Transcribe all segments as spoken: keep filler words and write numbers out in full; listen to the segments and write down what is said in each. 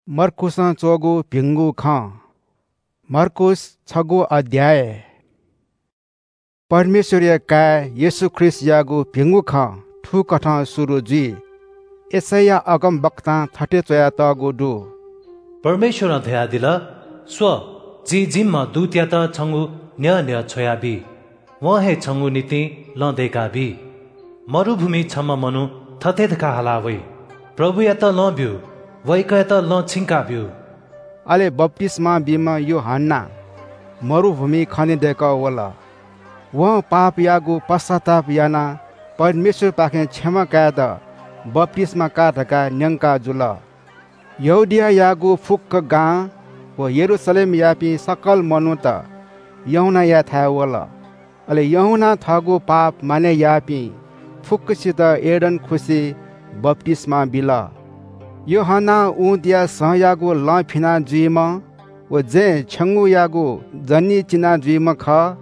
मर्कुसं च्वःगु भिंगु खँ। मर्कुस छगू अध्याय। परमेश्वरया काय् येशू ख्रीष्टयागु भिंगु खँ थुकथं सुरु जुइ। यशैया अगमवक्तां थथे च्वयातःगु दु। परमेश्वरं धयादिल, "स्व, जिं जिम्ह दूतयात छंगु न्ह्यः न्ह्यः छ्वयाबी। वं हे छंगु निंतिं लँ दय्काबी।" मरुभूमिइ छम्ह मनू थथे धकाः हाला वइ, "प्रभुयात लँ ब्यु, वय्कःयात लँ छिंका ब्यु।" अले बप्तिस्मा बीम्ह यूहन्ना मरुभूमिइ खने दय्कः वल। वं पापयागु पश्चाताप यानाः परमेश्वरपाखें क्षमा कायेत बप्तिस्मा का धकाः न्यंका जुल। यहूदियायागु फुक्क गां व यरूशलेमयापिं सकल मनूत यूहन्नायाथाय् वल। अले यूहन्नां थःगु पाप मानय् याःपिं फुक्कसित यर्दन खुसिइ बप्तिस्मा बिल। यूहन्नां ऊँटया सँयागु लँ फिना जुइम्ह व जँय् छ्यंगूयागु जनी चिना जुइम्ह खः।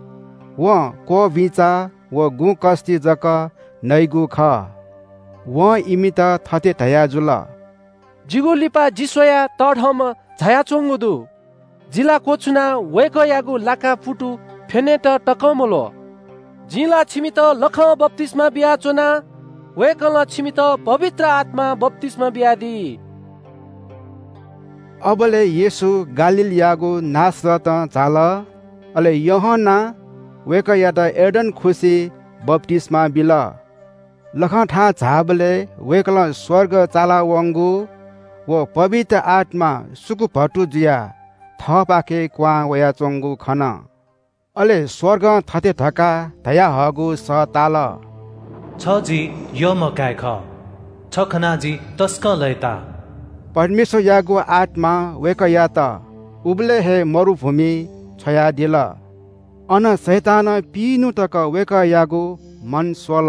वं क्वबिचा व गुँकस्ति जक नइगु खः। वं इमित थथे धयाजुल, "जिगु लिपा जि स्वयाः तःधंम्ह झायाच्वंगु दु। जि ला क्वछुनाः वय्कःयागु लाका पुतु फ्यनेत तकं मल्वः। जिं ला छिमित लखं बप्तिस्मा बियाच्वना, वय्कलं छिमित पवित्र आत्मां बप्तिस्मा बियादी।" अबलय् येशू गालीलयागु नासरतं झाल। अले यूहन्नां वय्कःयात यर्दन खुसिइ बप्तिस्मा बिल। लखंथाय् झाःबलय् वय्कलं स्वर्ग चालावंगु व पवित्र आत्मा सुकुभतु जुयाः थःपाखे क्वहां वयाच्वंगु खन। अले स्वर्गं थथे धकाः धयाहःगु सः ताल, "छ जि यःम्ह काय् खः, छ खनाः जि तसकं लय्ता।" परमेश्वरयागु आत्मां वय्कःयात उबलय् हे मरुभूमिइ छ्वयादिल। अन शैतानं पिइन्हु तक वय्कःयागु मन स्वल।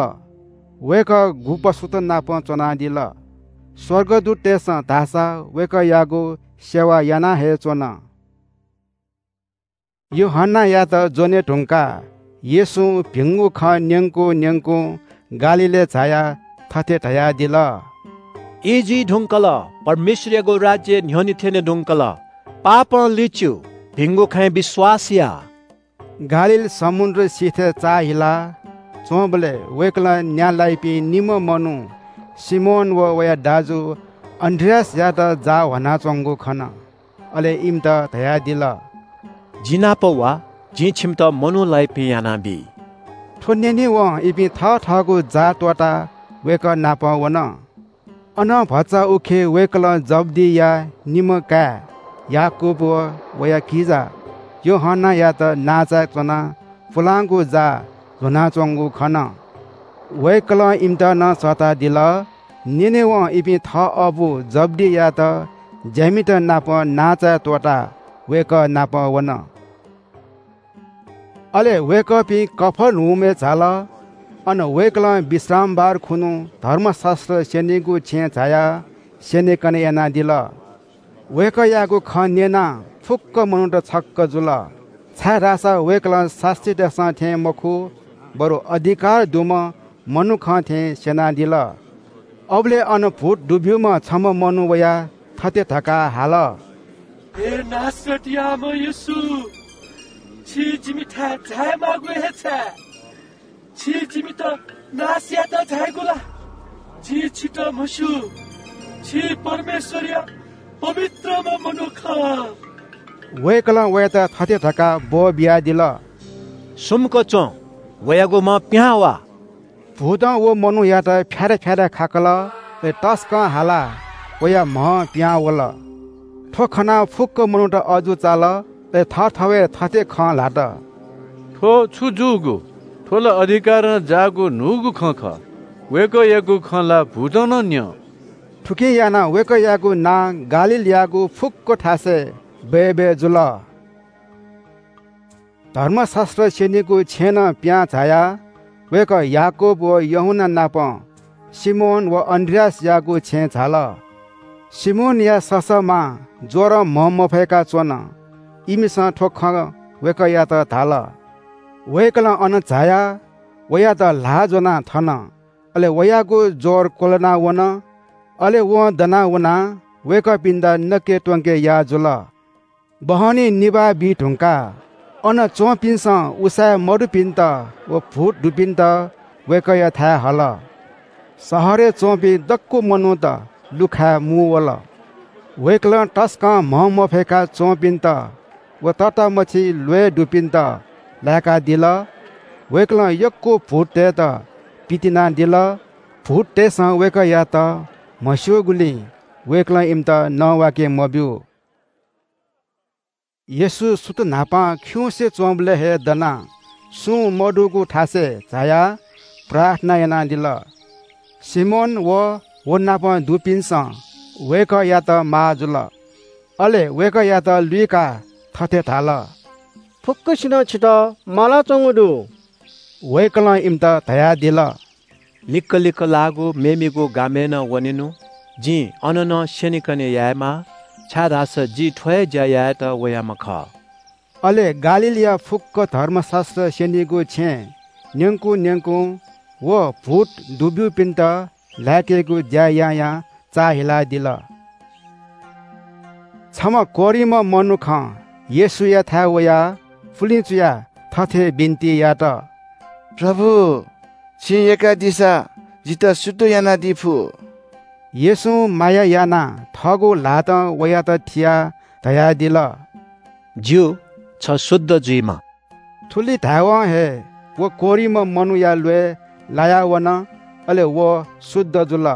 वय्कः गुँपशुत नाप च्वनादिल। स्वर्गदूततय्सं धाःसा वय्कःयागु सेवा याना हे च्वन। यूहन्नायात ज्वने धुंकाः येशूं भिंगु खँ न्यंकुं न्यंकुं गालीलय् झायाः थथे धयादिल, "ई जुइ धुंकल, परमेश्वरयागु राज्य न्ह्यःने थ्यने धुंकल। पापं लिच्यु, भिंगु खँय् विश्वास या।" गालील समुद्र सिथय् चाःहिला च्वंबलय् वय्कलं न्या लाइपिं निम्ह मनू सिमोन व वया दाजु अन्‍द्रियासयात जाः ह्वानाच्वंगु खन। अले इमित धयादिल, "जि नाप वा, जिं छिमित मनू लाइपिं यानाबी।" थ्व न्यनेवं इपिं थःथःगु जाः त्वःताः वय्कः नाप वन। अनं भचा उखे वय्कलं जब्‍दिया निम्ह काय् याकूब व वया किजा यूहन्‍नायात नांचाय् च्‍वनाः पुलांगु जाः ल्‍ह्वनाच्‍वंगु खन। वय्कलं इमित नं सःतादिल। न्‍यनेवं इपिं थः अबु जब्‍दियात ज्‍यामित नाप नांचाय् त्‍वःताः वय्कः नाप वन। अले वय्कःपिं कफर्नहुमय् झाल। अन वय्कलं विश्रामबार खुन्‍हु धर्मशास्‍त्र स्‍यनीगु छेँय् झायाः स्‍यनेकने यानादिल। वय्कःयागु खँ न्‍यनाः फुक्‍क मनूत छक्‍क जुल, छाय्‌धाःसा वय्कलं शास्‍त्रीतय्‌सं थें मखु, बरु अधिकार दुम्‍ह मनुखं थें स्‍यनादिल। अबलय् अन भूत दुब्‍यूम्‍ह छम्‍ह मनू वयाः थथे धकाः हाल, "हे नासरतयाम्‍ह येशू, छि जिमिथाय् झायेमाःगु हे छाय्? छि जिमित नाश यायेत झायेगु ला? जिं छितः म्हस्‍यू, छि परमेश्‍वरया पवित्रम्‍ह मनू खः।" वय्कलं वयात थथे धकाः ब्‍वः बियादिल, "सुम्‍क च्‍वँ, वयागु म्‍ह पिहां वा।" भूतं व मनूयात फ्‍यारा फ्‍यारा खाकल, अले तसकं हालाः वया म्‍ह पिहां वल। थ्‍व खनाः फुक्‍क मनूत अजू चाल, अले थःथवय् थथे खँ ल्‍हात, "थ्‍व छु जूगु? थ्‍व ला अधिकारं जाःगु न्‍हूगु खँ खः। वय्कःयागु खँ ला भूतं नं न्‍यं।" थुकिं यानाः वय्कःयागु नां गालीलयागु फुक्‍क थासय् बय्‌बय् जुल। धर्मशास्‍त्र स्‍यनीगु छेँनं पिहां झायाः वय्कः याकूब व यूहन्‍ना नाप सिमोन व अन्‍द्रियासयागु छेँय् झाल। सिमोनया ससःमां ज्‍वरं म्‍ह मफय्‌का च्‍वन। इमिसं थ्‍व खँ वय्कःयात धाल। वय्कलं अन झायाः वयात ल्‍हाः ज्‍वनाः थन। अले वयागु ज्‍वर क्‍वलना वन। अले वं दना वनाः वय्‌कःपिन्‍त नके त्‍वंके याः जुल। बहनी निभाः बी धुंकाः अन च्‍वंपिन्‍सं उसाँय् मदुपिन्‍त व भूत दुपिन्‍त वय्‌कःयाथाय् हल। शहरय् च्‍वंपिं दक्‍व मनूत लुखाय् मू वल। वय्‌कलं तसकं म्‍हं मफय्‌का च्‍वंपिन्‍त व ततामछि ल्‍वय् दुपिन्‍त लाय्‌कादिल। वय्‌कलं यक्‍व भूततय्‌त पितिनादिल। भूततय्‌सं वय्‌कःयात म्हस्‍यूगुलिं वय्‌कलं इमित नवाके मब्‍यू। येशू सुथ न्‍हापां खिउँसे च्‍वंबलय् हे दनाः सुं मदुगु थासय् झायाः प्रार्थना यानादिल। सिमोन व व नाप दुपिन्‍सं वय्‌कःयात माः जुल। अले वय्‌कःयात लुइकाः थथे धाल, फुक्‍कसिनं छितः मालाच्‍वंगु दु। वय्‌कलं इमित धयादिल, लिक्‍क लिक्‍क लाःगु मेमेगु गामय् नं वनेनु। जिं अन नं स्‍यनेकने यायेमाः, छाय्‌धाःसा जि थ्‍व हे ज्‍या यायेत वयाम्‍ह खः। अले गालीलया फुक्‍क धर्मशास्‍त्र स्‍यनीगु छेँ न्‍यंकुन्‍यंकुं व भूत दुब्‍यूपिन्‍त लाय्‌केगु ज्‍या यां यां चाःहिलादिल। छम्‍ह कोह्रिम्‍ह मनुखं येशूयाथाय् वयाः पुलिं चुयाः थथे बिन्‍ति यात, प्रभु, छिं यय्‌कादीसा जितः शुद्ध यानादी फु। येशूं माया यानाः थःगु ल्‍हातं वयात थियाः धयादिल, ज्‍यू, छ शुद्ध जुइमा। थुलि धायेवं हे व कोह्रिम्‍ह मनूया ल्‍वय् लाया वन, अले व शुद्ध जुल।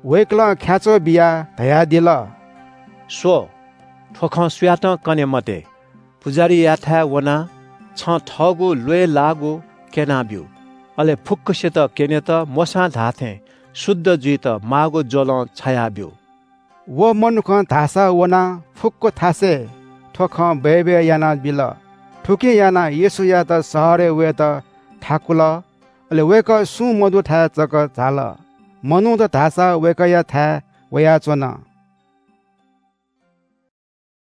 वय्‌कलं ख्‍याच्‍वः बियाः धयादिल, स्‍व, थ्‍व खँ सुयातं कने मते। पुजाहारीयाथाय् वनाः छं थःगु ल्‍वय् लाःगु क्‍यनाब्‍यु। अले फुक्‍कसित क्‍यनेत मोशां धाःथें शुद्ध जुइत माःगु ज्‍वलं छायाब्‍यु। व मनुखं धाःसा वनाः फुक्‍क थासय् थ्‍व खँ बय्‌बय् यानाबिल। थुकिं यानाः येशूयात शहरय् वयेत थाकुल। अले वय्‌कः सुं मदुथाय् जक झाल। मनूत धाःसा वय्‌कःयाथाय् वयाच्‍वन।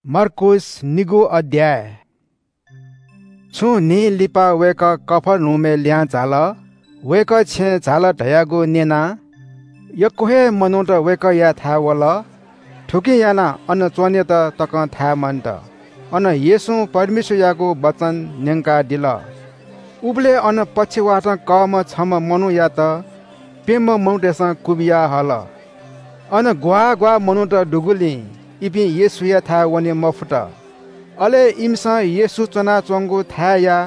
मर्कूस निगू अध्‍याय। छुं न्‍हि लिपा वय्‌कः कफर्नहुमय् लिहां झाल। वय्‌कः छेँय् झाल धयागु न्‍यनाः यक्‍व हे मनूत वय्‌कःयाथाय् वल। थुकिं यानाः अन च्‍वनेत तकं थाय् मन्‍त। अन येशूं परमेश्‍वरयागु वचन न्‍यंकादिल। उबलय् अन पक्षवातं कःम्‍ह छम्‍ह मनूयात प्‍यम्‍ह मनूतय्‌सं कुबिया हल। अन ग्‍वाः ग्‍वाः मनूत दुगुलिं इपिं येशूयाथाय् वने मफुत। अले इमिसं येशू च्‍वनाच्‍वंगु थाय्‌या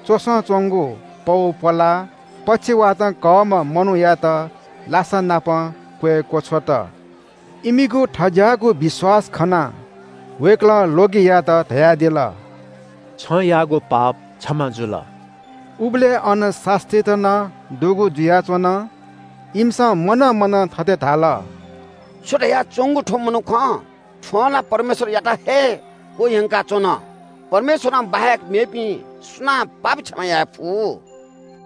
च्‍वसं च्‍वंगु पौ प्‍वलाः पक्षवातं कःम्‍ह मनूयात लासा नाप क्‍वय् क्‍वछ्वत। इमिगु थज्‍याःगु विश्‍वास खनाः वय्‌कलं ल्‍वगियात धयादिल, छं याःगु पाप क्षमा जुल। उबलय् अन शास्‍त्रीत नं दुगु जुयाच्‍वन। इमिसं मनं मनं थथे धाल, छु धयाच्‍वंगु थ्‍व मनुखं? थ्‍वं ला परमेश्‍वरयात हे क्‍वह्यंकाच्‍वन। परमेश्‍वरं बाहेक मेपिं सुनां पाप क्षमा याये फु?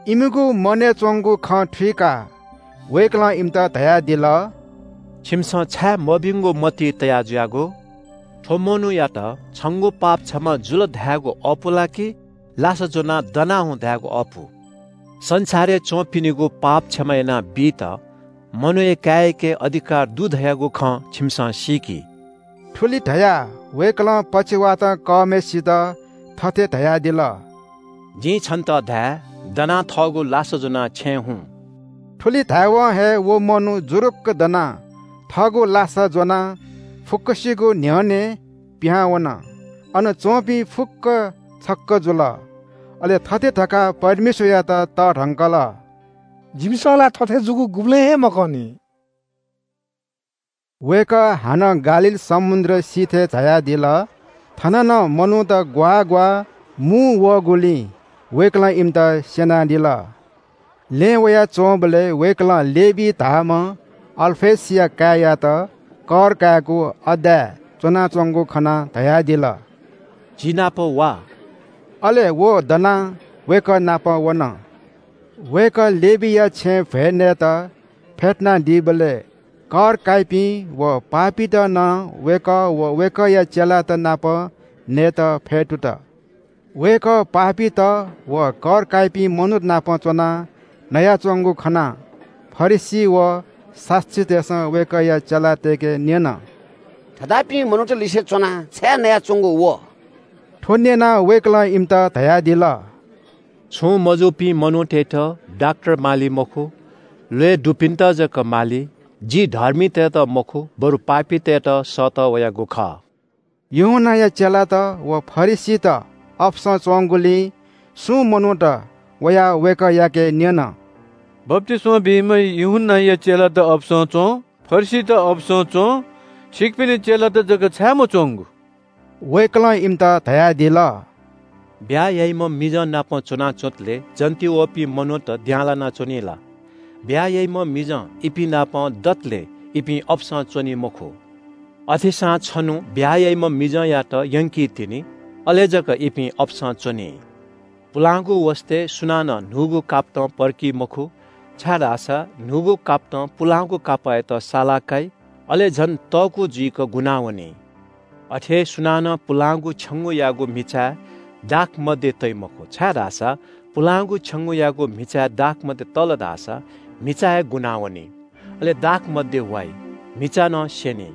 इमिगु मनय् च्‍वंगु खँ थुइकाः वय्‌कलं इमित धयादिल, छिमिसं छाय् मभिंगु मति तया जुयागु? थ्‍व मनूयात छंगु पाप क्षमा जुल धायेगु अःपु ला कि लासा ज्‍वनाः दना हुँ धायेगु अःपु? संसारय् च्‍वंपिनिगु पाप क्षमा यानाबीत मनूया काय्‌याके अधिकार दु धयागु खँ छिमिसं सीकि। थुलि धयाः वय्‌कलं पक्षवातं कःम्‍हय्‌सित थथे धयादिल, जिं छन्‍त धाये, दनाः थःगु लासा ज्‍वनाः छेँय् हुँ। थुलि धायेवं हे व मनू जुरुक्‍क दनाः थःगु लासा ज्‍वनाः फुक्‍कसिगु न्‍ह्यःने पिहां वन। अन च्‍वंपिं फुक्‍क छक्‍क जुल। अले थथे धकाः परमेश्‍वरयात तःधंकल, जिमिसं ला थथे जूगु गुबलें हे मकनी। वय्‌कः हानं गालील समुद्र सिथय् झायादिल। थन नं मनूत ग्‍वाः ग्‍वाः मू वःगुलिं वय्‌कलं इमित स्‍यनादिल। लँय् वयाच्‍वंबलय् वय्‌कलं लेवी धाःम्‍ह अल्‍फयसया काय्‌यात कर कायेगु अड्डाय् च्‍वनाच्‍वंगु खनाः धयादिल, जि नाप वा। अले व दनाः वय्‌कः नाप वन। वय्‌कः लेवीया छेँय् भ्‍वय् नयेत फ्‍यतुनादीबलय् कर काइपिं व पापीत नं वय्‌कः व वय्‌कःया चेलात नाप नयेत फ्‍यतुत। वय्‌कः पापीत व कर काइपिं मनूत नाप च्‍वनाः नयाच्‍वंगु खनाः फरिसी व शास्‍त्रीतय्‌सं वय्‌कःया चेलातय्‌के न्‍यन, थज्याःपिं मनूत लिसे च्वनाः छाय् नयाच्वंगु व?" थ्व न्यनाः वय्कलं इमित धयादिल, "छुं मजूपिं मनूतय्त डाक्‍टर माली मखु, ल्‍वय् दुपिन्‍त जक माली। जि धर्मीतय्त मखु, बरु पापीतय्त सःतः वयागु खः।" यूहन्‍नाया चेलात व फरिसीत अपसं च्‍वंगुलिं सुं मनूत वयाः वय्कःयाके न्‍यन, "बप्‍तिस्‍मा बीम्‍ह यूहन्‍नाया चेलात अपसं च्‍वं, फरिसीत अपसं च्‍वं, छिकपिनि चेलात जक छाय् मच्‍वंगु?" वय्कलं इमित धयादिल, "ब्‍याहा याइम्‍ह मिजं नाप च्‍वनाच्‍वंतले जन्‍ति वःपिं मनूत द्यांलाना च्‍वनी ला? ब्‍याहा याइम्‍ह मिजं इपिं नाप दतले इपिं अपसं च्‍वनी मखु। अथेसां छन्‍हु ब्‍याहा याइम्‍ह मिजंयात यंकी तिनि, अले जक इपिं अपसं च्‍वनी। पुलांगु वसतय् सुनानं न्‍हूगु कापतं पर्की मखु, छाय्‌धाःसा न्‍हूगु कापतं पुलांगु कापःयात साला काइ, अले झन तःकू जुइक गुना वनी। अथे हे सुनानं पुलांगु छ्यंगूयागु म्‍हिचाय् दाखमद्य तइ मखु, छाय्‌धाःसा पुलांगु छ्यंगूयागु म्‍हिचाय् दाखमद्य तल धाःसा म्‍हिचा हे गुना वनी, अले दाखमद्य वाइ, म्‍हिचा नं स्‍यनी।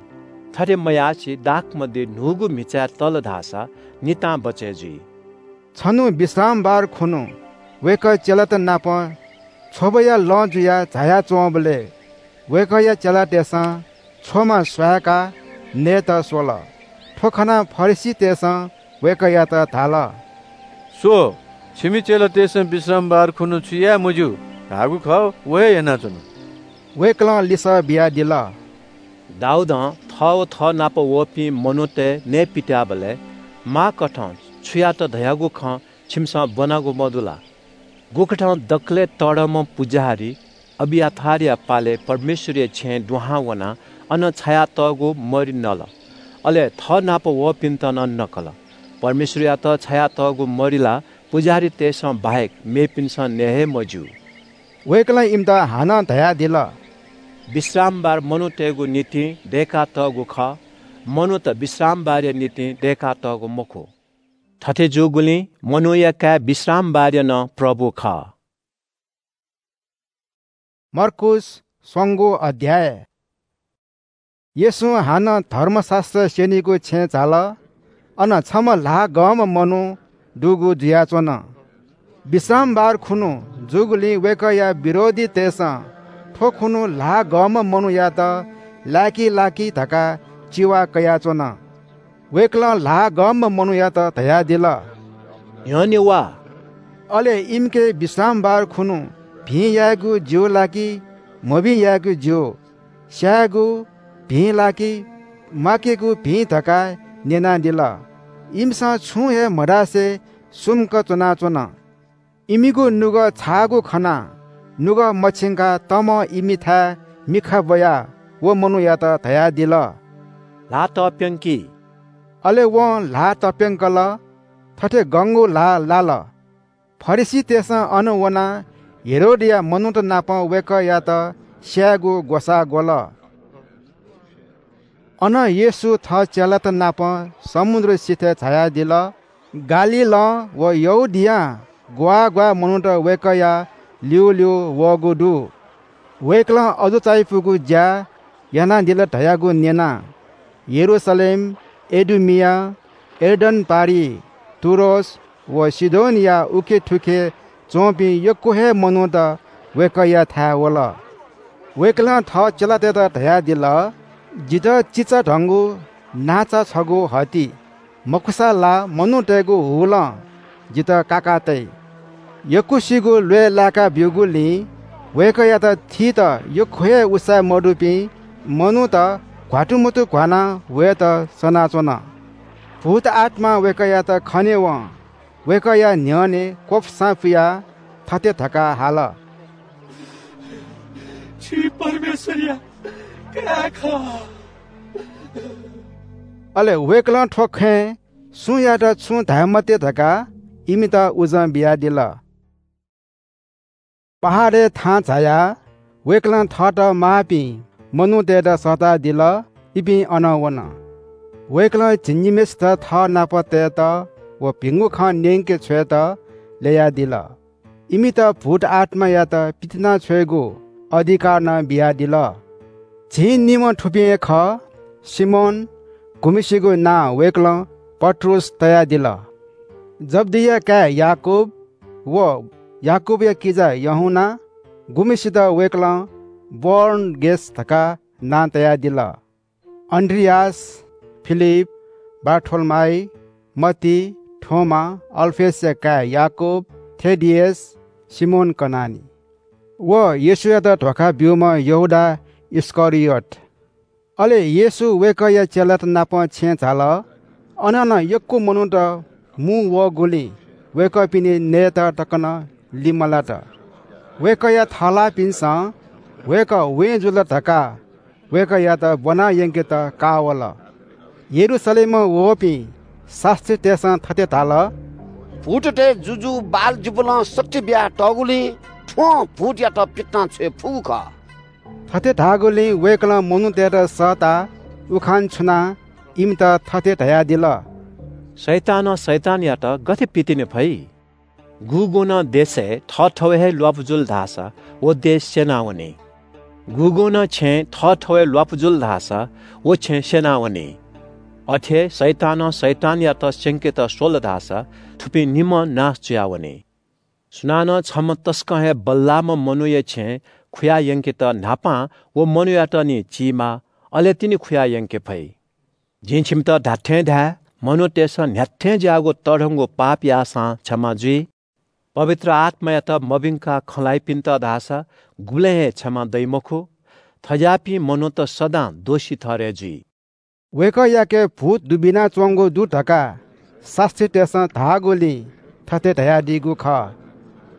थथे मयासें दाखमद्य न्‍हूगु म्‍हिचाय् तल धाःसा नितां बचय् जुइ।" छन्‍हु विश्रामबार खुन्‍हु वय्कः चेलात नाप छ्वबया लँ जुयाः झायाच्‍वंबलय् वय्कःया चेलातय्सं छ्वमा स्वाय्काः नयेत स्‍वल। थ्‍व खनाः फरिसीतय्सं वय्कःयात धाल, "स्‍व, छिमि चेलातय्सं विश्रामबार खुन्‍हु छु याये मज्‍यू धाःगु खः, व हे यानाच्‍वन।" वय्कलं लिसः बियादिल, "दाऊदं थः व थः नाप वःपिं मनूतय् नये पित्‍याःबलय् माःकथं छुयात धयागु खँ छिमिसं ब्‍वनागु मदु ला? गुकथं दकलय् तःधंम्‍ह पुजाहारी अबियाथारया पालय् परमेश्‍वरया छेँय् दुहां वनाः अन छायातःगु मरि नल, अले थः नाप वःपिन्‍त नं नकल। परमेश्‍वरयात छायातःगु मरि ला पुजाहारीतय्सं बाहेक मेपिन्‍सं नये हे मज्‍यू।" वय्कलं इमित हानं धयादिल, "विश्रामबार मनूतय्गु निंतिं दय्कातःगु खः, मनूत विश्रामबारया निंतिं दय्कातःगु मखु। थथे जूगुलिं मनूया काय् विश्रामबारया नं प्रभु खः।" मर्कूस स्वंगू अध्याय। येशूं हानं धर्मशास्‍त्र स्‍यनीगु छेँय् झाल। अन छम्‍ह ल्‍हाः गंम्‍ह मनू दुगु जुयाच्‍वन। विश्रामबार खुन्‍हु जूगुलिं वय्‌कःया विरोधीतय्‌सं थ्‍व खुन्‍हु ल्‍हाः गंम्‍ह मनूयात लाय्‌की लाय्‌की धकाः चिवा कयाच्‍वन। वय्‌कलं ल्‍हाः गंम्‍ह मनूयात धयादिल, "न्‍ह्यःने वा।" अले इमिके विश्रामबार खुन्‍हु भिं यायेगु ज्‍यू ला कि मभिं यायेगु ज्‍यू, स्‍यायेगु भिं ला कि म्‍वाकेगु भिं धकाः न्‍यनादिल। इमिसं छुं हे मधासे सुम्‍क च्‍वनाच्‍वन। इमिगु नुगः छाःगु खनाः नुगः मछिंकाः तमं इमिथाय् मिखा ब्‍वयाः व मनूयात धयादिल, "ल्‍हाः तप्‍यंकि।" अले वं ल्‍हाः तप्‍यंकल। थथे गंगु ल्‍हाः लाल। फरिसीतय्‌सं अन वनाः हेरोदया मनूत नाप वय्‌कःयात स्‍यायेगु ग्‍वसाः ग्‍वल। अनं येशू थः चेलात नाप समुद्र सिथय् झायादिल। गालीलं व यहूदियां ग्‍वाः ग्‍वाः मनूत वय्‌कःया ल्‍यूल्‍यू वःगु दु। वय्‌कलं अजू चायापुगु ज्‍या यानादिल धयागु न्‍यनाः यरूशलेम, एदुमिया, यर्दन पारिइ, टुरोस व सीदोनया उखेथुखे च्‍वंपिं यक्‍व हे मनूत वय्‌कःयाथाय् वल। वय्‌कलं थः चेलातय्‌त धयादिल, "जितः चिचा धंगु नांचा छगू हःति, मखुसा ला मनूतय्‌गु हुलं जितः काका तइ।" यक्‍वसिगु ल्‍वय् लाय्‌का ब्‍यूगुलिं वय्‌कःयात थीत यक्‍व हे उसाँय् मदुपिं मनूत घ्‍वात्तुमतु घ्‍वानाः वयेत सनाच्‍वन। भूत आत्‍मां वय्‌कःयात खनेवं वय्‌कःया न्‍ह्यःने क्‍वपुसां पुयाः थथे धकाः हाल, "छि परमेश्‍वरया काय् खः।" अले वय्‌कलं थ्‍व खँय् सुयातं छुं धाये मते धकाः इमित उजं बियादिल। पहाडय् थाहां झायाः वय्‌कलं थःत माःपिं मनूतय्‌त सःतादिल, इपिं अनं वन। वय्‌कलं झिंनिम्‍हय्‌सित थः नाप तयेत व भिंगु खँ न्‍यंके छ्वयेत ल्‍ययादिल। इमित भूत आत्‍मायात पितिना छ्वयेगु अधिकार नं बियादिल। झिंनिम्‍ह थुपिं हे खः, सिमोन, गुम्हसिगु नां वय्कलं पत्रुस तयादिल। जब्दिया काय् याकूब व याकूबया किजा यूहन्ना, गुम्हसित वय्कलं बोअनर्गेस धकाः नां तयादिल। अन्द्रियास, फिलिप, बारथोलोमाइ, मत्ती, थोमा, अल्फयसया काय् याकूब, थेदियस, सिमोन कनानी व येशूयात धोखा ब्यूम्ह यहूदा इस्करियोत। अले येशू वय्कःया चेलात नाप छेँय् झाल। अन नं यक्व मनूत मू वःगुलिं वय्कःपिनि नयेत तक नं लिमलात। वय्कःया थःलाःपिन्सं वय्कः वें जुल धकाः वय्कःयात ब्वना यंकेत काः वल। यरूशलेमं वःपिं शास्त्रीतय्सं थथे धाल, "भूततय् जुजु बालजिबुलं शक्ति बियातःगुलिं थ्वं भूतयात पितिना छ्वये फुगु खः।" थथे धाःगुलिं वय्कलं मनूतय्त सःताः उखान छुनाः इमित थथे धयादिल, "शैतानं शैतानयात गथे पितिने फइ? गुगुं नं देशय् थःथवय् हे ल्वापु जुल धाःसा व देश स्यनावनी। गुगुं नं छेँय् थःथवय् ल्वापु जुल धाःसा व छेँ स्यनावनी। अथे हे शैतानं शैतानयात स्यंकेत स्वल धाःसा थुपिं निम्हं नाश जुयावनी। सुनानं छम्ह तसकं हे बल्लाःम्ह मनूया छेँ खुया यंकेत न्हापां व मनूयात निं चीमाः, अले तिनि खुया यंके फइ। जिं छिमित धात्थें धाये, मनूतय्सं न्ह्याथें ज्याःगु तःधंगु पाप याःसां क्षमा जुइ। पवित्र आत्मायात मभिंकाः खँ ल्हाइपिन्त धाःसा गुबलें हे क्षमा दइ मखु। थज्याःपिं मनूत सदां दोषी ठहरय् जुइ।" वय्कःयाके भूत दुबिनाच्वंगु दु धकाः शास्त्रीतय्सं धाःगुलिं थथे धयादीगु खः।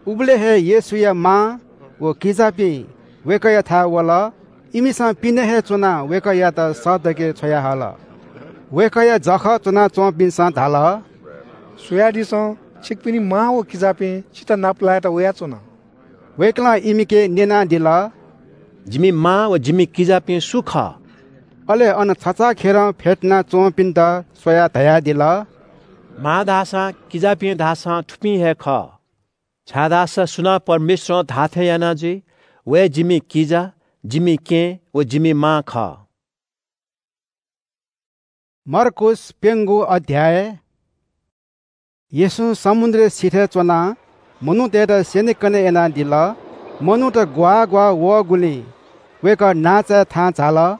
उबलय् हे येशूया मां व किजापिं वय्कःयाथाय् वल। इमिसं पिने हे च्वनाः वय्कःयात सःतके छ्वयाहल। वय्कःया जःखः च्वनाच्वंपिन्सं धाल, "स्वयादिसँ, छिकपिनि मां व किजापिं छितः नापलायेत वयाच्वन।" वय्कलं इमिके न्यनादिल, "जिमि मां व जिमि किजापिं सु खः?" अले अन छचाःखेरं फ्यतुना च्वंपिन्त स्वयाः धयादिल, "मां धाःसां, किजापिं धाःसां थुपिं हे खः। छाय्धाःसा सुनां परमेश्वरं धाःथें याना जुइ, व हे जिमि किजा, जिमि केहेँ व जिमि मां खः।" मर्कूस प्यंगू अध्याय। येशूं समुद्रया सिथय् च्वनाः मनूतय्त स्यनेकने यानादिल। मनूत ग्वाः ग्वाः वःगुलिं वय्कः नांचाय् थाहां झाल।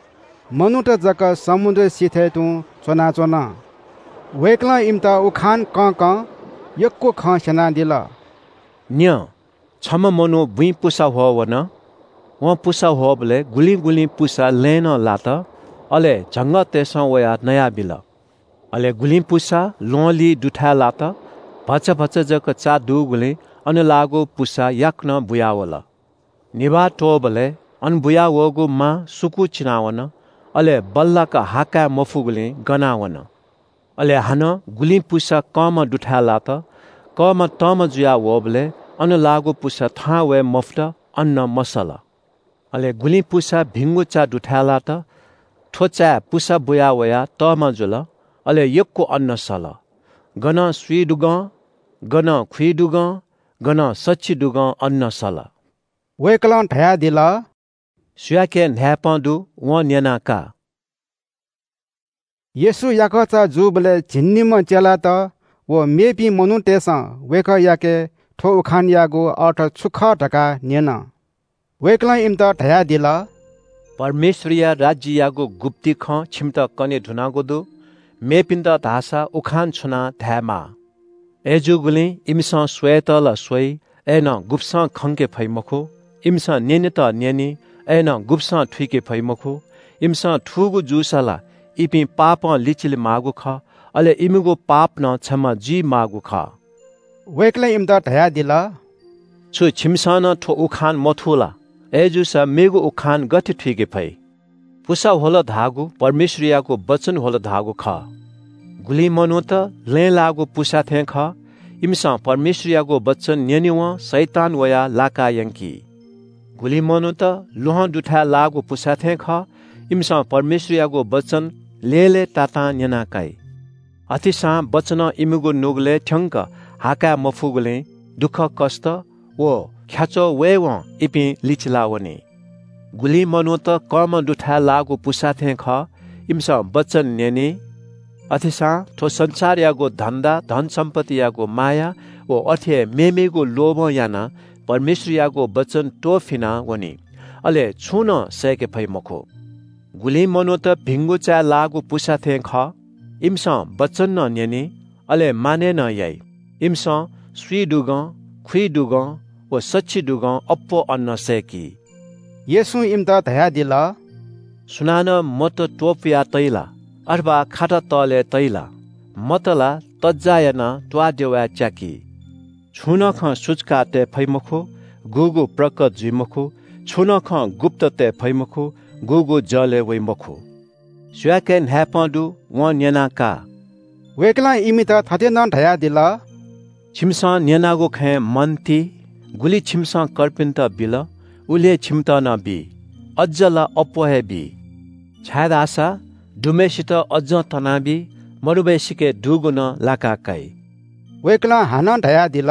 मनूत जक समुद्रया सिथय् तुं च्वनाच्वन। वय्कलं इमित उखान कंकं यक्व खँ स्यनादिल। न्यँ, छम्ह मनू बुँइ पुसा ह्वः वन। वं पुसा ह्वःबलय् गुलिं गुलिं पुसा लँय् नं लात, अले झंगःतय्सं वयाः नयाबिल। अले गुलिं पुसा ल्वहंलिं दुथाय् लात। भचा भचा जक चा दुगुलिं अन लाःगु पुसा याकनं बुयावल। निभाः त्वःबलय् अन बुयावःगु मां सुकूचिनावन, अले बल्लाक हा काये मफुगुलिं गनावन। अले हानं गुलिं पुसा कंमा दुथाय् लात। कंमा तःमा जुया वःबलय् अन लाःगु पुसा थहां वये मफुत, अन्नं मसल। अले गुलिं पुसा भिंगु चा दुथाय् लात। थ्व चाय् पुसा बुया वयाः तःमा जुल, अले यक्व अन्न सल। गनं स्वीदुगं, गनं खुइदुगं, गनं सछिदुगं अन्न सल। वय्कलं धयादिल, "सुयाके न्हाय्पं दु, वं न्यनाः का।" येशू याकःचा जूबलय् झिंनिम्ह चेलात व मेपिं मनूतय्सं वय्कःयाके थ्व उखानयागु अर्थ छु खः धकाः न्यन। वय्कलं इमित धयादिल, "परमेश्वरया राज्ययागु गुप्ति खँ छिमित कने धुनागु दु। मेपिन्त धाःसा उखान छुनाः धायेमाः। अय्जूगुलिं इमिसं स्वयेत ला स्वइ, अय्नं गुब्सं खंके फइ मखु। इमिसं न्यनेत न्यनी, अय्नं गुब्सं थुइके फइ मखु। इमिसं थूगु जूसा ला इपिं पापं लिचिले माःगु खः, अले इमिगु पाप नं क्षमा जुइ माःगु खः।" वय्कलं इमित धयादिल, "छु छिमिसं नं थ्व उखान मथू ला? अय्जूसा मेगु उखान गथे थुइके फइ? पुसा ह्वल धाःगु परमेश्वरयागु वचन ह्वल धाःगु खः। गुलिं मनूत लँय् लाःगु पुसा थें खः। इमिसं परमेश्वरयागु वचन न्यनेवं शैतान वयाः लाका यंकी। गुलिं मनूत ल्वहं दुथाय् लाःगु पुसा थें खः। इमिसं परमेश्वरयागु वचन लय्‌लय्‌तातां न्यना काइ। अथेसां वचनं इमिगु नुगलय् थ्यंक हा काये मफुगुलिं दुःखकष्ट व ख्याच्वः वयेवं इपिं लिचिला वनी। गुलिं मनूत कंमा दुथाय् लाःगु पुसा थें खः। इमिसं वचन न्यनी, अथेसां थ्व संसारयागु धन्दा, धनसम्पत्तियागु माया व अथे हे मेमेगु लोभं यानाः परमेश्वरयागु वचन त्वःफिना वनी। अले छुं नं सय्के फइ मखु। गुलिं मनूत भिंगु चाय् लाःगु पुसा थें खः। इमिसं वचन नं न्यनी, अले मानय् नं याइ। इमिसं स्वीइ दुगं, खुइइ दुगं व सछि दुगं अप्वः अन्नं सय्की। येशूं इमित धयादिल, सुनानं मत त्वपुया तइ ला, अथवा खाता तःले तइ ला? मत ला तज्जा यानाः त्वाःदेवाय् च्याकी। छुं नं खँ सुचुका तये फइ मखु, गुगु प्रकट जुइ मखु, छुं नं खँ गुप्त तये फइ मखु, गुगु जलय् वइ मखु। सुयाके न्हाय्पं दु, वं न्यनाः का। वय्कलं इमित थथे नं धयादिल, छिमिसं न्यनागु खँय् मन ति। गुलि छिमिसं कर्पिन्त बिल, उलि हे छिमित नं बी, अज्ज ला अप्वः हे बी। छाय्धाःसा दुम्हेसित अज्जं तनाबी, मदुम्हेसिके दुगु नं लाकाः काइ। वय्कलं हानं धयादिल,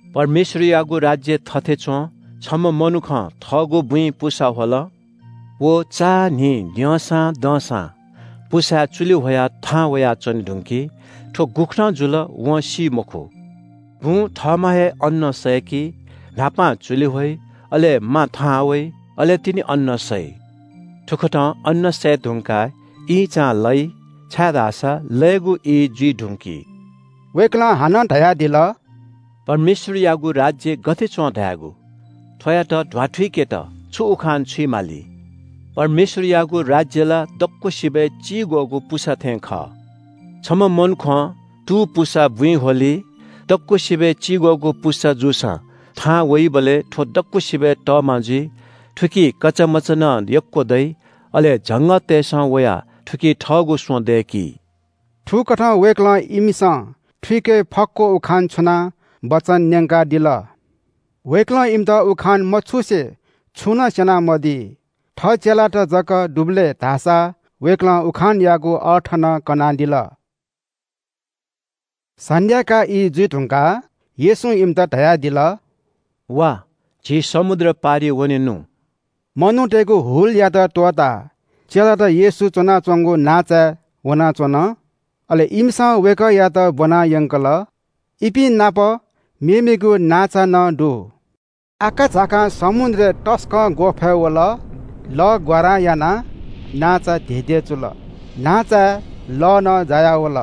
परमेश्वरयागु राज्य थथे च्वं, छम्ह मनुखं थःगु बुँइ पुसा ह्वल। व चान्हि द्यंसां दंसां पुसाय् चुलि ह्वयाः थाहां वयाच्वने धुंकी। थ्व गुकथं जुल, वं सी मखु। बुँ थःम्हं हे अन्नं सय्की, न्हापां चुलि ह्वइ, अले मां थाहां वइ, अले तिनि अन्नं सइ। थुकथं अन्नं सये धुंकाः ईंचां लइ, छाय्धाःसा लयेगु ई जुइ धुंकी। वय्कलं हानं धयादिल, परमेश्वरयागु राज्य गथे च्वं धायेगु? थ्वयात ध्वाथुइकेत छु उखान छुइ माली? परमेश्वरयागु राज्य ला दक्वसिबय् चिग्वःगु पुसा थें खः। छम्ह मनुखं तू पुसा बुँइ ह्वली, दक्वसिबय् चिग्वःगु पुसा जूसां थाहां वइबलय् थ्व दक्वसिबय् तःमा जुइ। थुकी कचामचा नं यक्व दइ, अले झंगःतय्सं वयाः थुकी थःगु स्वँ दय्की। थुकथं वय्कलं इमिसं थुइके फक्व उखान छुनाः वचन न्यंकादिल। वय्कलं इमित उखान मछुसे छुं नं स्यनामदी। थः चेलात जक दुबलय् धाःसा वय्कलं उखानयागु अर्थ नं कनादिल। सन्ध्याकाः ई जुइ धुंकाः येशूं इमित धयादिल, वा, झी समुद्र पारिइ वनेनु। मनूतय्गु हुलयात त्वःताः चेलात येशू च्वनाच्वंगु नांचाय् वनाच्वन। अले इमिसं वय्कःयात ब्वना यंकल। इपिं नाप मेमेगु नांचा नं दु। आकाझाकां समुद्रय् तसकं ग्वःफय् वल। लः ग्वारां यानाः नांचा धेंधेंचुल। नांचाय् लः नं जायावल।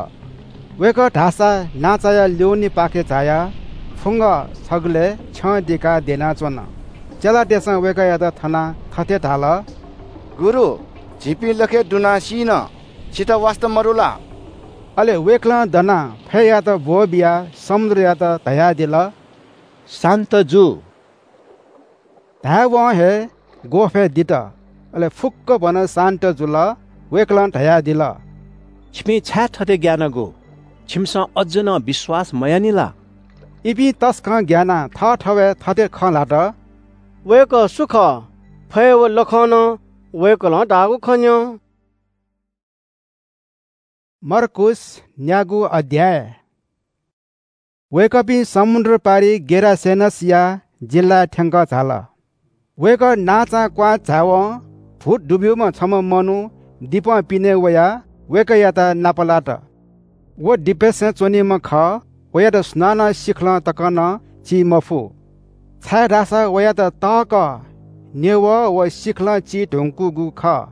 वय्कः धाःसा नांचाया ल्यूनेपाखे झायाः फुंगः छगलय् छ्यं दिकाः द्यनाच्वन। चेलातय्सं वय्कःयात थनाः थथे धाल, गुरु, झीपिं लखय् दुनाः सी नं, छितः वास्ता मदु ला? अले वय्कलं दनाः फय्‌यात ब्वःबियाः समुद्रयात धयादिल, शान्त जु। धायेवं हे ग्वःफय् दित। अले फुक्कभनं शान्त जुल। वय्कलं धयादिल, छिपिं छाय् थथे ग्यानागु? छिमिसं अज्ज नं विश्वास मयानि ला? इपिं तसकं ग्यानाः थःथवय् थथे खँ ल्हात, वय्कः सु खः? फय् व लखं नं वय्कलं धाःगु खँ न्यँ। मर्कुस न्यागू अध्याय। वय्कःपिं समुद्र पारि गेरासेनसया जिल्लाय् थ्यंकः झाल। वय्कः नांचां क्वहां झायेवं भूत दुब्यूम्ह छम्ह मनू दिपं पिने वयाः वय्कःयात नापलात। व दिपय्सं च्वनीम्ह खः, वयात सुनानं सिखलं तक नं ची मफु, छाय्धाःसा वयात तःकः न्यवः व सिखलं ची धुंकूगु खः।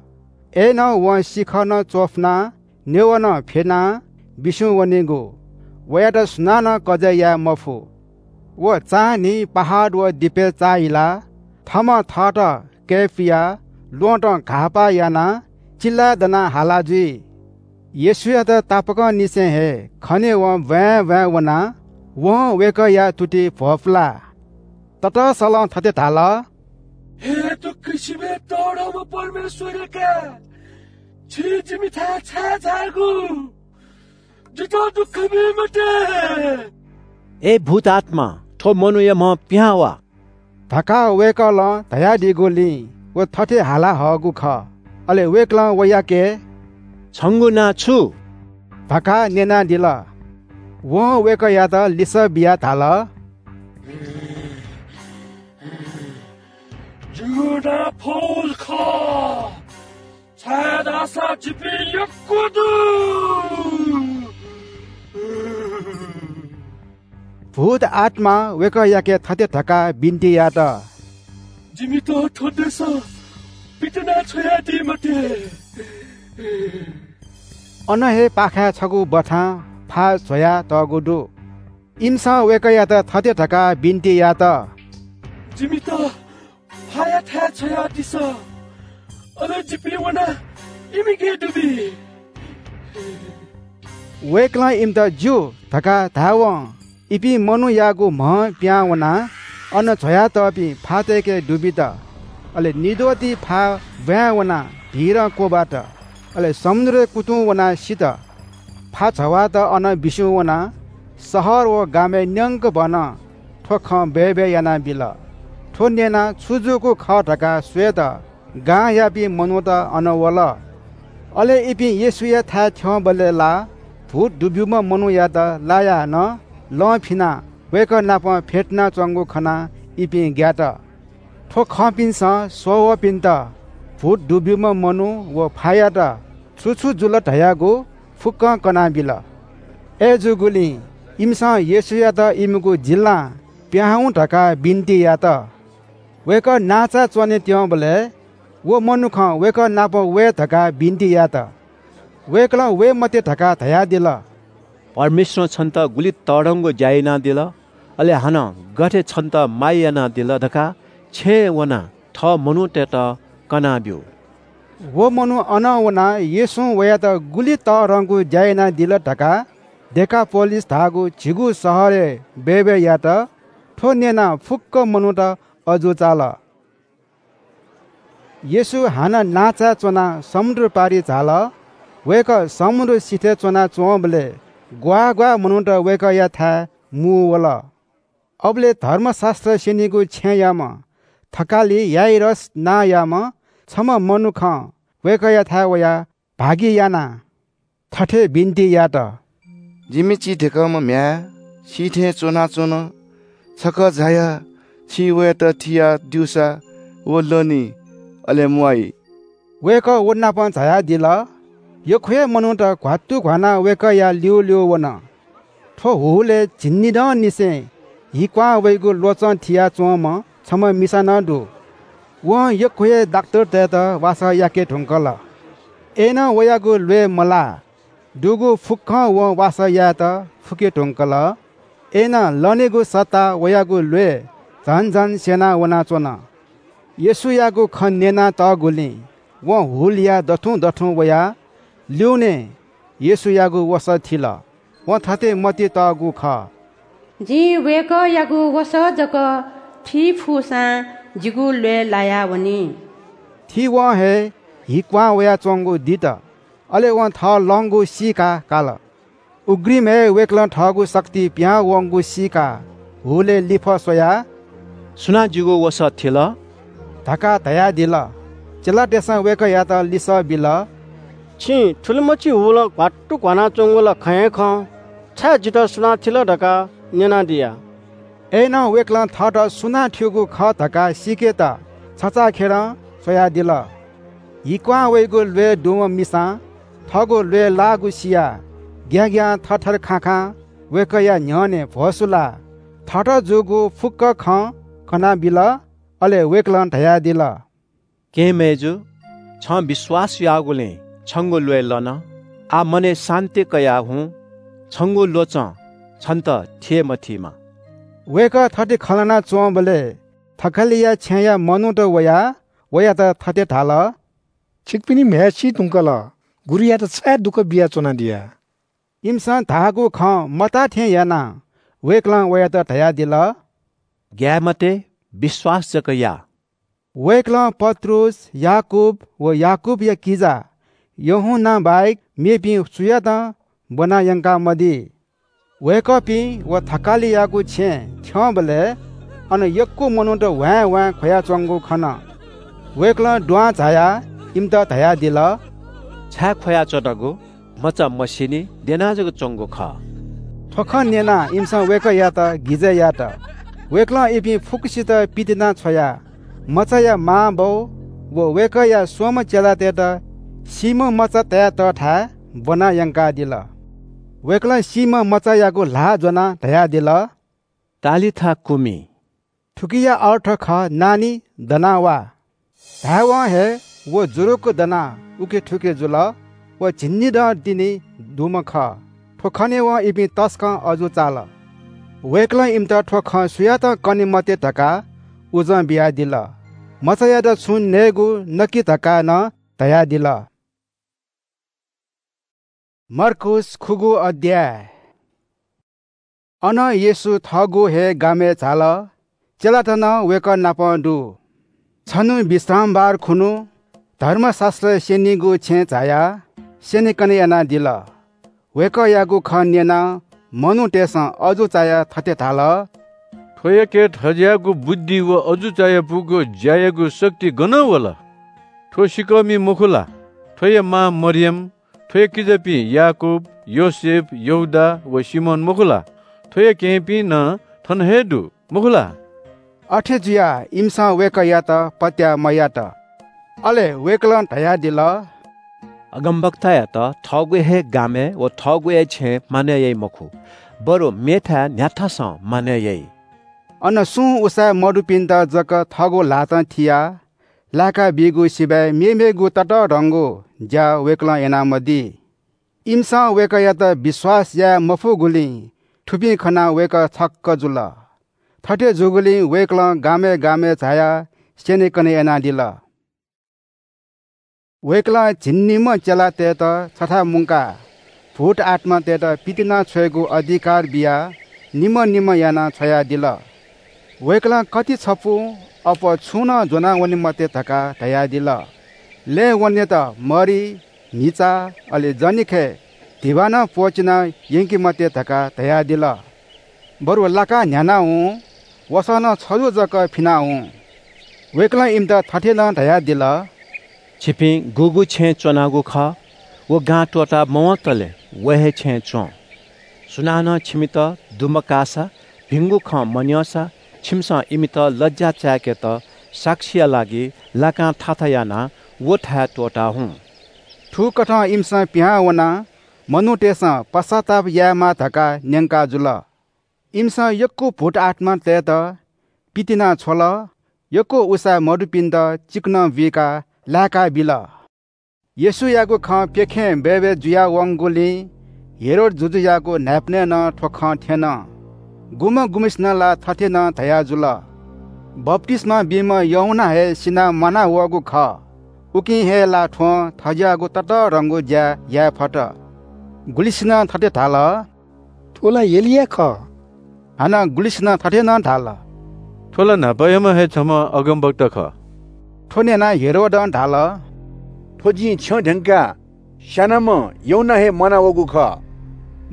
अय्नं वं सिखः नं च्वफुनाः न्यवः नं फ्यनाः बिस्युं वनीगु। वयात सुनानं कजय् याये मफु। व चान्हि पहाड व दिपय् चाःहिलाः थःम्हं थःत कय्पुयाः ल्वहँतं घाःपाः यानाः चिल्लाय् दनाः हाला जुइ। येशूयात तापाकंनिसें हे खनेवं ब्वाँय् ब्वाँय् वनाः वं वय्कःया तुति भ्वपुलाः ततःसलं थथे धाल, हे दक्वसिबय् तःधंम्ह परमेश्वरया काय्, छि जिमिथाय् छाय् झाःगु? जितः दुःख बी मते। ए भूत आत्मा, थ्व मनूया म्ह पिहां वा धकाः वय्कलं धयादीगुलिं व थथे हाला हःगु खः। अले वय्कलं वयाके छंगु नां छु धकाः न्यनादिल। वं वय्कःयात लिसः बियाः धाल, जिगु नां पौल खः, छाय्धाःसा जिपिं यक्व दु। भूत आत्मां वय्‌कःयाके थथे धकाः बिन्ति यात, "जिमित थ्व देशं पितिना छ्वयादी मते।" अन हे पाखाय् छगू बथां फाः झ्वयातःगु दु। इमिसं वय्‌कःयात थथे धकाः बिन्ति यात, "जिमित फायाथाय् छ्वयादिसँ, अले जिपिं वनाः इमिके दुबी।" वय्‌कलं इमित ज्यू धकाः धायेवं इपिं मनूयागु म्ह पिहां वनाः अन झ्वयातःपिं फातय्‌के दुबित। अले निद्वःति फाः ब्वाँय् वनाः भीरं क्वब्वात। अले समुद्रय् कुतुं वनाः सित। फाः झ्ववात अन बिस्युं वनाः शहर व गामय् न्यंकभनं थ्व खँ बय्‌बय् यानाबिल। थ्व न्यनाः छु जूगु खः धकाः स्वयेत गांयापिं मनूत अन वल। अले इपिं येशूयाथाय् थ्यंबलय् ला भूत दुब्यूम्ह मनूयात लायाः नं लं फिनाः वय्‌कः नाप फ्यतुनाच्वंगु खनाः इपिं ग्यात। थ्व खंपिन्सं स्ववःपिन्त भूत दुब्यूम्ह मनू व फायात छु छु जुल धयागु फुक्कं कनाबिल। अय्‌जूगुलिं इमिसं येशूयात इमिगु जिल्लां पिहां हुँ धकाः बिन्ति यात। वय्‌कः नांचाय् च्वने त्यंबलय् व मनुखं वय्‌कः नाप वये धकाः बिन्ति यात। वय्‌कलं वये मते धकाः धयादिल। "परमेश्वरं छन्त गुलि तःधंगु ज्या यानादिल, अले हानं गथे छन्त माया यानादिल धकाः छेँय् वनाः थः मनूतय्‌त कनाब्यु।" व मनू अनं वनाः येशूं वयात गुलि तःधंगु ज्या यानादिल धकाः डेकापोलिस धाःगु झिगू शहरय् बय्‌बय् यात। थ्व न्यनाः फुक्क मनूत अजू चाल। येशू हानं नांचाय् च्वनाः समुद्र पारि झाल। वय्‌कः समुद्र सिथय् च्वनाच्वंबलय् ग्वाः ग्वाः मनूत वय्‌कःयाथाय् मुंवल। अबलय् धर्मशास्‍त्र स्‍यनीगु छेँयाम्‍ह थकालि याइरस नांयाम्‍ह छम्‍ह मनुखं वय्‌कःयाथाय् वयाः भागि यानाः थथे बिन्‍ति यात, "जिमि चिधेंकःम्‍ह म्‍ह्याय् सिथय् च्‍वनाच्‍वन। छकः झायाः छिं वयात थियाः द्यूसा व लनी, अले म्‍वाइ।" वय्‌कः व नाप झायादिल। यक्‍व हे मनूत घ्‍वात्तु घ्‍वानाः वय्‌कःया ल्‍यूल्‍यू वन। थ्‍व हुलय् झिंनिदँनिसें हि क्‍वहां वइगु ल्‍वचं थियाच्‍वंम्‍ह छम्‍ह मिसा नं दु। वं यक्‍व हे डाक्‍टरतय्‌त वासः याके धुंकल। अय्‌नं वयागु ल्‍वय् मलाः। दुगु फुक्‍कं वं वासः यायेत फुके धुंकल। अय्‌नं लनेगु सट्टा वयागु ल्‍वय् झन झन स्‍यना वनाच्‍वन। येशूयागु खँ न्‍यनातःगुलिं वं हुलया दथुं दथुं वयाः ल्‍यूनें येशूयागु वसः थिल। वं थथे मतिइ तःगु खः, "जिं वय्‌कःयागु वसः जक थी फुसां जिगु ल्‍वय् लायावनी।" थीवं हे हि क्‍वहां वयाच्‍वंगु दित। अले वं थः लंगु सीकाः काल। उघ्रिमय् वय्‌कलं थःगु शक्ति पिहां वंगु सीकाः हुलय् लिफः स्वयाः, "सुनां जिगु वसः थिल?" धकाः धयादिल। चेलातय्‌सं वय्‌कःयात लिसः बिल, "छिं थुलिमछि हुलं घ्‍वात्तु घ्‍वानाच्‍वंगु ला खँ हे खः। छाय् जितः सुनां थिल धकाः न्‍यनादिया।" अय्‌नं वय्‌कलं थःत सुनां थ्‍यूगु खः धकाः सीकेत छचाःखेरं स्वयादिल। हि क्‍वहां वइगु ल्‍वय् दुम्‍ह मिसां थःगु ल्‍वय् लाःगु सियाः ग्‍याँग्‍यां थरथर खाखां वय्‌कःया न्‍ह्यःने भ्‍वसुलाः थःत जूगु फुक्‍क खँ कनाबिल। अले वय्‌कलं धयादिल, "केहेँ मय्‌जु, छं विश्‍वास याःगुलिं छंगु ल्‍वय् लन। आः मनय् शान्‍ति कयाः हुँ। छंगु ल्‍वचं छन्‍त थिये मथीमा।" वय्‌कः थथे खँ ल्‍हानाच्‍वंबलय् थकालिया छेँया मनूत वयाः वयात थथे धाल, "छिकपिनि म्‍ह्याय् सी धुंकल। गुरुयात छाय् दुःख बियाच्‍वनादिया?" इमिसं धाःगु खँ मताः थें यानाः वय्‌कलं वयात धयादिल, "ग्‍याये मते, विश्‍वास जक या।" वय्‌कलं पत्रुस, याकूब व याकूबया किजा यूहन्‍ना बाहेक मेपिं सुयातं ब्‍वना यंकामदी। वय्‌कःपिं व थकालियागु छेँ थ्‍यंबलय् अन यक्‍व मनूत ह्वाँय् ह्वाँय् ख्‍वयाच्‍वंगु खन। वय्‌कलं दुहां झायाः इमित धयादिल, "छाय् ख्‍वयाच्‍वनागु? मचा मसीनि, द्यना जक च्‍वंगु खः।" थ्‍व खँ न्‍यनाः इमिसं वय्‌कःयात गिजय् यात। वय्‌कलं इपिं फुक्‍कसित पितिना छ्वयाः मचाया मांबौ व वय्‌कःया स्‍वम्‍ह चेलातय्‌त सीम्‍ह मचा तयातःथाय् ब्‍वना यंकादिल। वय्‌कलं सीम्‍ह मचायागु ल्‍हाः ज्‍वनाः धयादिल, तालिथा कुमि। थुकिया अर्थ खः, नानी, दना वा। धायेवं हे व जुरुक्क दनाः उखे थुखे जुल। व झिंनिदँ तिनि दुम्ह खः। थ्व खनेवं इपिं तसकं अजू चाल। वय्कलं इमित थ्व खँ सुयातं कने मते धकाः उजं बियादिल। मचायात छुं नयेगु नकि धकाः नं धयादिल। मर्कूस खुगू अध्याय। अनं येशू थःगु हे गामय् झाल। चेलात नं वय्कः नाप दु। छन्हु विश्रामबार खुन्हु धर्मशास्त्र स्यनीगु छेँय् झायाः स्यनेकने यानादिल। वय्कःयागु खँ न्यनाः मनूतय्सं अजू चायाः थथे धाल – थ्वयाके थज्याःगु बुद्धि व अजू चायापुगु ज्यायागु शक्ति गनं वल? थ्व सिकःमि मखु ला? थ्वया मां मरियम, थ्वया किजापिं याकूब, योसेफ, यहूदा व सिमोन मखु ला? थ्वया केहेँपिं नं थन हे दु, मखु ला? अथे जुयाः इमिसं वय्कःयात पत्याः मयात। अले वय्कलं धयादिल – अगमवक्तायात थःगु हे गामय् व थःगु हे छेँय् मानय् याइ मखु, बरु मेथाय् न्ह्याथासं मानय् याइ। अन सुं उसाँय् मदुपिन्त जक थःगु ल्हातं थियाः लाय्का बीगु सिबय् मेमेगु ततःधंगु ज्या वय्कलं यानामदी। इमिसं वय्कःयात विश्वास याये मफुगुलिं थुपिं खनाः वय्कः छक्क जुल। थथे जूगुलिं वय्कलं गामय् गामय् झायाः स्यनेकने यानादिल। वय्कलं झिंनिम्ह चेलातय्त छथाय् मुंकाः भूत आत्मातय्त पितिना छ्वयेगु अधिकार बियाः निम्ह निम्ह यानाः छ्वयादिल। वय्कलं कति छपुं अप्वः छुं नं ज्वनावने मते धकाः धयादिल। लँय् वनेत मरि, म्हिचा, अले जनिखय् धिबा नं प्वःचिना यंके मते धकाः धयादिल। बरु लाकाः न्ह्याना हुँ, वसः नं छजु जक फिना हुँ। वय्कलं इमित थथे नं धयादिल – छिपिं गुगु छेँय् च्वनागु खः, व गां त्वःता मवंतले व हे छेँय् च्वँ। सुनानं छिमित दुम्काःसा, भिंगु खँ मन्यंसा, छिमिसं इमित लज्या चाय्केत साक्षीया लागि लाकां थाथा यानाः व थाय् त्वःता हुँ। थुकथं इमिसं पिहां वनाः मनूतय्सं पश्चाताप यायेमाः धकाः न्यंका जुल। इमिसं यक्व भूत आत्मातय्त पितिना छ्वल, यक्व उसाँय् मदुपिन्त चिकनं बुइकाः लाय्का बिल। येशूयागु खँ प्यखें बय्बय् जुया वंगुलिं हेरोद जुजुयागु न्हाय्पनय् नं थ्व खँ थ्यन। गुम्ह गुम्हसिनं ला थथे नं धया जुल – बप्तिस्मा बीम्ह यूहन्ना हे सिनाः म्वाना वःगु खः। उकिं हे ला थ्वं थज्याःगु ततःधंगु ज्या याये फत। गुलिसिनं थथे धाल – थ्व ला एलिया खः। हानं गुलिसिनं थथे नं धाल – थ्व ला न्हापायाम्ह हे छम्ह अगमवक्ता खः। थ्व न्यनाः हेरोदं धाल – थ्व जिं छ्यं ध्यंकाः स्यानाम्ह यूहन्ना हे म्वाना वःगु खः।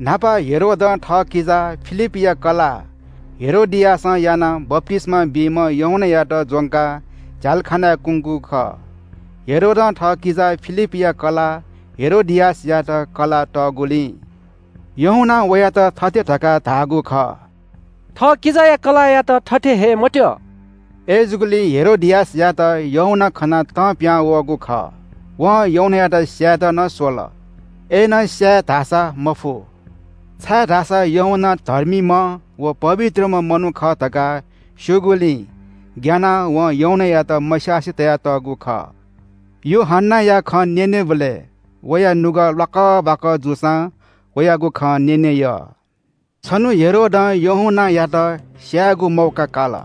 न्हापा हेरोदं थः किजा फिलिपया कलाः हेरोदियासं यानाः बप्तिस्मा बीम्ह यूहन्नायात ज्वंकाः झ्यालखानाय् कुंकूगु खः। हेरोदं थः किजा फिलिपया कलाः हेरोदियासयात कलाः तःगुलिं यूहन्नां वयात थथे धकाः धाःगु खः – थः किजाया कलाःयात थथे हये मत्यः। अय्जूगुलिं हेरोदियासयात यूहन्ना खनाः तं पिहां वःगु खः। वं यूहन्नायात स्यायेत नं स्वल। अय्नं स्याये धाःसा मफु, छाय्धाःसा यूहन्ना धर्मीम्ह व पवित्रम्ह मनू खः धकाः स्यूगुलिं ग्यानाः वं यूहन्नायात मस्यासे तयातःगु खः। यूहन्नाया खँ न्यनेबलय् वया नुगः ल्वाकबाकः जूसां वयागु खँ न्यने यः। छन्हु हेरोदं यूहन्नायात स्यायेगु मौका काल।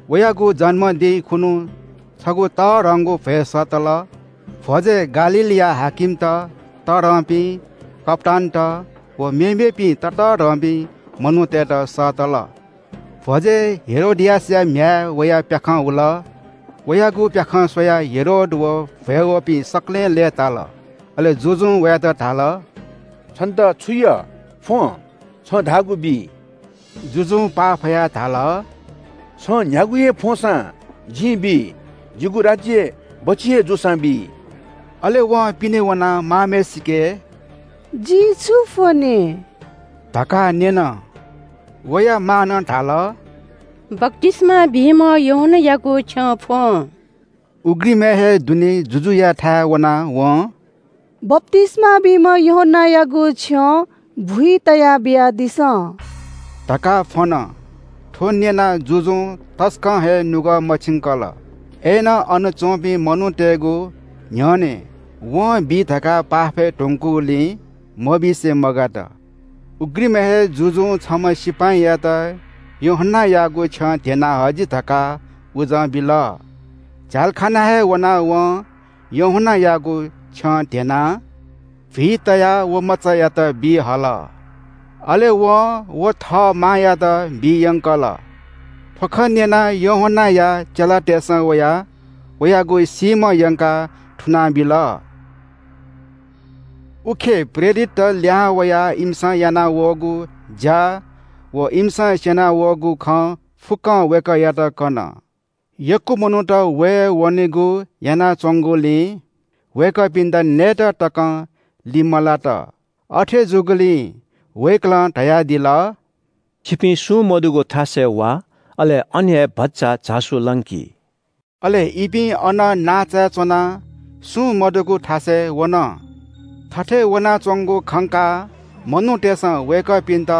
वयागु जन्मदिं खुन्हु छगू तःधंगु भ्वय् सःतल। भ्वजय् गालीलया हाकिमत, तःधंपिं, कप्‍तानत व मेमेपिं ततःधंपिं मनूतय्त सःतल। भ्वजय् हेरोदियासया म्‍ह्याय् वया प्‍याखं हुल। वयागु प्‍याखं स्वयाः हेरोद व भ्‍वय् वःपिं सकलें लय्‌ताल। अले जुजुं वयात धाल, छन्‍त छु यः? फ्‍वँ, छं धाःगु बी। जुजुं पाफयाः धाल, छं न्‍ह्यागु हे फ्‍वंसां जिं बी, जिगु राज्‍य बच्‍छि हे जूसां बी। अले वं पिने वनाः मांम्‍हय्‌सिके, जिं छु फ्‍वने? धकाः न्‍यन। वया मांनं धाल, बप्‍तिस्‍मा बीम्‍ह यूहन्‍नायागु छ्यं फ्‍वँ। उघ्रिमय् हे दुने जुजुयाथाय् वनाः वं, बप्‍तिस्‍मा बीम्‍ह यूहन्‍नायागु छ्यं भुइ तयाः बियादिसँ धकाः फ्‍वन। थ्व न्यनाः जुजुं तसकं हे नुगः मछिंकल। अय्‌नं अन च्वंपिं मनूतय्‌गु न्ह्यःने वं बी धकाः पाफय् धुंकूगुलिं मबिसे मगात। उघ्रिमय् हे जुजुं छम्ह सिपाइँयात यूहन्नायागु छ्यं ध्यना हजि धकाः उजं बिल। झ्यालखानाय् वनाः वं यूहन्नायागु छ्यं ध्यनाः भुइ तयाः व मचायात बी हल। अले वं व थः मांयात बी यंकल। थ्व खँ न्यनाः यूहन्नाया चेलातय्‌सं वयाः वयागु सीम्ह यंकाः थुनाबिल। उखे प्रेरितत लिहां वयाः इमिसं यानावःगु ज्‍या व इमिसं स्‍यनावःगु खँ फुक्‍कं वय्‌कःयात कन। यक्‍व मनूत वये वनेगु यानाच्‍वंगुलिं वय्‌कःपिन्‍त नयेत तकं लिमलात। अथे जूगुलिं वय्‌कलं धयादिल, छिपिं सुं मदुगु थासय् वा, अले अन हे भचा झासु लंकि। अले इपिं अन नांचाय् च्‍वनाः सुं मदुगु थासय् वन। थथे वनाच्‍वंगु खंकाः मनूतय्‌सं वय्‌कःपिन्‍त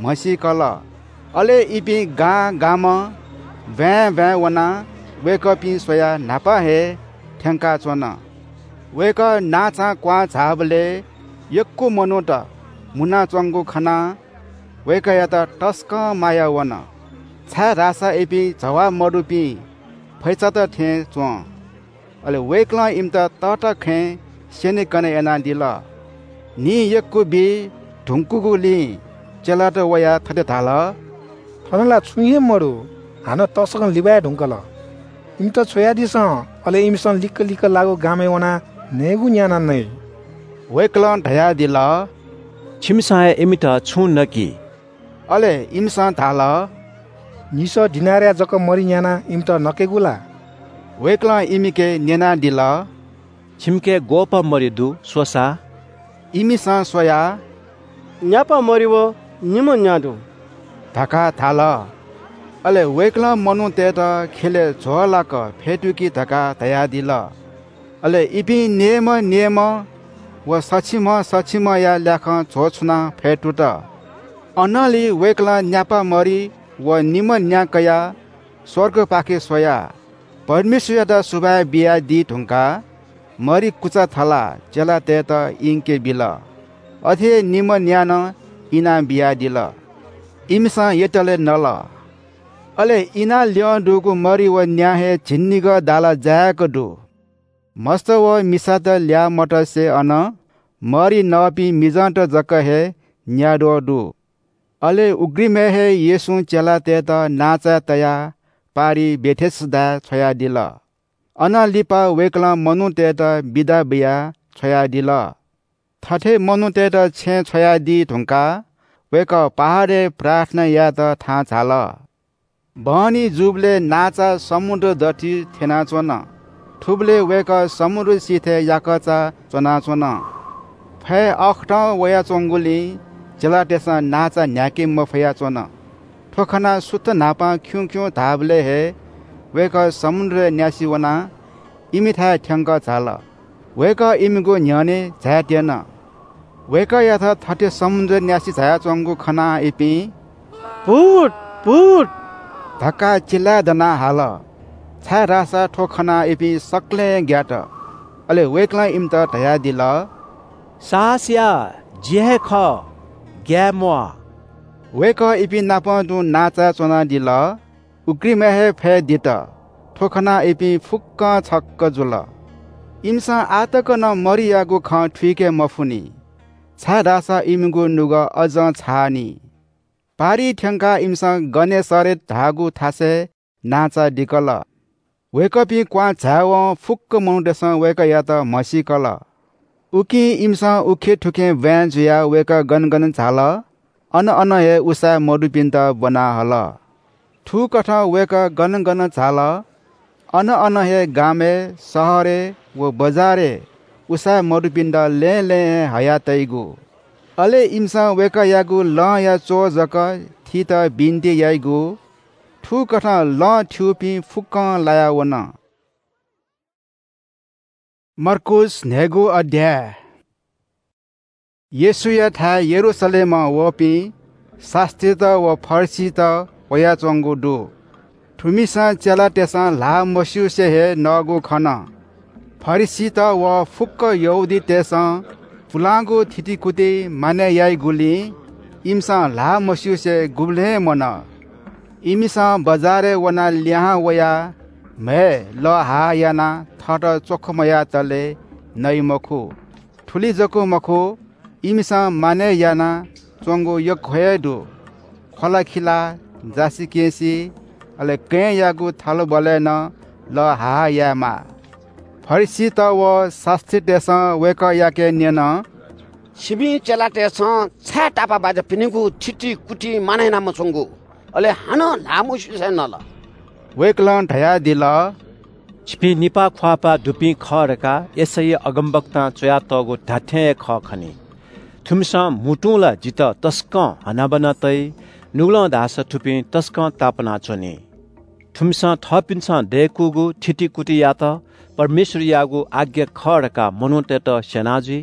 म्हसीकल। अले इपिं गां गामं, ब्‍वाँय् ब्‍वाँय् वनाः वय्‌कःपिं स्‍वयाः न्‍हापा हे थ्‍यंकाच्‍वन। वय्‌कः नांचां क्‍वहां झाःबलय् यक्‍व मनूत मुनाच्‍वंगु खनाः वय्‌कःयात तसकं माया वन, छाय्‌धाःसा इपिं जवाः मदुपिं फैचात थें च्‍वं। अले वय्‌कलं इमित तःताखँय् स्‍यनेकने यानादिल। न्‍हि यक्‍व बी धुंकूगुलिं चेलात वयाः थथे धाल, थन ला छुं हे मदु, हानं तसकं लिबाये धुंकल। इमित छ्वयादिसँ, अले इमिसं लिक्‍क लिक्‍क लाःगु गामय् वनाः नयेगु न्‍यानाः नइ। वय्‌कलं धयादिल, छिमिसं हे इमित छुं नकि। अले इमिसं धाल, न्‍हिसः दिनारया जक मरि न्‍यानाः इमित नकेगु ला? वय्‌कलं इमिके न्‍यनादिल, छिमिके ग्‍वःपाः मरि दु, स्‍वसा। इमिसं स्‍वयाः, न्‍यापा मरि व निम्‍ह न्‍या दु धकाः धाल। अले वय्‌कलं मनूतय्‌त ख्‍यलय् झ्‍वःलाक फ्‍यतुकि धकाः धयादिल। अले इपिं नेमः नेमः व सछिमः सछिमःया ल्याखं झ्‍वःछुनाः फ्‍यतुत। अनंलि वय्‌कलं न्‍यापा मरि व निम्‍ह न्‍या कयाः स्‍वर्गपाखे स्‍वयाः परमेश्‍वरयात सुभाय् बियादी धुंकाः मरि कुचा थलाः चेलातय्‌त इंके बिल। अथे हे निम्‍ह न्‍या नं इनाबियादिल। इमिसं यतले नल। अले इनाः ल्‍यं दुगु मरि व न्‍या हे झिंनिगः दाला जाय्‌क दु। मस्त व मिसात ल्याः मतसे अन मरि नःपिं मिजंत जक हे न्‍याद्वः दु। अले उघ्रिमय् हे येशूं चेलातय्‌त नांचाय् तयाः पारिइ बेथेसदाय् छ्वयादिल। अनं लिपा वय्‌कलं मनूतय्‌त बिदा बियाः छ्वयादिल। थथे मनूतय्‌त छेँय् छ्वयादी धुंकाः वय्‌कः पहाडय् प्रार्थना यायेत थाहां झाल। बहनी जूबलय् नांचा समुद्र दथुइ थ्‍यनाच्‍वन। थुबलय् वय्‌कः समुद्र सिथय् याकःचा च्‍वनाच्‍वन। फय् अःखतं वयाच्‍वंगुलिं चेलातय्‌सं नांचा न्‍ह्याके मफयाच्‍वन। थ्‍व खनाः सुथ न्‍हापां खिउँखिउँ धाःबलय् हे वय्‌कः समुद्रय् न्‍यासि वनाः इमिथाय् थ्‍यंकः झाल। वय्‌कः इमिगु न्‍ह्यःने झायेत्यन। वय्‌कःयात थथे समुद्रय् न्‍यासि झायाच्‍वंगु खनाः इपिं, भूत, भूत धकाः चिल्‍लाय् दनाः हाल, छाय्‌धाःसा थ्‍व खनाः इपिं सकलें ग्‍यात। अले वय्‌कलं इमित धयादिल, साहस या, जि हे खः, ग्‍याये म्‍वाः। वय्‌कः इपिं नाप तुं नांचाय् च्‍वनादिल। उघ्रिमय् हे फय् दित। थ्‍व खनाः इपिं फुक्‍कं छक्‍क जुल। इमिसं आः तक नं मरियागु खँ थुइके मफुनि, छाय्‌धाःसा इमिगु नुगः अझं छाःनि। पारिइ थ्‍यंकाः इमिसं गनेसरेत धाःगु थासय् नांचा दिकल। वय्‌कःपिं क्‍वहां झायेवं फुक्‍क मनूतय्‌सं वय्‌कःयात म्हसीकल। उकिं इमिसं उखेथुखे ब्‍वाँय् जुयाः वय्‌कः गन गन झाल, अन अन हे उसाँय् मदुपिन्‍त ब्‍वना हल। थुकथं वय्‌कः गन गन झाल, अन अन हे गामय्, शहरय् व बजारय् उसाँय् मदुपिन्‍त लँय् लँय् हे हयातइगु। अले इमिसं वय्‌कःयागु लंया च्‍वः जक थीत बिन्‍ति याइगु। थुकथं लँ थ्‍यूपिं फुक्‍कं लाया वन। मर्कूस न्‍हय्‌गू अध्‍याय। येशूयाथाय् यरूशलेमं वःपिं शास्‍त्रीत व फरिसीत वयाच्वंगु दु। थुमिसं चेलातय्‌सं ल्हाः मस्यूसे हे नःगु खन। फरिसीत व फुक्क यहूदीतय्‌सं पुलांगु थितिकुति मानय् याइगुलिं इमिसं ल्हाः मस्यूसे गुबलें हे मन। इमिसं बजारय् वनाः लिहां वयाः म्हय् लःहाः यानाः थःत च्वखु मयातले नइ मखु। थुलि जक मखु, इमिसं मानय् यानाच्वंगु यक्व हे दु। ख्वलाखिला, जासिकेंसि, अले कँय्‌यागु थालबलय् नं लःहाः यायेमाः। फरिसीत व शास्त्रीतय्‌सं वय्‌कःयाके न्यन, "छिपिं चेलातय्‌सं छाय् तापाःबाज्यापिनिगु थितिकुति मानय् याना मच्वंगु, अले हानं ल्हाः मस्यूसे नल?" वय्‌कलं धयादिल, "छिपिं निपाः ख्वाःपाः दुपिं खः धकाः यशैया अगमवक्तां च्वयातःगु धात्थें हे खः खनी। थुमिसं म्हुतुं ला जितः तसकं हनाबना तइ, नुगलं धाःसा थुपिं तसकं तापानाच्वनी। थुमिसं थःपिन्सं दय्‌कूगु थितिकुतियात परमेश्वरयागु आज्ञा खः धकाः मनूतय्‌त स्यना जुइ।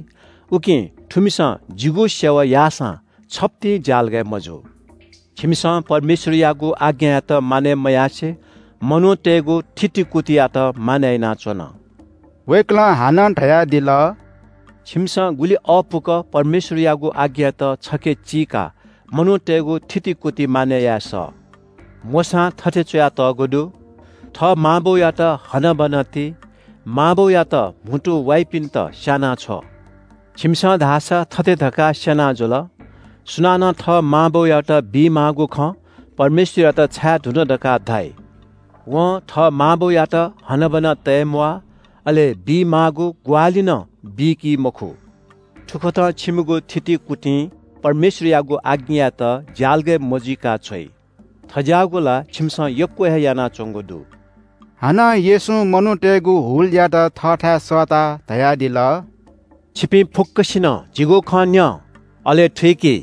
उकिं थुमिसं जिगु सेवा याःसां छप्तिं ज्यालगय् मजू। छिमिसं परमेश्वरयागु आज्ञायात मानय् मयासे मनूतय्‌गु थितिकुतियात मानय् यानाच्वन।" वय्‌कलं हानं धयादिल, "छिमिसं गुलि अःपुक परमेश्वरयागु आज्ञायात छखे चीकाः मनूतय्‌गु थितिकुति मानय् याये सः। मोशां थथे च्वयातःगु दु, 'थः मांबौयात हनाबना ति, मांबौयात म्हुतु वाइपिन्त स्यानाछ्व।' छिमिसं धाःसा थथे धकाः स्यना जुल, 'सुनानं थः मांबौयात बीमाःगु खँ परमेश्वरयात छाय् धुन धकाः धाइ? वं थः मांबौयात हनाबना तये म्वाः, अले बीमाःगु ग्वाहालि नं बीकी मखु।' थुकथं छिमिगु थितिकुतिं परमेश्वरयागु आज्ञायात ज्यालगय् मजुइका छ्वइ। थज्याःगु ला छिमिसं यक्व हे यानाच्वंगु दु।" हानं येशूं मनूतय्‌गु हुलयात थःथाय् सःताः धयादिल, "छिपिं फुक्कसिनं जिगु खँ न्यँ, अले थुइकि।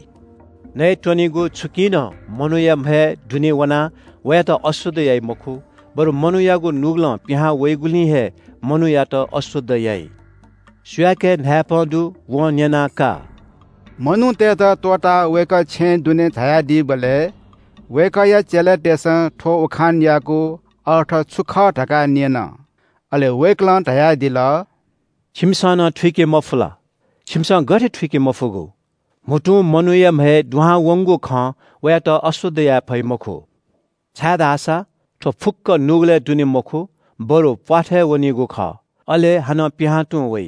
नयेत्वनीगु छुकिं नं मनूया म्हय् दुने वनाः वयात अशुद्ध याइ मखु, बरु मनूयागु नुगलं पिहां वइगुलिं हे मनूयात अशुद्ध याइ। सुयाके न्हाय्पं दु, वं न्यनाः का।" मनूतय्‌त त्वःताः वय्‌कः छेँय् दुने झायादीबलय् वय्‌कःया चेलातय्‌सं थ्‍व उखानयागु अर्थ छु खः धकाः न्‍यन। अले वय्‌कलं धयादिल, "छिमिसं नं थुइके मफु ला? छिमिसं गथे थुइके मफुगु? म्‍हुतुं मनूया म्‍हय् दुहां वंगु खँ वयात अशुद्ध याये फइ मखु, छाय्‌धाःसा थ्‍व फुक्‍क नुगलय् दुने मखु, बरु प्‍वाथय् वनीगु खः, अले हानं पिहां तुं वइ।"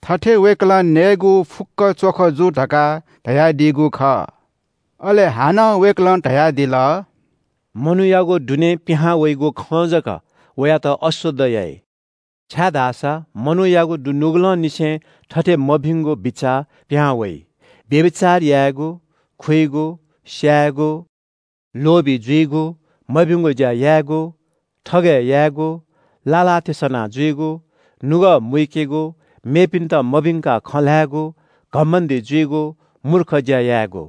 थथे वय्‌कलं नयेगु फुक्‍क च्‍वख जू धकाः धयादीगु खः। अले हानं वय्‌कलं धयादिल, "मनूयागु दुने पिहां वइगु खँ जक वयात अशुद्ध याइ, छाय्‌धाःसा मनूयागु दु-, नुगलंनिसें थथे मभिंगु बिचाः पिहां वइ, व्‍यभिचार यायेगु, खुइगु, स्‍यायेगु, लोभी जुइगु, मभिंगु ज्‍या यायेगु, थगय् यायेगु, लालातिसना जुइगु, नुगः मुइकेगु, मेपिन्‍त मभिंकाः खँ ल्‍हायेगु, घमण्‍डी जुइगु, मूर्ख ज्‍या यायेगु।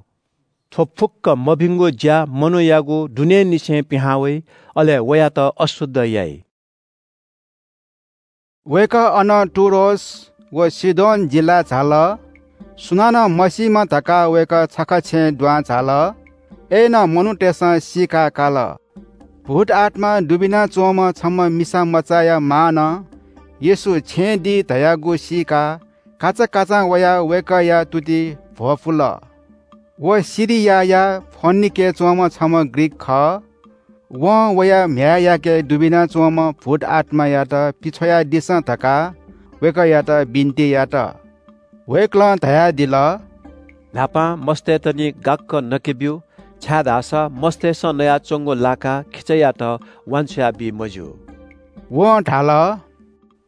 थ्‍व फुक्‍क मभिंगु ज्‍या मनूयागु दुनेंनिसें पिहां वइ, अले वयात अशुद्ध याइ।" वय्‌कः अनं टुरोस व सीदोन जिल्‍लाय् झाल। सुनानं मसीमा धकाः वय्‌कः छखा छेँय् दुहां झाल। अय्‌नं मनूतय्‌सं सीकाः काल। भूतआत्‍मा दुबिना च्‍वंम्‍ह छम्‍ह मिसा मचाया मांनं येशू छेँय् दी धयागु सीकाः काचाकाचां वयाः वय्‌कःया तुति भ्‍वपुल। व सिरियाया फोनिकेय् च्‍वंम्‍ह छम्‍ह ग्रीक खः। वं वया म्‍ह्याय्‌याके दुबिना च्‍वंम्‍ह भूतआत्‍मायात पिछ्वयादिसँ धकाः वय्‌कःयात बिन्‍ति यात। वय्‌कलं धयादिल, "न्‍हापां मस्तय्‌त निं गाक्‍क नके ब्‍यु, छाय्‌धाःसा मस्तय्‌सं नयाच्‍वंगु लाकाः खिचायात वांछ्वया बी मज्‍यू।" वं धाल,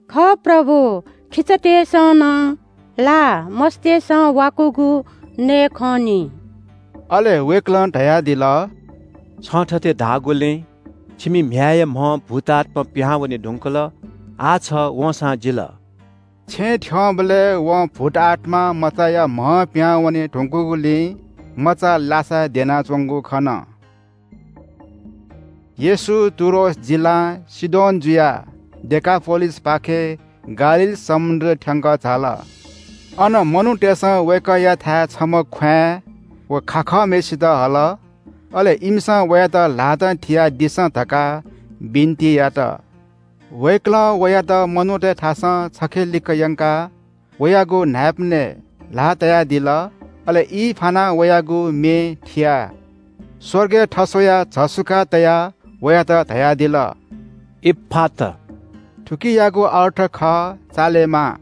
"खः प्रभु, खिचातय्‌सं नं ला मस्तय्‌सं वाकूगु नये खंनि।" अले वय्‌कलं धयादिल, "छं थथे धाःगुलिं छिमि म्‍ह्याय्‌या म्‍हं भूतआत्‍मा पिहां वने धुंकल, आः छ वंसां जिल।" छेँय् थ्‍यंबलय् वं भूतआत्‍मा मचाया म्‍हं पिहां वने धुंकूगुलिं मचा लासा द्यनाच्‍वंगु खन। येशू टुरोस जिल्‍लां सीदोन जुयाः डेकापोलिसपाखे गालील समुद्र थ्‍यंक झाल। अन मनूतय्‌सं वय्‌कःयाथाय् छम्‍ह ख्‍वाँय् व खाखःम्‍हय्‌सित हल। अले इमिसं वयात ल्हातं थियादिसँ धकाः बिन्ति यात। वय्कलं वयात मनूतय् थासं छखे लिक्क यंकाः वयागु न्हाय्पनय् ल्हाः तयादिल। अले ई फानाः वयागु म्ये थियाः स्वर्गय् थस्वयाः झसुकाः तयाः वयात धयादिल, "इफ्फाता।" थुकियागु अर्थ खः, "चालेमा।"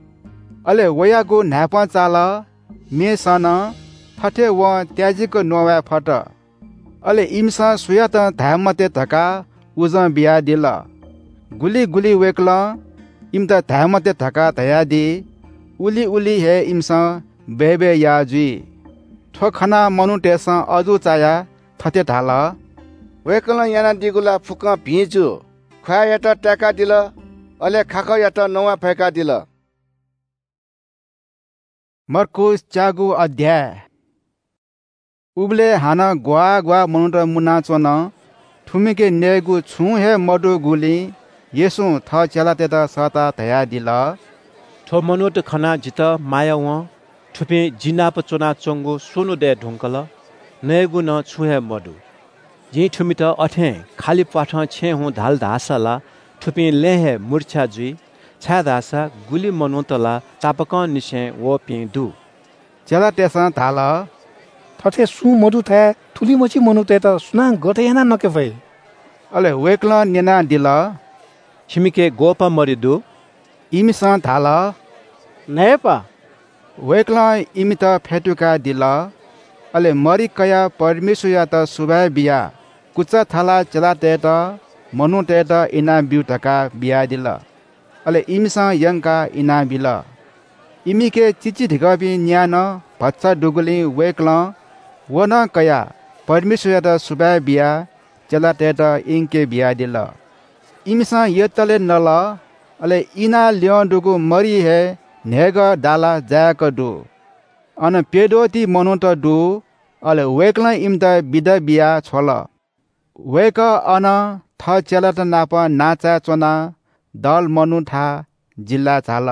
अले वयागु न्हाय्पं चाल। मेसं नं थथे वं त्याजिक नवाये फत। अले इमिसं सुयातं धाये मते धकाः उजं बियादिल। गुलि गुलि वय्कलं इमित धाये मते धकाः धयादी, उलि उलि हे इमिसं बय्बय् याः जुइ। थ्व खनाः मनूतय्सं अजू चायाः थथे धाल, "वय्कलं यानादीगु ला फुक्कं भिं जू। ख्वाःयात ताय्कादिल, अले खाखःयात नवाये फय्कादिल।" मर्कूस च्यागू अध्याय। उबलय् हानं ग्वाः ग्वाः मनूत मुनाच्वन। थुमिके नयेगु छुं हे मदुगुलिं येशूं थः चेलातय्त सःताः धयादिल, "थ्व मनूत खनाः जितः माया वं। थुपिं जि नाप च्वनाच्वंगु स्वन्हु दये धुंकल। नयेगु नं छुं हे मदु। जिं थुमित अथें खालि प्वाथं छेँय् हुँ धाल धाःसा ला थुपिं लँय् हे मुर्छा जुइ, छाय्धाःसा गुलि मनूत ला तापाकंनिसें वःपिं दु।" चेलातय्सं धाल, "थथे सुं मदुथाय् थुलिमछि मनूतय्त सुनां गथे यानाः नके फइ?" अले वय्कलं न्यनादिल, "छिमिके ग्वःपाः मरि दु?" इमिसं धाल, "न्हय्पा।" वय्कलं इमित फ्यतुकादिल। अले मरि कयाः परमेश्वरयात सुभाय् बियाः कुचा थालाः चेलातय्त, मनूतय्त इनाब्यु धकाः बियादिल। अले इमिसं यंकाः इनाबिल। इमिके चिचीधिकःपिं न्यानं भचा दुगुलिं वय्कलं व नं कयाः परमेश्वरयात सुभाय् बियाः चेलातय्त इंके बियादिल। इमिसं यतले नल। अले इनाः ल्यं दुगु मरि हे न्हय्गः दाला जाय्क दु। अन प्यद्वःति मनूत दु। अले वय्कलं इमित बिदा बियाः छ्वल। वय्कः अनं थः चेलात नाप नांचाय् च्वनाः दल मनूथाय् जिल्लाय् झाल।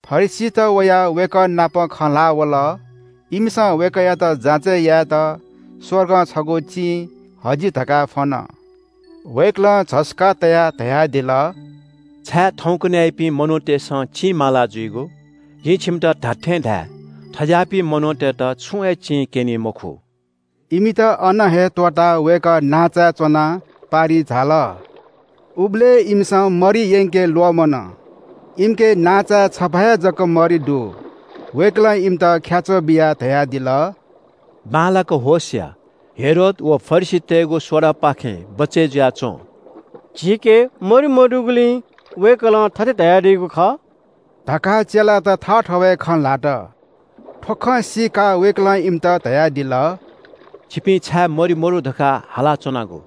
फरिसीत वयाः वय्कः नाप खँ ल्हाः वल। इमिसं वय्कःयात जाँचय् यायेत स्वर्गं छगू चिं हजि धकाः फ्वन। वय्कलं झसुकाः तयाः धयादिल, "छाय् थौंकन्हय्‌पिं मनूतय्सं चिं माला जुइगु? जिं छिमित धात्थें धाये, थज्याःपिं मनूतय्त छुं हे चिं क्यनी मखु।" इमित अन हे त्वःताः वय्कः नांचाय् च्वनाः पारिइ झाल। उबलय् इमिसं मरि यंके ल्वःमन। इमिके नांचाय् छपा हे जक मरि दु। वय्कलं इमित ख्याच्वः बियाः धयादिल, "बांलाक होश या, हेरोद व फरिसीतय्गु सोडापाखें बचय् जुयाच्वँ।" "झीके मरि मदुगुलिं वय्कलं थथे धयादीगु खः" धकाः चेलात थःथवय् खँ ल्हात। थ्व खँ सीकाः वय्कलं इमित धयादिल, "छिपिं छाय् मरि मदु धकाः हालाच्वनागु?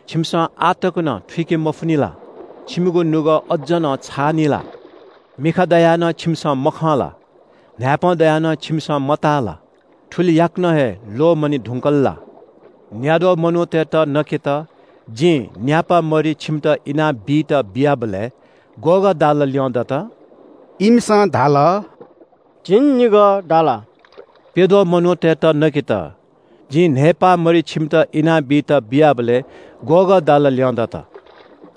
छिमिसं आः तक नं थुइके मफुनि ला? छिमिगु नुगः अज्ज नं छाःनि ला? मिखा दयाः नं छिमिसं मखं ला? न्हाय्पं दयाः नं छिमिसं मताः ला? थुलि याकनं हे ल्वःमने धुंकल ला? न्याद्वः मनूतय्त नकेत जिं न्यापा मरि छिमित इनाबीत बियाबलय् ग्वःगः दाला ल्यं दत?" इमिसं धाल, "झिंनिगः दाला।" "प्यद्वः मनूतय्त नकेत जिं न्हय्पा मरि छिमित इनाबीत बियाबलय् ग्वःगः दाला ल्यं दत?"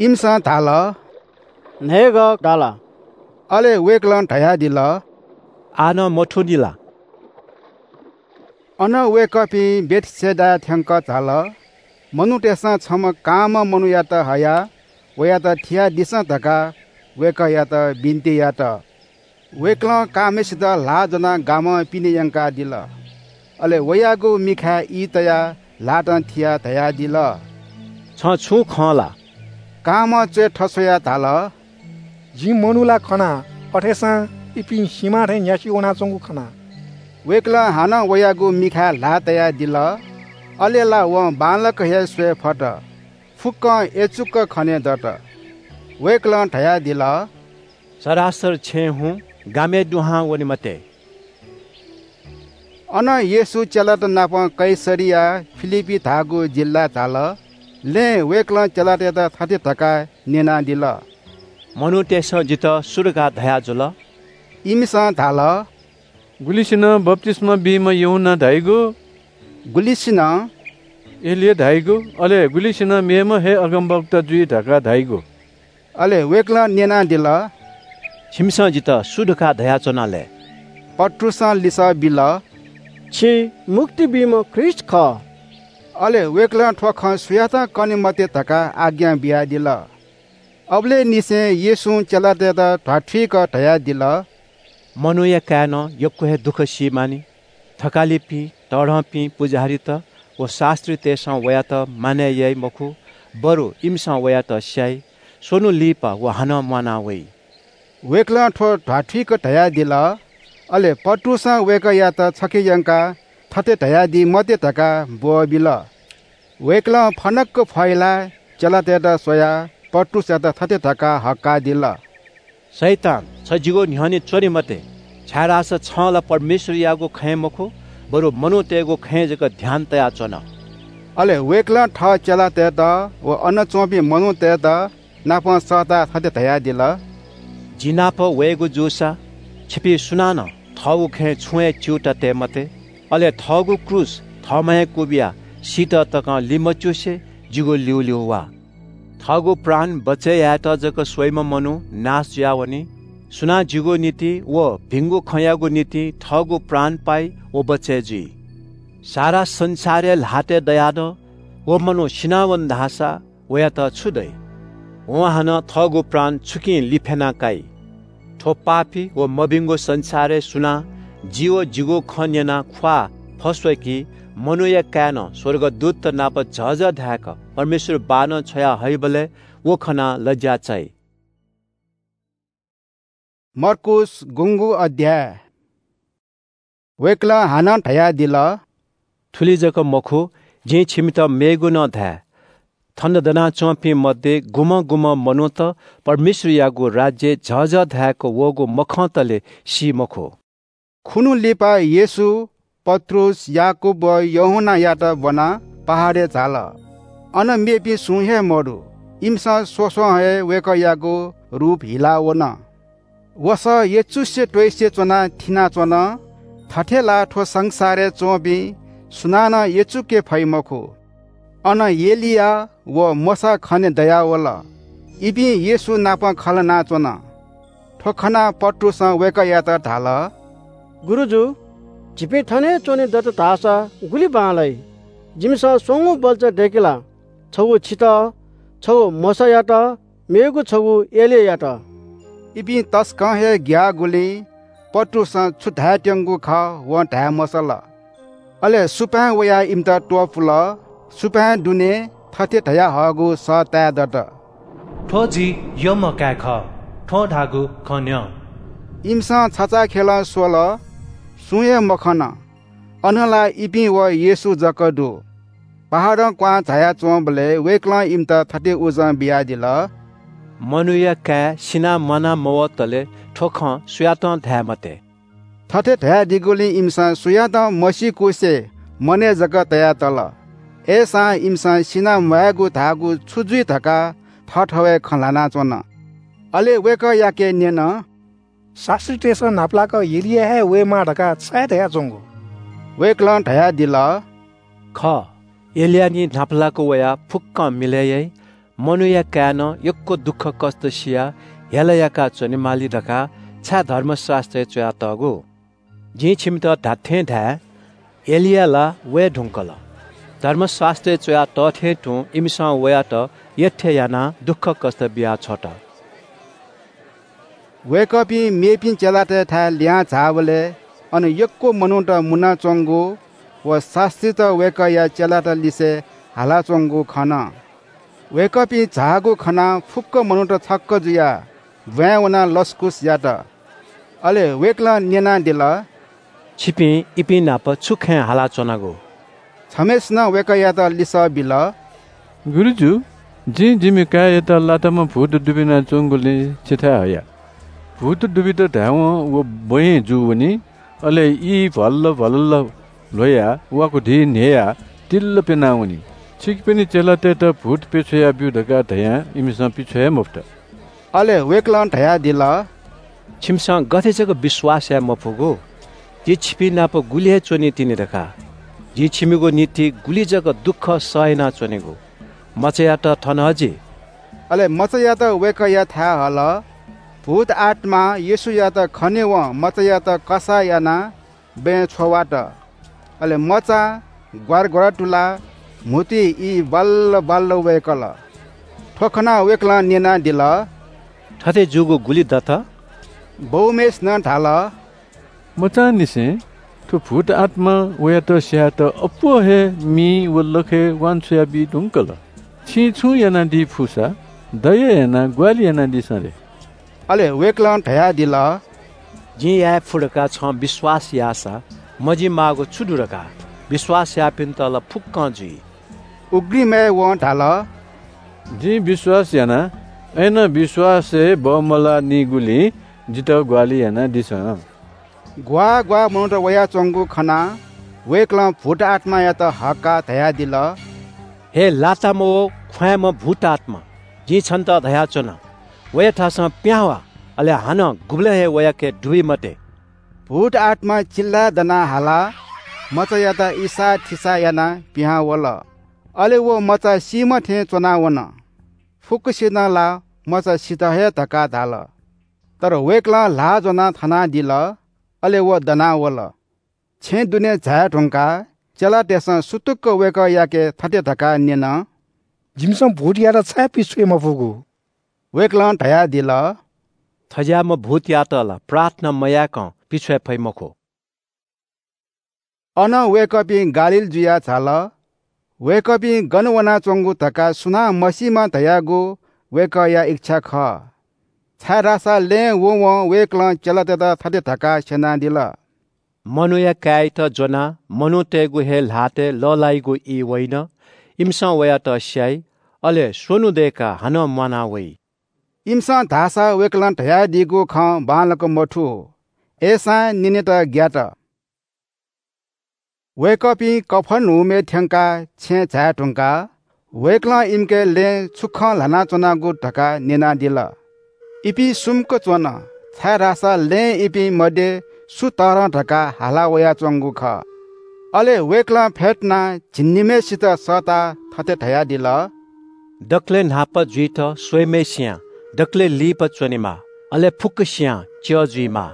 इमिसं धाल, "न्हय्गः दाला।" अले वय्कलं धयादिल, "आः नं मथूनि ला?" अन वय्कःपिं बेथसेदाय् थ्यंक झाल। मनूतय्सं छम्ह कांम्ह मनूयात हयाः वयात थियादिसँ धकाः वय्कःयात बिन्ति यात। वय्कलं कांम्हय्सित ल्हाः ज्वनाः गामं पिने यंकादिल। अले वयागु मिखाय् ई तयाः ल्हातं थियाः धयादिल, "छं छुं खं ला?" कांम्हं च्वय् थस्वयाः धाल, "जिं मनू ला खना, अथेसां इपिं सिमा थें न्यासि वनाच्वंगु खना।" वय्कलं हानं वयागु मिखाय् ल्हाः तयादिल। अले ला वं बांलाक हे स्वये फत। फुक्कं अय्‌चुक खने दत। वय्कलं धयादिल, "सरासर छेँय् हुँ, गामय् दुहां वने मते।" अनं येशू चेलात नाप कैसरिया फिलिप्पी धाःगु जिल्लाय् झाल। लँय् वय्कलं चेलातय्त थथे धकाः न्यनादिल, "मनूतय्सं जितः सु धकाः धयाजुल?" इमिसं धाल, "गुलिसिनं बप्तिस्मा बीम्ह यूहन्ना धाइगु, गुलिसिनं "एलिया धाइगु, अले गुलिसिनं मेम्ह हे अगमवक्ता जुइ धकाः धाइगु।" अले वय्कलं न्यनादिल, "छिमिसं जितः सु धकाः धयाच्वना लय्?" पत्रुसं लिसः बिल, "छि मुक्ति बीम्ह ख्रीष्ट खः।" अले वय्कलं थ्व खँ सुयातं कने मते धकाः आज्ञा बियादिल। अबलय् निसें येशूं चेलातय्त ध्वाथुइक धयादिल, "मनूया काय्‌नं यक्व हे दुःख सी मानि। थकालिपिं, तःधंपिं पुजाहारीत व शास्त्रीतय्‌सं वयात मानय् याइ मखु, बरु इमिसं वयात स्याइ, स्वन्हु लिपा व हानं म्वाना वइ।" वय्कलं थ्व ध्वाथुइक धयादिल। अले पत्रुसं वय्कःयात छखे यंकाः थथे धयादी मते धकाः ब्वःबिल। वय्कलं फनक्क फहिलाः चेलातय्त स्वयाः पत्रुसयात थथे धकाः हक्कादिल, "शैतान, छ जिगु न्ह्यःने च्वने मते, छाय्‌धाःसा छं ला परमेश्वरयागु खँय् मखु, बरु मनूतय्‌गु खँय् जक ध्यान तयाच्वन।" अले वय्कलं थः चेलातय्त व अन च्वंपिं मनूतय्त नापं सःताः थथे धयादिल, "जि नाप वयेगु जूसा छिपिं सुनानं थःगु खँय् छुं हे च्यूताः तये मते। अले थःगु क्रूस थःम्हं हे क्वबियाः सीत तकं लिमच्युसे जिगु ल्यूल्यू वा। थःगु प्राण बचय् यायेत जक स्वइम्ह मनू नाश जुयावनी। सुनां जिगु निंतिं व भिंगु खँयागु निंतिं थःगु प्राण पाइ व बचय् जुइ। सारा संसारय् ल्हातय् दयाः नं व मनू सिनावन धाःसा वयात छु दइ? वं हानं थःगु प्राण छुकिं लिफ्याना काइ? थ्व पापी व मभिंगु संसारय् सुनां जि व जिगु खँ न्यनाः ख्वाः फस्वय्की मनूया काय्‌नं स्वर्गदूतत नाप झःझः धाय्‌क परमेश्वर बाःनं छ्वया हइबलय् व खनाः लज्या चाइ।" मर्कूस गुंगू अध्याय। वय्कलं हानं धयादिल, थुलि जक मखु, जिं छिमित मेगु नं धाये। थन दनाच्वंपिं मध्ये गुम्हं गुम्हं मनूत परमेश्वरयागु राज्यय् झःझः धाय्‌क वःगु मखंतले सी मखु। खुन्हु लिपा येशू पत्रुस, याकूब व यूहन्नायात ब्वनाः पहाडय् झाल। अन मेपिं सुं हे मदु। इमिसं स्वस्वं हे वय्कःयागु रूप हिला वन। वसः यचुसे त्वइसे च्वनाः थिनाच्वन। थथे ला थ्व संसारय् च्वंपिं सुनानं यचुके फइ मखु। अन एलिया व मोशा खने दयावल। इपिं येशू नाप खँ ल्हानाच्वन। थ्व खनाः पत्रुसं वय्कःयात धाल, गुरुजु, झीपिं थन हे च्वने दत धाःसा गुलि बांलाइ? जिमिसं स्वंगू बल्चा दय्‌के ला? छगू छितः, छगू मोशायात, मेगु छगू एलियायात। इपिं तसकं हे ग्याःगुलिं पत्रुसं छु धायेत्यंगु खः वं धाये मसल। अले सुपाँय् वयाः इमित त्वपुल। सुपाँय् दुने थथे धयाहःगु सः ताये दत, थ्व जि यःम्ह काय् खः, थ्वं धाःगु खँ न्यँ। इमिसं छचाःखेलं स्वल, सुं हे मखन। अन ला इपिं व येशू जक दु। पहाडं क्वहां झायाच्वंबलय् वय्कलं इमित थथे उजं बियादिल, मनूया काय् सिनाः म्वाना मवतले थ्व खँ सुयातं धाये मते। थथे धयादीगुलिं इमिसं सुयातं मसीकुसे मनय् जक तयातल। अय्‌सां इमिसं सिनाः म्वायेगु धाःगु छु जुइ धकाः थःथवय् खँ ल्हानाच्वन। अले वय्कःयाके न्यन, शास्त्रीतय्‌सं न्हापालाक एलिया हे वयेमाः धकाः छाय् धयाच्वंगु? वय्कलं धयादिल, खः, एलिया निं न्हापालाक वयाः फुक्कं मिलय् याइ। मनूया काय्‌नं यक्व दुःखकष्ट सियाः हेला याकाः च्वनेमाली धकाः छाय् धर्मशास्‍त्रय् च्‍वयातःगु? जिं छिमित धात्‍थें धाये, एलिया ला वये धुंकल। धर्मशास्‍त्रय् च्‍वया तःथें तुं इमिसं वयात यःथें यानाः दुःखकष्‍ट बियाछ्वत। वय्‌कःपिं मेपिं चेलातय्‌थाय् लिहां झाःबलय् अन यक्‍व मनूत मुनाच्‍वंगु व शास्‍त्रीत वय्‌कःया चेलात लिसे हालाच्‍वंगु खन। वय्‌कःपिं झाःगु खनाः फुक्‍क मनूत छक्‍क जुयाः ब्‍वाँय् वनाः लसकुस यात। अले वय्‌कलं न्‍यनादिल, छिपिं इपिं नाप छु खँय् हालाच्‍वनागु? छम्‍हय्‌सिनं वय्‌कःयात लिसः बिल, गुरुजु, जिं जिमि काय्‌यात लाताम्‍ह भूत दुबिनाच्‍वंगुलिं छिथाय् हया। भूत दुबित धायेवं व ब्‍वँय् जू वनी, अले ई भल्‍ल भल्‍ल ल्‍ह्वयाः वाकु धी न्‍ह्ययाः तिल्‍ल प्‍यनावनी। छिकपिनि चेलातय्‌त भूत प्‍यछ्वया ब्‍यु धकाः धयां इमिसं पिछ्वये मफुत। अले वय्‌कलं धयादिल, छिमिसं गथे जक विश्‍वास याये मफुगु? जि छिपिं नाप गुलि हे च्‍वनी तिनि धकाः। जिं छिमिगु निंतिं गुलि जक दुःख सह यानाच्वनेगु। मचायात थन हजि।" अले मचायात वय्‌कःयाथाय् हल। भूत आत्‍मां येशूयात खनेवं मचायात कसाः यानाः बँय् छ्ववात। अले मचां ग्वारग्वार तुलाः म्‍हुतुइ ई बाल्‍ल बाल्‍ल वय्‌कल। थ्‍व खनाः वय्‌कलं न्‍यनादिल, "थथे जूगु गुलि दत?" बौम्‍हय्‌सिनं धाल, "मचांनिसें थ्‍व भूत आत्‍मां वयात स्‍यायेत अप्‍वः हे मिइ व लखय् वांछ्वयाबी धुंकल। छिं छुं यानादी फुसा दया यानाः ग्‍वाहालि यानादिसँ रे।" अले वय्‌कलं धयादिल, "जिं याये फु धकाः छं विश्‍वास याःसा मजिमाःगु छु दु धकाः? विश्‍वास याःपिन्‍त ला फुक्‍कं जुइ।" उघ्रिमय् वं धाल, "जिं विश्‍वास याना, अय्‌नं विश्‍वासय् बमलाःनिगुलिं जितः ग्‍वाहालि यानादिसँ।" ग्‍वाः ग्‍वाः मनूत वयाच्‍वंगु खनाः वय्‌कलं भूत आत्‍मायात हक्‍काः धयादिल, "हे लाताम्‍ह व ख्‍वाँय्‌म्‍ह भूत आत्‍मा, जिं छन्‍त धयाच्‍वना, वया थासं पिहां वा, अले हानं गुबलें हे वयाके दुबी मते।" भूत आत्‍मां चिल्‍लाय् दनाः हालाः मचायात इसाःथिसाः यानाः पिहां वल। अले व मचा सीम्‍ह थें च्‍वनावन। फुक्‍कसिनं ला मचा सित हे धकाः धाल। तर वय्‌कलं ल्‍हाः ज्‍वनाः थनादिल, अले व दनावल। छेँ दुने झाये धुंकाः चेलातय्‌सं सुतुक्‍क वय्‌कःयाके थथे धकाः न्‍यन, "जिमिसं भूतयात छाय् पिछ्वये मफुगु?" वय्‌कलं धयादिल, "थज्‍याःम्‍ह भूतयात ला प्रार्थना मयाय्‌कं पिछ्वये फइ मखु।" अनं वय्‌कःपिं गालील जुयाः झाल। वय्‌कःपिं गन वनाच्‍वंगु धकाः सुनां मसीमा धयागु वय्‌कःया इच्‍छा खः। छाय्‌धाःसा लँय् वंवं वय्‌कलं चेलातय्‌त थथे धकाः स्‍यनादिल, "मनूया काय्‌यात ज्‍वनाः मनूतय्‌गु हे ल्‍हातय् लःल्‍हाइगु ई वइन। इमिसं वयात स्‍याइ, अले स्‍वन्‍हु दय्‌काः हानं म्‍वाना वइ।" इमिसं धाःसा वय्‌कलं धयादीगु खँ बांलाक मथू। अय्‌सां न्‍यनेत ग्‍यात। वय्‌कःपिं कफर्नहुमय् थ्‍यंकाः छेँय् झाये धुंकाः वय्‌कलं इमिके लँय् छु खँ ल्‍हानाच्‍वनागु धकाः न्‍यनादिल। इपिं सुम्‍क च्‍वन, छाय्‌धाःसा लँय् इपिं मध्‍ये सु तःधं धकाः हाला वयाच्‍वंगु खः। अले वय्‌कलं फ्‍यतुनाः झिंनिम्‍हय्‌सित सःताः थथे धयादिल, "दकलय् न्‍हापा जुइत स्‍वइम्‍हय्‌सियां दकलय् लिपा च्‍वनेमाः, अले फुक्‍कसियां च्‍यः जुइमाः।"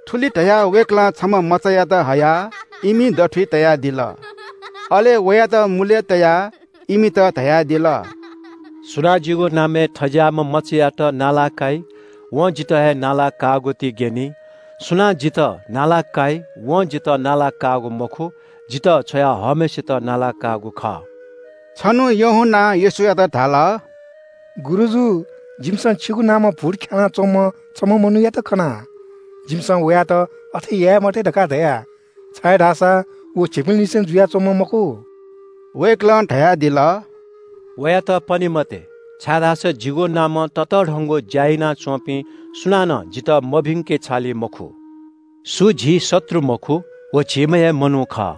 थुलि धयाः वय्‌कलं छम्‍ह मचायात हयाः इमि दथुइ तयादिल। अले वयात मुलय् तयाः इमित धयादिल, "सुनां जिगु नामय् थज्‍याःम्‍ह मचायात नाला काइ, वं जितः हे नाला काःगु ति ग्‍यनी। सुनां जितः नाला काइ, वं जितः नाला काःगु मखु, जितः छ्वयाहःम्‍हय्‌सित नाला काःगु खः।" छन्‍हु यूहन्‍नां येशूयात धाल, "गुरुजु, जिमिसं छिगु नामं भूत ख्‍यानाच्‍वंम्‍ह छम्‍ह मनूयात खना। जिमिसं वयात अथे याये मते धकाः धया, छाय्‌धाःसा व झीपिंनिसें जुयाच्‍वंम्‍ह मखु।" वय्‌कलं धयादिल, "वयात पने मते, छाय्‌धाःसा जिगु नामं ततःधंगु ज्‍या यानाच्‍वंपिं सुनानं जितः मभिंके छालि मखु। सु झी शत्रु मखु, व झीम्‍ह हे मनू खः।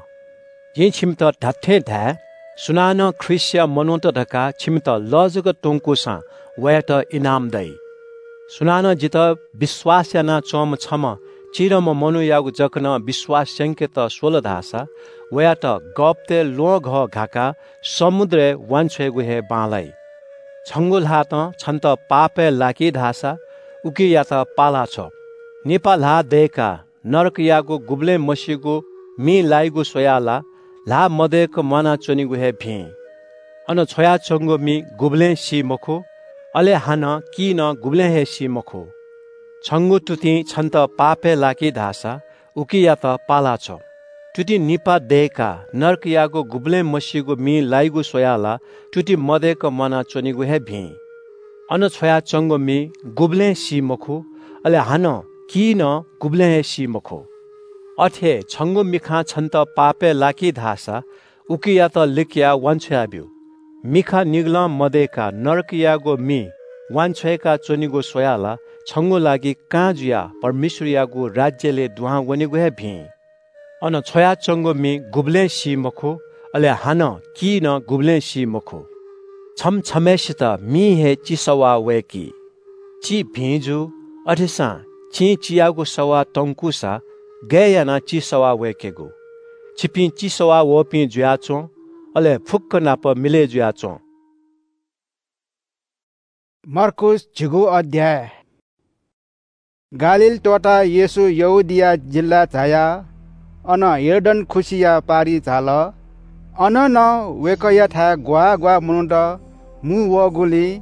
जिं छिमित धात्‍थें धाये, सुनानं ख्रीष्‍टया मनूत धकाः छिमित लः जक त्‍वंकूसां वयात इनाम दइ। सुनानं जितः विश्‍वास यानाच्‍वंम्‍ह छम्‍ह चिधंम्‍ह मनूयागु जक नं विश्‍वास स्‍यंकेत स्‍वल धाःसा वयात गःपतय् ल्‍वहंघः घाकाः समुद्रय् वांछ्वयेगु हे बांलाइ। छंगु ल्‍हातं छन्‍त पापय् लाकी धाःसा उकियात पाला छ्व। निपा ल्‍हाः दय्‌काः नरकयागु गुबलें मसीगु मिइ लाइगु स्‍वयाः ला ल्‍हाः मदय्‌क म्‍वानाच्‍वनेगु हे भिं। अन छ्वयाच्‍वंगु मि गुबलें सी मखु, अले हानं की नं गुबलें हे सी मखु। छंगु तुतिं छन्‍त पापय् लाकी धाःसा उकियात पाला छ्व। तुति निपा दय्‌काः नरकयागु गुबलें मसीगु मिइ लाइगु स्‍वयाः ला तुति मदय्‌क म्‍वानाच्‍वनेगु हे भिं। अन छ्वयाच्‍वंगु मि गुबलें सी मखु, अले हानं की नं गुबलें हे सी मखु। अथे हे छंगु मिखां छन्‍त पापय् लाकी धाःसा उकियात लिकयाः वांछ्वयाब्‍यु। मिखा निगलं मदय्‌काः नरकयागु मि वांछ्वय्‌का च्‍वनेगु स्‍वयाः ला छंगु लागि कां जुयाः परमेश्‍वरयागु राज्‍यलय् दुहां वनेगु हे भिं। अन छ्वयाच्‍वंगु मि गुबलें सी मखु, अले हानं की नं गुबलें सी मखु। छम्‍ह छम्‍हय्‌सित मिं हे चिसवाः वय्‌की। चि भिं जू, अथेसां चिं चियागु सवाः तंकूसा गय् यानाः चिसवाः वय्‌केगु? छिपिं चिसवाः वःपिं जुयाच्वँ, अले फुक्क नाप मिलय् जुयाच्वँ। मार्कुस झिगू अध्याय। गालील त्वःताः येशू यहूदिया जिल्लाय् झायाः अन यर्दन खुसिया पारिइ झाल। अन नं वय्‌कःयाथाय् ग्वाः ग्वाः मनूत मू वःगुलिं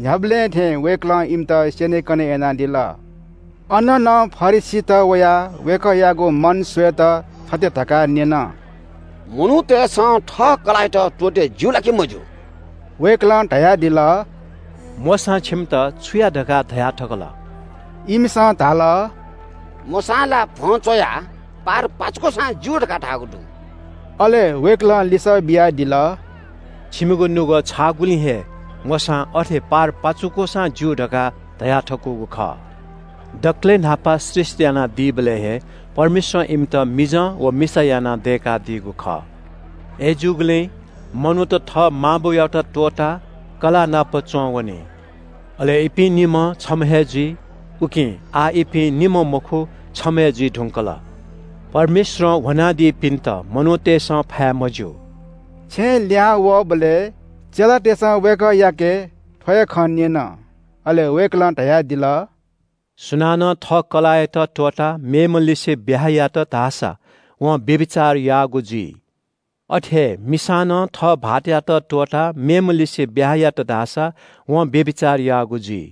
न्ह्याबलें थें वय्‌कलं इमित स्यनेकने यानादिल। अन नं फरिसीत वयाः वय्‌कःयागु मन स्वयेत थथे धकाः न्यन, "मनूतय्‌सं थः कलाःयात त्वःते ज्यू ला कि मज्यू?" वय्‌कलं धयादिल, "मोशां छिमित छु या धकाः धया थकल?" इमिसं धाल, "मोशां ला भ्वं च्वयाः पार पाचुकूसां ज्यू धकाः धाःगु दु।" अले वय्‌कलं लिसः बियादिल, "छिमिगु नुगः छाःगुलिं हे मोशां अथे पार पाचुकूसां ज्यू धकाः धया थकूगु खः। दकलय् न्हापा सृष्‍टि यानादीबलय् हे परमेश्‍वरं इमित मिजं व मिसा यानाः दय्‌कादीगु खः। अय्‌जूगुलिं मनूत थः मांबौयात त्वःताः कलाः नाप च्वं वनी। अले इपिं निम्‍ह छम्‍ह हे जुइ, उकिं आः इपिं निम्‍ह मखु, छम्‍ह हे जुइ धुंकल। परमेश्‍वरं ह्वनादीपिन्‍त मनूतय्‌सं फाये मज्‍यू।" छेँय् लिहां वःबलय् चेलातय्‌सं वय्‌कःयाके थ्‍व हे खँ न्‍यन। अले वय्‌कलं धयादिल, "सुनानं थः कलाःयात त्‍वःताः मेम्‍हलिसे ब्‍याहा यात धाःसा वं व्‍यभिचार याःगु जुइ। अथे हे मिसां नं थः भाःतयात त्‍वःताः मेम्‍हलिसे ब्‍याहा यात धाःसा वं व्‍यभिचार याःगु जुइ।"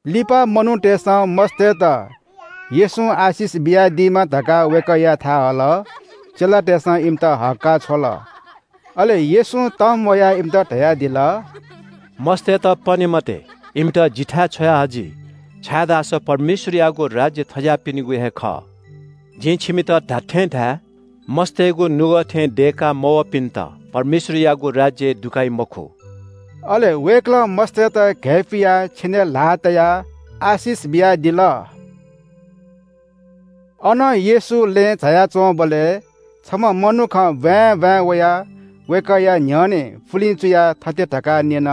लिपा मनूतय्‌सं मस्तय्‌त येशूं आशिष बियादीमा धकाः वय्‌कःयाथाय् हल। चेलातय्‌सं इमित हक्‍काः छ्वल। अले येशूं तःम्‍वयाः इमित धयादिल, "मस्तय्‌त पने मते, इमित जिथाय् छ्वयाहजि, छाय्‌धाःसा परमेश्‍वरयागु राज्‍य थज्‍याःपिनिगु हे खः। जिं छिमित धात्‍थें धाये, मस्तय्‌गु नुगः थें दय्‌का मवःपिन्‍त परमेश्‍वरयागु राज्‍यय् दुकाइ मखु।" अले वय्‌कलं मस्तय्‌त घय्‌पुयाः छेनय् ल्‍हाः तयाः आशिष बियादिल। अनं येशू लँय् झायाच्‍वंबलय् छम्‍ह मनुखं ब्‍वाँय् ब्‍वाँय् वयाः वय्‌कःया न्‍ह्यःने पुलिं चुयाः थथे धकाः न्‍यन,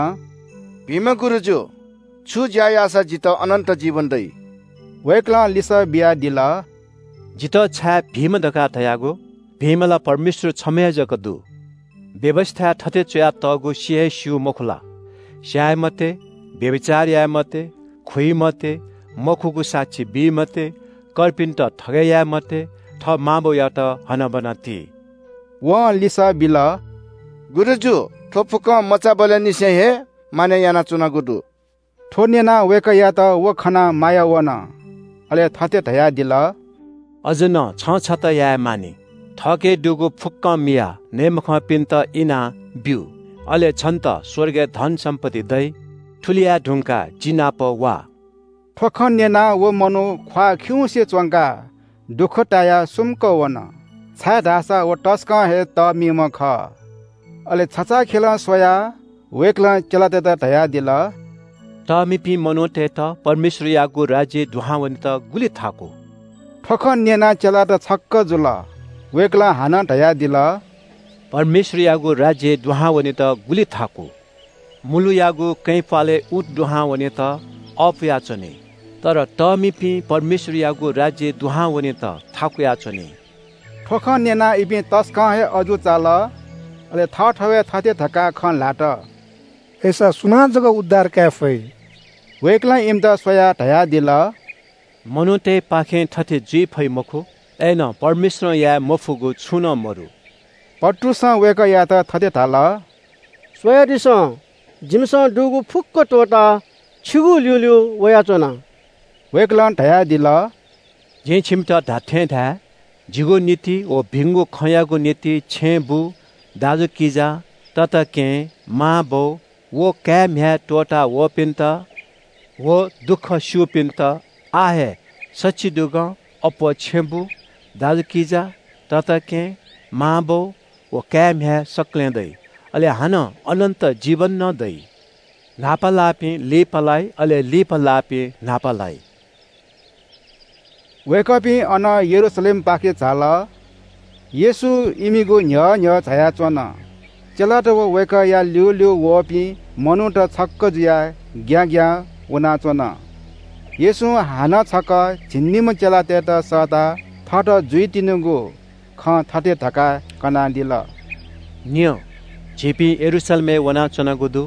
"भिंम्‍ह गुरुजु, छु ज्‍या याःसा जितः अनन्‍त जीवन दइ?" वय्‌कलं लिसः बियादिल, "जितः छाय् भिंम्‍ह धकाः धयागु? भिंम्‍ह ला परमेश्‍वर छम्‍ह हे जक दु। व्‍यवस्‍थाय् थथे च्‍वयातःगु सि हे स्‍यू मखु ला? स्‍याये मते, व्‍यभिचार याये मते, खुइ मते, मखुगु साक्षी बी मते, कर्पिन्‍त थगय् याये मते, थः मांबौयात हनाबना ति।" वं लिसः बिल, "गुरुजु, थ्‍व फुक्‍कं मचाबलय्‌निसें हे मानय् यानाच्‍वनागु दु।" थ्‍व न्‍यनाः वय्‌कःयात व खनाः माया वन। अले थथे धयादिल, "अझ नं छं छता याये मानि। थःके दुगु फुक्‍कं मियाः नयेमखंपिन्‍त इनाः ब्‍यु। अले छन्‍त स्‍वर्गय् धन सम्‍पत्ति दइ। थुलि याये धुंकाः जि नाप वा।" थ्‍व खँ न्‍यनाः व मनू ख्‍वाः खिउँसे च्‍वंकाः दुःख तायाः सुम्‍क वन, छाय्‌धाःसा व तसकं हे तःमिम्‍ह खः। अले छचाःखेलं स्वयाः वय्‌कलं चेलातय्‌त धयादिल, "तःमिपिं मनूतय्‌त परमेश्‍वरयागु राज्‍यय् दुहां वनेत गुलि थाकु।" थ्‍व खँ न्‍यनाः चेलात छक्‍क जुल। वय्‌कलं हानं धयादिल, "परमेश्‍वरयागु राज्‍यय् दुहां वनेत गुलि थाकु। मुलुयागु कँय् प्‍वालय् ऊँट दुहां वनेत अःपुयाच्‍वनी, तर तःमिपिं परमेश्‍वरयागु राज्‍यय् दुहां वनेत थाकुयाच्‍वनी।" थ्‍व खँ न्‍यनाः इपिं तसकं हे अजू चाल। अले थःथवय् थथे धकाः खँ ल्‍हात, "अय्‌सा सुनां जक उद्धार काये फइ?" वय्‌कलं इमित स्वयाः धयादिल, "मनूतय्‌पाखें थथे जुइ फइ मखु, अय्‌नं परमेश्‍वरं याये मफुगु छुं नं मदु।" पत्रुसं वय्‌कःयात थथे धाल, "स्वयादिसँ, जिमिसं दुगु फुक्‍क त्‍वःताः छिगु ल्‍यूल्‍यू वयाच्‍वना।" वय्‌कलं धयादिल, "जिं छिमित धात्‍थें धाये, जिगु निंतिं व भिंगु खँयागु निंतिं छेँबुँ, दाजुकिजा, तताकेहेँ, मांबौ व काय् म्‍ह्याय् त्‍वःता वःपिन्‍त व दुःख स्‍यूपिन्‍त आः हे सच्‍छि दुगं अप्‍वः छेँबुँ, दाजुकिजा, तताकेहेँ, मांबौ व काय् म्‍ह्याय् सकलें दइ, अले हानं अनन्‍त जीवन नं दइ। न्‍हापा लाःपिं लिपा लाइ, अले लिपा लाःपिं न्‍हापा लाइ।" वय्‌कःपिं अनं यरूशलेमपाखे झाल। येशू इमिगु न्‍ह्यः न्‍ह्यः झायाच्‍वन। चेलात व वय्‌कःया ल्‍यूल्‍यू वःपिं मनूत छक्‍क जुयाः ग्‍याँग्‍यां वनाच्‍वन। येशूं हानं छकः झिंनिम्‍ह चेलातय्‌त सःताः थःत जुइतिनिगु खँ थथे धकाः कनादिल। न्यँ, झीपिं यरूशलेमय् वनाच्वनागु दु।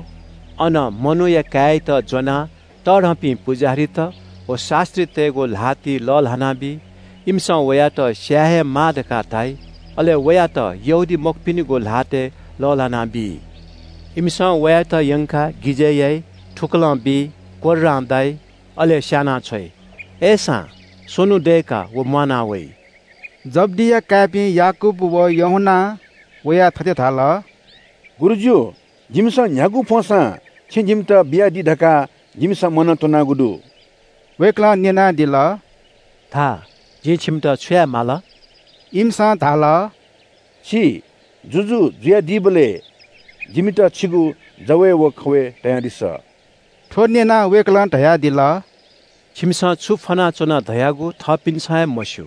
अन मनूया काय्‌यात ज्वनाः तःधंपिं पुजाहारीत व शास्त्रीतय्‌गु ल्हातिइ लःल्हानाबी। इमिसं वयात स्याये हे माः धकाः धाइ। अले वयात यहूदीमखुपिनिगु ल्हातय् लःल्हानाबी। इमिसं वयात यंकाः गिजय् याइ, थुकलं बी, कोर्रां दाइ, अले स्यानाछ्वइ। अय्‌सां स्वन्हु दय्‌काः व म्वाना वइ। जब्दीया काय्‌पिं याकूब व यूहन्नां वयाः थथे धाल, गुरुजु, जिमिसं न्ह्यागु फ्वंसां छिं जिमित बियादी धकाः जिमिसं मनं त्वनागु दु। वय्‌कलं न्यनादिल, धा, जिं छिमित छु याये माल? इमिसं धाल, छि जुजु जुयादीबलय् जिमित छिगु जवय् व खवय् तयादिसँ। थ्व न्यनाः वय्‌कलं धयादिल, छिमिसं छु फ्वनाच्वन धयागु थःपिन्सं हे मस्यू।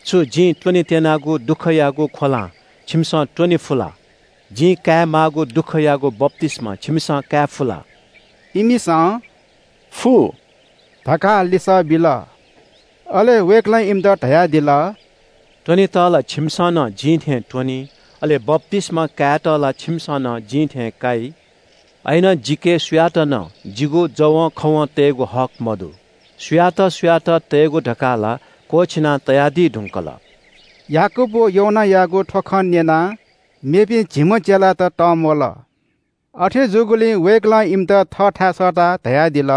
छु जिं त्वनेत्यनागु दुःखयागु ख्वलां छिमिसं त्वने फु ला? जिं कायेमाःगु दुःखयागु बप्तिस्मा छिमिसं काये फु ला? इमिसं फु धकाः लिसः बिल। अले वय्‌कलं इमित धयादिल, त्वनेत ला छिमिसं नं जिं थें त्वनी, अले बप्तिस्मा कायेत ला छिमिसं नं जिं थें काइ। अय्‌नं जिके सुयात नं जिगु जवं खवं तयेगु हक मदु। सुयात सुयात तयेगु धकाः ला क्वःछिना तयादी धुंकल। याकूब व यूहन्नायागु थ्व खँ न्यनाः मेपिं झिम्ह चेलात तंम्वल। अथे जूगुलिं वय्‌कलं इमित थःथाय् सःताः धयादिल,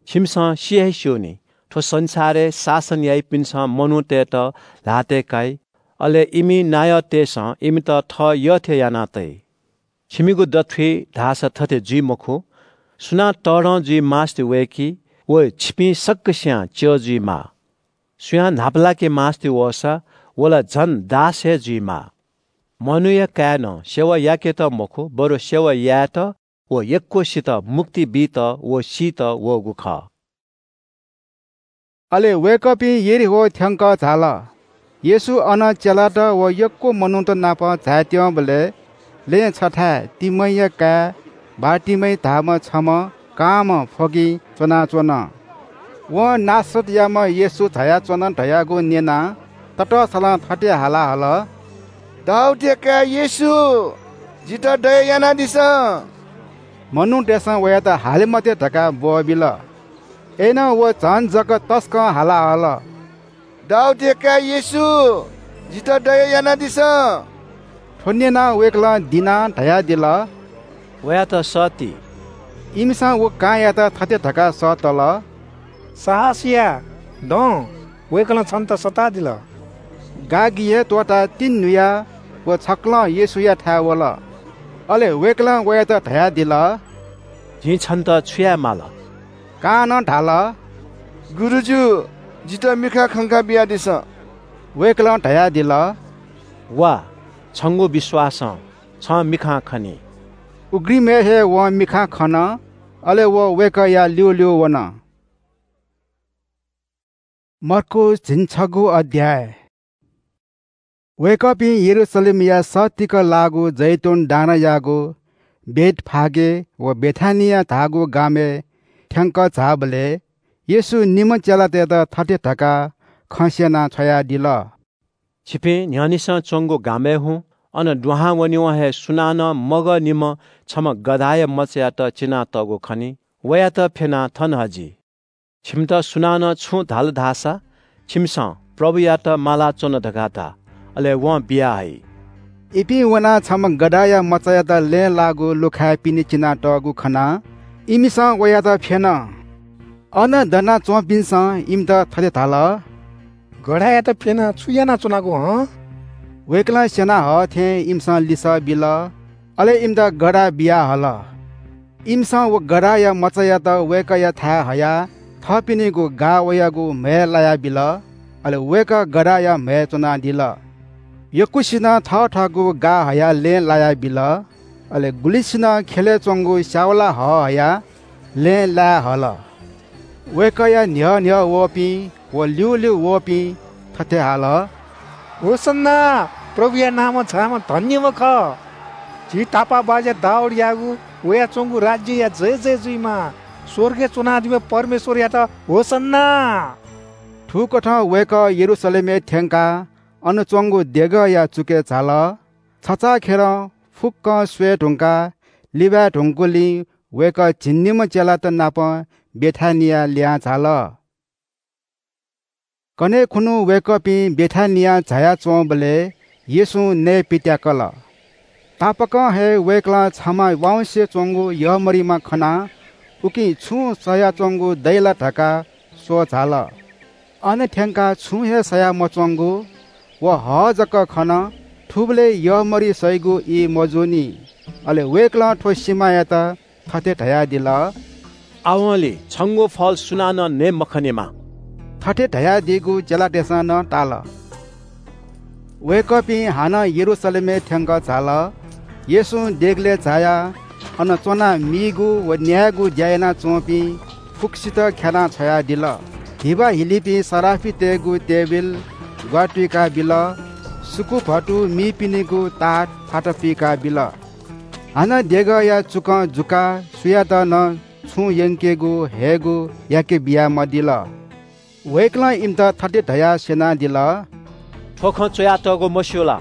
छिमिसं सि हे स्यू नि, थ्व संसारय् शासन याइपिन्सं मनूतय्‌त ल्हातय् काइ, अले इमि नायःतय्‌सं इमित थः यःथें याना तइ। छिमिगु दथुइ धाःसा थथे जुइ मखु। सुनां तःधं जुइ मास्ति वय्‌की, व छिपिं सकसियां च्यः जुइमाः। सुयां न्हापालाके मास्ति वःसा, व ला झन दास हे जुइमाः। मनूया काय्‌नं सेवा याकेत मखु, बरु सेवा यायेत व यक्वसित मुक्ति बीत व सीत वःगु खः। अले वय्‌कःपिं यरीहो थ्यंक झाल। येशू अन चेलात व यक्व मनूत नाप झायात्यंबलय् लँय् छथाय् तिमैया काय् बारतिमै धाःम्ह छम्ह कांम्ह फ्वगिं च्वनाच्वन। वं नासरतयाम्ह येशू झायाच्वन धयागु न्यनाः ततःसलं थथे हाला हल, दाऊदया काय् येशू, जितः दया यानादिसँ। मनूतय्‌सं वयात हाले मते धकाः ब्वःबिल। अय्‌नं व झन जक तसकं हाला हल, दाऊदया काय् येशू, जितः दया यानादिसँ। थ्व न्यनाः वय्‌कलं दिनाः धयादिल, वयात सःति। इमिसं व कांयात थथे धकाः सःतल, साहस या, दँ, वय्‌कलं छन्त सःतादिल। गागि हे त्वःताः तिंन्हुयाः व छकलं येशूयाथाय् वल। अले वय्‌कलं वयात धयादिल, जिं छन्त छु याये माल? कानं धाल, गुरुजु, जितः मिखा खंका बियादिसँ। वय्‌कलं धयादिल, वा, छंगु विश्वासं छं मिखां खनी। उघ्रिमय् हे वं मिखां खन, अले व वय्‌कःया ल्यूल्यू वन। मर्कूस झिंछगू अध्याय। वय्‌कःपिं यरूशलेमया सःतिक लाःगु जैतून डाँडायागु बेथफागे व बेथानिया धाःगु गामय् थ्यंक झाःबलय् येशूं निम्ह चेलातय्‌त थथे धकाः खँ स्यनाः छ्वयादिल। छिपिं न्ह्यःनेसं च्वंगु गामय् हुँ, अन दुहां वनेवं हे सुनानं मगःनिम्ह छम्ह गधाया मचायात चिनातःगु खनी, वयात फ्यनाः थन हजि। छिमित सुनानं छुं धाल धाःसा, छिमिसं प्रभुयात मालाच्वन धकाः धा, अले वं बियाहइ। इपिं वनाः छम्ह गधाया मचायात लँय् लाःगु लुखाय् पिने चिनातःगु खनाः इमिसं वयात फ्यन। अन दनाच्वंपिन्सं इमित थथे धाल, गधायात फ्यनाः छु यानाच्वनागु हं? वय्‌कलं स्यना हः थें इमिसं लिसः बिल। अले इमित गधा बियाहल। इमिसं व गधाया मचायात वय्‌कःयाथाय् हयाः थःपिनिगु गाः वयागु म्हय् लायाबिल। अले वय्‌कः गधाया म्हय् च्वनादिल। यक्वसिनं थःथःगु गाः हयाः लँय् लायाबिल। अले गुलिसिनं ख्यलय् च्वंगु स्यावला हः हयाः लँय् लाये हल। वय्‌कःया न्ह्यः न्ह्यः वःपिं व ल्यूल्यू वःपिं थथे हाल, होसन्ना, प्रभुया नामं झाःम्ह धन्यम्ह खः। झी तापाःबाज्या दाऊदयागु वयाच्वंगु राज्यया जय जय जुइमा। स्वर्गय् च्वनादीम्ह परमेश्वरयात होसन्ना। थुकथं वय्‌कः यरूशलेमय् थ्यंकाः अन च्वंगु देगःया चुकय् झाल। छचाःखेरं फुक्कं स्वये धुंकाः लिबाये धुंकूलिं वय्कः झिंनिम्ह चेलात नाप बेथानियाय् लिहां झाल। कन्हय् खुन्हु वय्कःपिं बेथानियाय् झायाच्वंबलय् येशूं नये पित्याकल। तापाकं हे वय्कलं छम्ह वाउँसे च्वंगु यःमरिमा खनाः उकिं छुं सयाच्वंगु दइ ला धकाः स्वः झाल। अन थ्यंकाः छुं हे सया मच्वंगु व हः जक खन। थुबलय् यःमरि सइगु ई मजूनि। अले वय्कलं थ्व सिमायात थथे धयादिल, आवंलि छंगु फल सुनानं नये मखनेमा। थथे धयादीगु चेलातय्सं नं ताल। वय्कःपिं हानं यरूशलेमय् थ्यंक झाल। येशूं देगलय् झायाः अन च्वनाः मीगु व न्यायेगु ज्या यानाच्वंपिं फुक्कसित ख्यानाः छ्वयादिल। धिबा हिलीपिं सराफितय्गु तेबिल ग्वातुइकाबिल। सुकुभतु मीपिनिगु ताःत फात पुइकाबिल। हानं देगःया चुकं जुकाः सुयात नं छुं यंकेगु हयेगु याके बियामदिल। वय्कलं इमित थथे धयाः स्यनादिल, थ्व खँ च्वयातःगु मस्यू ला?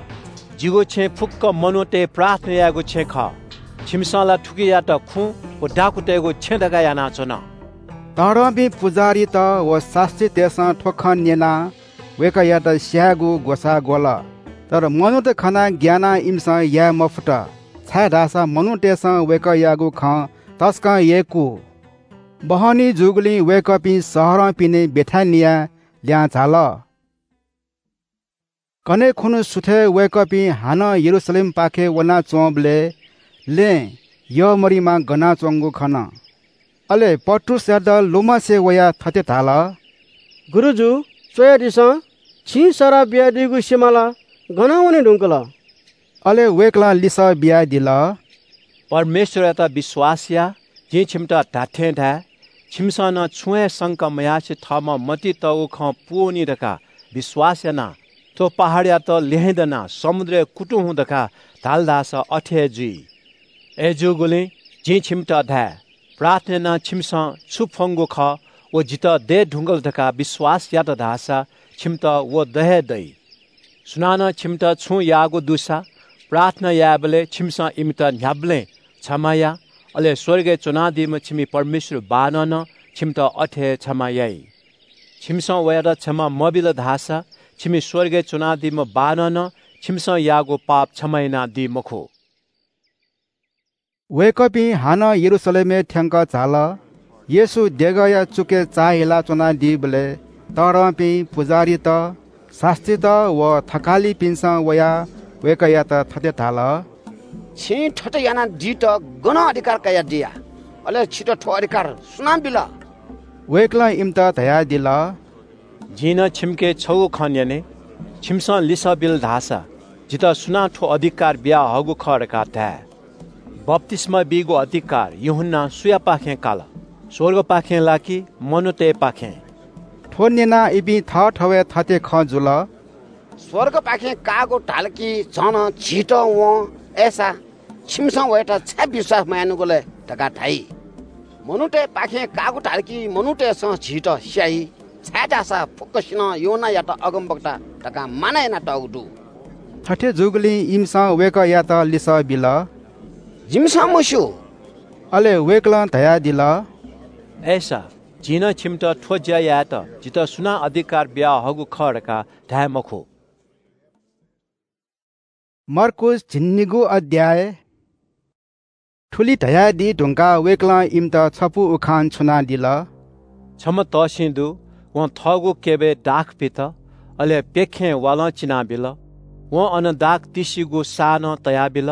जिगु छेँ फुक्क मनूतय् प्रार्थना यायेगु छेँ खः। छिमिसं ला थुकियात खुँ व डाकुतय्गु छेँ धकाः यानाच्वन। तःधंपिं पुजाहारीत व शास्त्रीतय्सं थ्व खँ न्यनाः वय्कःयात स्यायेगु ग्वसाः ग्वल। तर मनूत खनाः ग्यानाः इमिसं याये मफुत, छाय्धाःसा मनूतय्सं वय्कःयागु खँ तसकं यय्कू। बहनी जूगुलिं वय्कःपिं शहरं पिने बेथानियाय् लिहां झाल। कन्हय् खुन्हु सुथय् वय्कःपिं हानं यरूशलेमपाखे वनाच्वंबलय् लँय् यःमरिमा गनाच्वंगु खन। अले पत्रुसयात लुमंसे वयाः थथे धाल, गुरुजु, च्वयादिसँ, छिं सराः बियादीगु सिमा ला गनं वने धुंकल? अले वय्कलं लिसः बियादिल, परमेश्वरयात विश्वास या। जिं छिमित धात्थें धाये, छिमिसं नं छुं हे संका मयासें थःम्हं मतिइ तःगु खँ पूवनी धकाः विश्वास यानाः थ्व पहाडयात ल्यहेँ दनाः समुद्रय् कुतुं हुँ धकाः धाल धाःसा अथे हे जुइ। अय्जूगुलिं जिं छिमित धाये, प्रार्थना यानाः छिमिसं छु फ्वंगु खः, व जितः दये धुंकल धकाः विश्वास यात धाःसा छिमित व द हे दइ। सुनानं छिमित छुं याःगु दुसा प्रार्थना यायेबलय् छिमिसं इमित न्ह्याबलें क्षमा या, अले स्वर्गय् च्वनादीम्ह छिमि परमेश्वर बाःनं नं छिमित अथे हे क्षमा याइ। छिमिसं वयात क्षमा मबिल धाःसा छिमि स्वर्गय् च्वनादीम्ह बाःनं नं छिमिसं याःगु पाप क्षमा यानादी मखु। वय्कःपिं हानं यरूशलेमय् थ्यंक झाल। येशू देगःया चुकय् चाःहिला च्वनादीबलय् तःधंपिं पुजाहारीत, शास्त्रीत व थकालिपिन्सं वयाः वय्कःयात थथे धाल, छिं थथे यानादीत गनं अधिकार कयादिया? अले छितः थ्व अधिकार सुनां बिल? वय्कलं इमित धयादिल, जिं नं छिमिके छगू खँ न्यने, छिमिसं लिसः बिल धाःसा जितः सुनां थ्व अधिकार बियाहःगु खः धकाः धाये। बप्तिस्मा बीगु अधिकार यूहन्नां सुयापाखें काल? स्वर्गपाखें ला कि मनूतय्पाखें? थ्व न्यनाः इपिं थःथवय् थथे खँ जुल, स्वर्गपाखें काःगु धाल कि झन झीत वं, अय्सा छिमिसं वयात छाय् विश्वास मयानागु लय् धकाः धाइ। मनूतय्पाखें काःगु धाल कि मनूतय्सं झीत स्याइ, छाय्धाःसा फुक्कसिनं यूहन्नायात अगमवक्ता धकाः मानय् यानातःगु दु। थथे जूगुलिं इमिसं वय्कःयात लिसः बिल, जिमिसं मस्यू। अले वय्कलं धयादिल, अय्सा जिं नं छिमित थ्व ज्या यायेत जितः सुनां अधिकार बियाहःगु खः धकाः धाये मखु। मर्कूस झिंनिगू अध्याय। थुलि धयादी धुंकाः वय्कलं इमित छपु उखान छुनादिल। छम्ह तःसिं दु, वं थःगु क्यबय् दाख पित, अले प्यखें वालं चिनाबिल। वं अन दाख तिसिगु साः नं तयाबिल,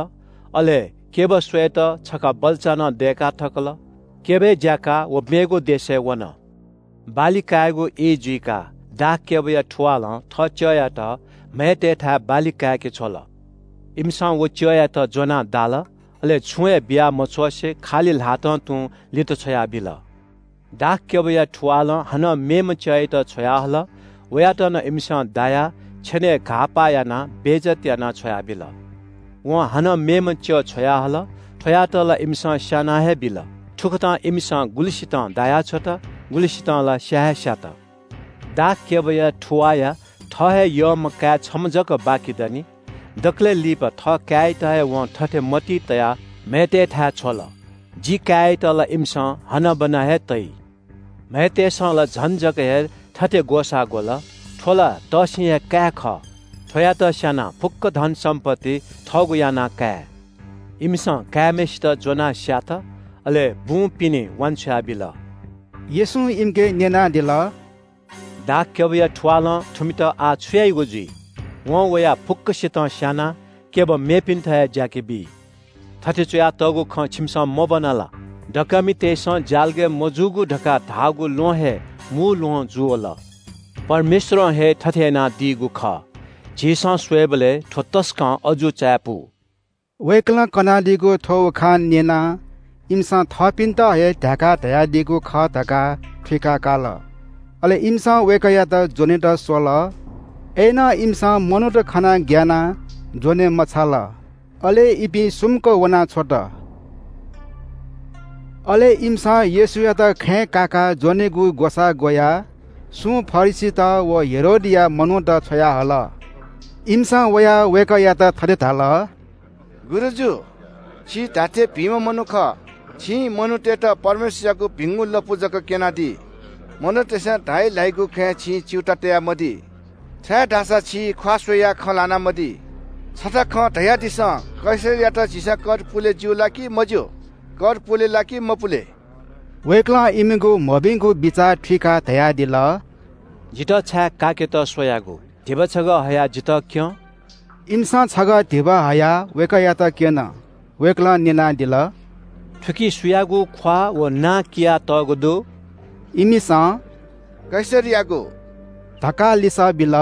अले क्यब स्वयेत छखा बल्चा नं दय्का थकल। क्यबय् ज्याकाः व मेगु देशय् वन। बाली कायेगु ई जुइकाः दाख क्यबया थुवालं थः च्यःयात म्हय्तय्थाय् बाली काय्के छ्वल। इमिसं व च्यःयात ज्वनाः दाल, अले छुं हे बिया मछ्वसे खालि ल्हातं तुं लित छ्वयाबिल। दाख क्यबया थुवालं हानं मेम्ह च्यःयात छ्वयाहल। वयात नं इमिसं दायाः छेनय् घाःपाः यानाः बेइज्जत यानाः छ्वयाबिल। वं हानं मेम्ह च्यः छ्वयाहल। थ्वयात ला इमिसं स्याना हे बिल। थुकथं इमिसं गुलिसितं दायाछ्वत, गुलिसितं ला स्या हे स्यात। दाख क्यबया थुवाःया थः हे यःम्ह काय् छम्ह जक बाकि दनि। दकलय् लिपा थः काय्‌यात हे वं थथे मतिइ तयाः म्‍हय्‌तय्‌थाय् छ्वल, ‘जि काय्‌यात ला इमिसं हनाबना हे तइ।’ म्‍हय्‌तय्‌सं ला झन जक हे थथे ग्‍वसाः ग्‍वल, ‘थ्‍व ला तःसिं हे काय् खः। थ्‍वयात स्‍यानाः फुक्‍क धनसम्‍पत्ति थःगु यानाः काये।’ इमिसं काय्‌म्‍हय्‌सित ज्‍वनाः स्‍यात, अले बुँ पिने वांछ्वया बिल।” येशूं इमिके न्‍यनादिल, “दाखक्‍यबया थुवालं थुमित आः छु याइगु जुइ? वं वयाः फुक्‍कसितं स्‍यानाः केवल मेपिन्‍त हे ज्‍याके बी। थथे च्‍वयातःगु खँ छिमिसं मब्‍वना ला? दकःमितय्‌सं ज्‍यालगय् मजूगु धकाः धाःगु ल्‍वहं हे मू ल्‍वहं जुवल। परमेश्‍वरं हे थथे यानादीगु खः। झीसं स्वयेबलय् थ्‍व तसकं अजू चायापु।” वय्‌कलं कनादीगु थ्‍व उखान न्‍यनाः इमिसं थःपिन्‍त हे ध्‍याकाः धयादीगु खः धकाः थुइका काल। अले इमिसं वय्‌कःयात ज्‍वनेत स्वल। अय्‌नं इमिसं मनूत खनाः ग्‍यानाः ज्‍वने मछाल। अले इपिं सुम्‍क वनाछ्वत। अले इमिसं येशूयात खँय् काकाः ज्‍वनेगु ग्‍वसाः ग्‍वयाः सुं फरिसीत व हेरोदया मनूत छ्वयाहल। इमिसं वयाः वय्‌कःयात थथे धाल, गुरुजु, छि धात्‍थें भिंम्‍ह मनू खः। छिं मनूतय्‌त परमेश्‍वरयागु भिंगु लँपु जक क्‍यनादी। मनूतय्‌सं धाइ ल्‍हाइगु खँय् छिं च्‍यूताः तयामदी। छाय्‌धाःसा छि ख्‍वाः स्‍वयाः खँ ल्‍हानामदी। छता खँ धयादिसँ, कैसरयात झीसं कर पुले ज्‍यू ला कि मज्‍यू? कर पुले ला कि मपुले? वय्‌कलं इमिगु मभिंगु बिचाः थुइकाः धयादिल, जितः छाय् काकेत स्‍वयागु? धिबा छगः हयाः जितः क्‍यँ। इमिसं छगः धिबा हयाः वय्‌कःयात क्‍यन। वय्‌कलं न्‍यनादिल, थुकी सुयागु ख्‍वाः व नां कियातःगु दु? इमिसं, कैसरयागु धकाः लिसः बिल।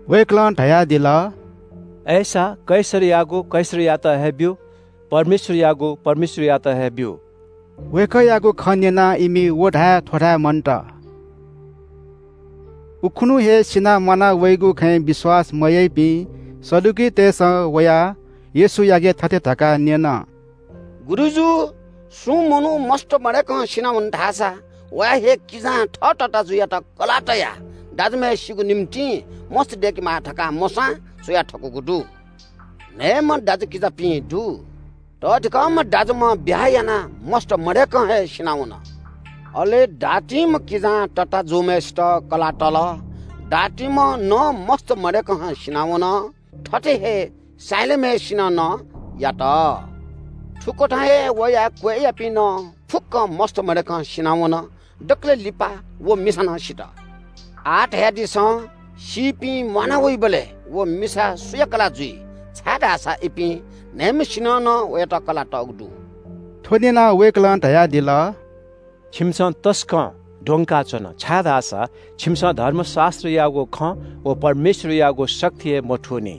वय्‌कलं धयादिल, अय्‌सा कैसरयागु कैसरयात हे ब्‍यु, परमेश्‍वरयागु परमेश्‍वरयात हे ब्‍यु। वय्‌कःयागु खँ न्‍यनाः इमि व धाये थ्‍व धाये मन्‍त। उखुन्‍हु हे सिनाः म्‍वाना वइगु खँय् विश्‍वास मयाइपिं सदुकीतय्‌सं वयाः येशूयाके थथे धकाः न्‍यन, गुरुजु, सुं मनू मस्त मदय्‌कं सिनावन धाःसा वया हे किजां थः तताजुयात कलाः तयाः दाजुम्‍हय्‌सिगु निंतिं मस्त दय्‌केमाः धकाः मोशां च्‍वया थकूगु दु। न्‍हय्‌म्‍ह दाजुकिजापिं दु। तःधिकःम्‍ह दाजुम्‍ह ब्‍याहा यानाः मस्त मदय्‌कं हे सिनावन। अले दातिम्‍ह किजां तताजूम्‍हय्‌सित कलाः तल। दातिम्‍ह नं मस्त मदय्‌कं हे सिनावन। थथे हे साइलाम्‍हय्‌सिनं नं यात। थुकथं हे वया क्‍वय्‌यापिं नं फुक्‍कं मस्त मदय्‌कं सिनावन। दकलय् लिपा व मिसा नं सित। आः धयादिसँ, सीपिं म्‍वाना वइबलय् व मिसा सुया कलाः जुइ? छाय्‌धाःसा इपिं न्‍हय्‌म्‍हय्‌सिनं नं वयात कलाः तःगु दु। थ्‍व न्‍यनाः वय्‌कलं धयादिल, छिमिसं तसकं द्वंकाच्‍वन, छाय्‌धाःसा छिमिसं धर्मशास्‍त्रयागु खँ व परमेश्‍वरयागु शक्ति हे मथूनि।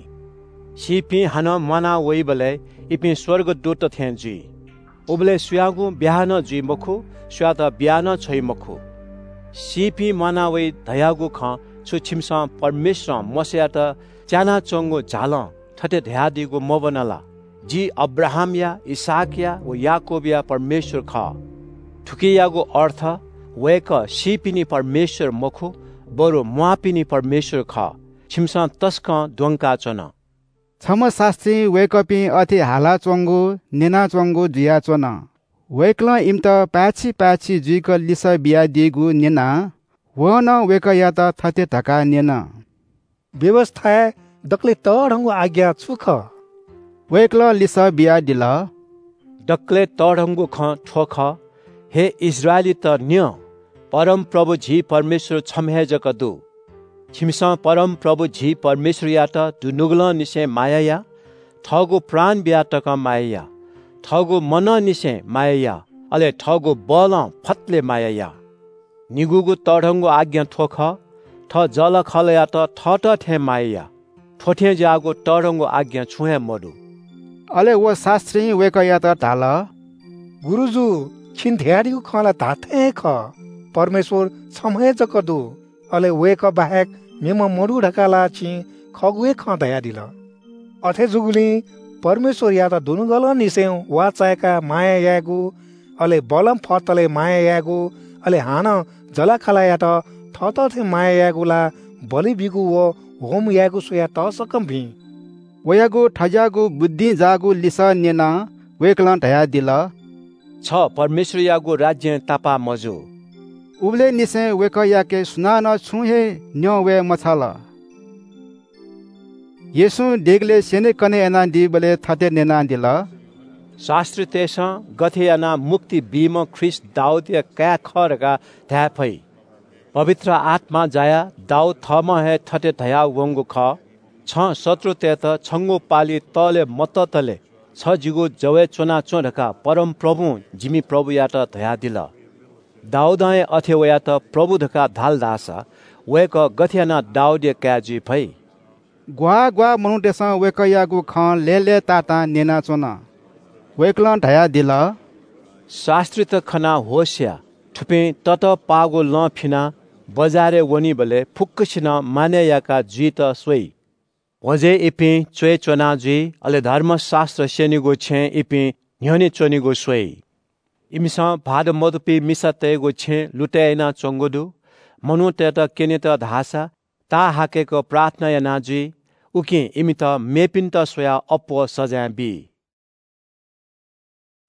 सीपिं हानं म्‍वाना वइबलय् इपिं स्‍वर्गदूतत थें जुइ। उबलय् सुयागुं ब्‍याहा नं जुइ मखु, सुयात बिया नं छ्वइ मखु। सीपिं म्‍वाना वइ धयागु खँ छु छिमिसं परमेश्‍वरं मोशायात च्यानाच्‍वंगु झालं थथे धयादीगु मब्‍वना ला? जि अब्राहामया, इसहाकया व याकूबया परमेश्‍वर खः। थुकियागु अर्थ वय्‌कः सीपिनि परमेश्‍वर मखु, बरु म्‍वाःपिनि परमेश्‍वर खः। छिमिसं तसकं द्वंकाच्‍वन। छम्‍ह शास्‍त्रीं वय्‌कःपिं अथे हालाच्‍वंगु न्‍यनाच्‍वंगु जुयाच्‍वन। वय्‌कलं इमित पाय्‌छि पाय्‌छि जुइक लिसः बियादीगु न्‍यनाः वं नं वय्‌कःयात थथे धकाः न्‍यन, व्‍यवस्‍थाय् दकलय् तःधंगु आज्ञा छु खः? वय्‌कलं लिसः बियादिल, दकलय् तःधंगु खँ थ्‍व खः, हे इस्राएलीत न्‍यँ, परमप्रभु झी परमेश्‍वर छम्‍ह हे जक दु। छिमिसं परमप्रभु झी परमेश्‍वरयात दुनुगलंनिसें माया या, थःगु प्राण बियाः तकं माया या, थःगु मनंनिसें माया या, अले थःगु बलं फतले माया या। निगूगु तःधंगु आज्ञा थ्‍व खः, थः जःलाखःलायात थःत थें माया या। थ्‍व थें ज्‍याःगु तःधंगु आज्ञा छुं हे मदु। अले व शास्‍त्रीं वय्‌कःयात धाल, गुरुजु, छिं धयादीगु खँ ला धात्‍थें हे खः। परमेश्‍वर छम्‍ह हे जक दु, अले वय्‌कः बाहेक मेम्‍ह मदु धकाः ला छिं खःगु हे खँ धयादिल। अथे जूगुलिं परमेश्‍वरयात दुनुगलंनिसें वाः चाय्‌काः माया यायेगु, अले बलं फतले माया यायेगु, अले हानं जःलाखःलायात थःत थें माया यायेगु ला बलि बीगु व होम यायेगु स्वयाः तसकं भिं।" वयागु थज्याःगु बुद्धिं जाःगु लिसः न्यनाः वय्‌कलं धयादिल, "छ परमेश्वरयागु राज्यं तापाः मजू।" उबलय् निसें वय्‌कःयाके सुनानं छुं हे न्यं वये मछाल। येशूं देगलय् स्यनेकने यानादीबलय् थथे न्यनादिल, "शास्त्रीतय्‌सं गथे यानाः मुक्ति बीम्ह ख्रीष्ट दाऊदया काय् खः धकाः धाये फइ? पवित्र आत्मां जायाः दाऊद थःम्हं हे थथे धयावंगु खः, 'छं शत्रुतय्‌त छंगु पालि तःले मततले छ जिगु जवय् च्वनाच्वँ धकाः परमप्रभुं जिमि प्रभुयात धयादिल।' दाऊदं हे अथे वयात प्रभु धकाः धाल धाःसा वय्‌कः गथे यानाः दाऊदया काय् जुइ फइ?" ग्वाः ग्वाः मनूतय्‌सं वय्‌कःयागु खँ लय्‌लय्‌तातां न्यनाच्वन। वय्‌कलं धयादिल, "शास्त्रीत खनाः होश या। थुपिं ततःपाःगु लँ फिनाः बजारय् वनीबलय् फुक्कसिनं मानय् याका जुइत स्वइ। भ्वजय् इपिं च्वय् च्वना जुइ, अले धर्मशास्त्र स्यनीगु छेँय् इपिं न्ह्यःने च्वनीगु स्वइ। इमिसं भाःत मदुपिं मिसातय्‌गु छेँ लुतय् यानाच्वंगु दु। मनूतय्‌त क्यनेत धाःसा ताःहाकय्‌क प्रार्थना याना जुइ, उकिं इमित मेपिन्त स्वयाः अप्वः सजाँय बी।"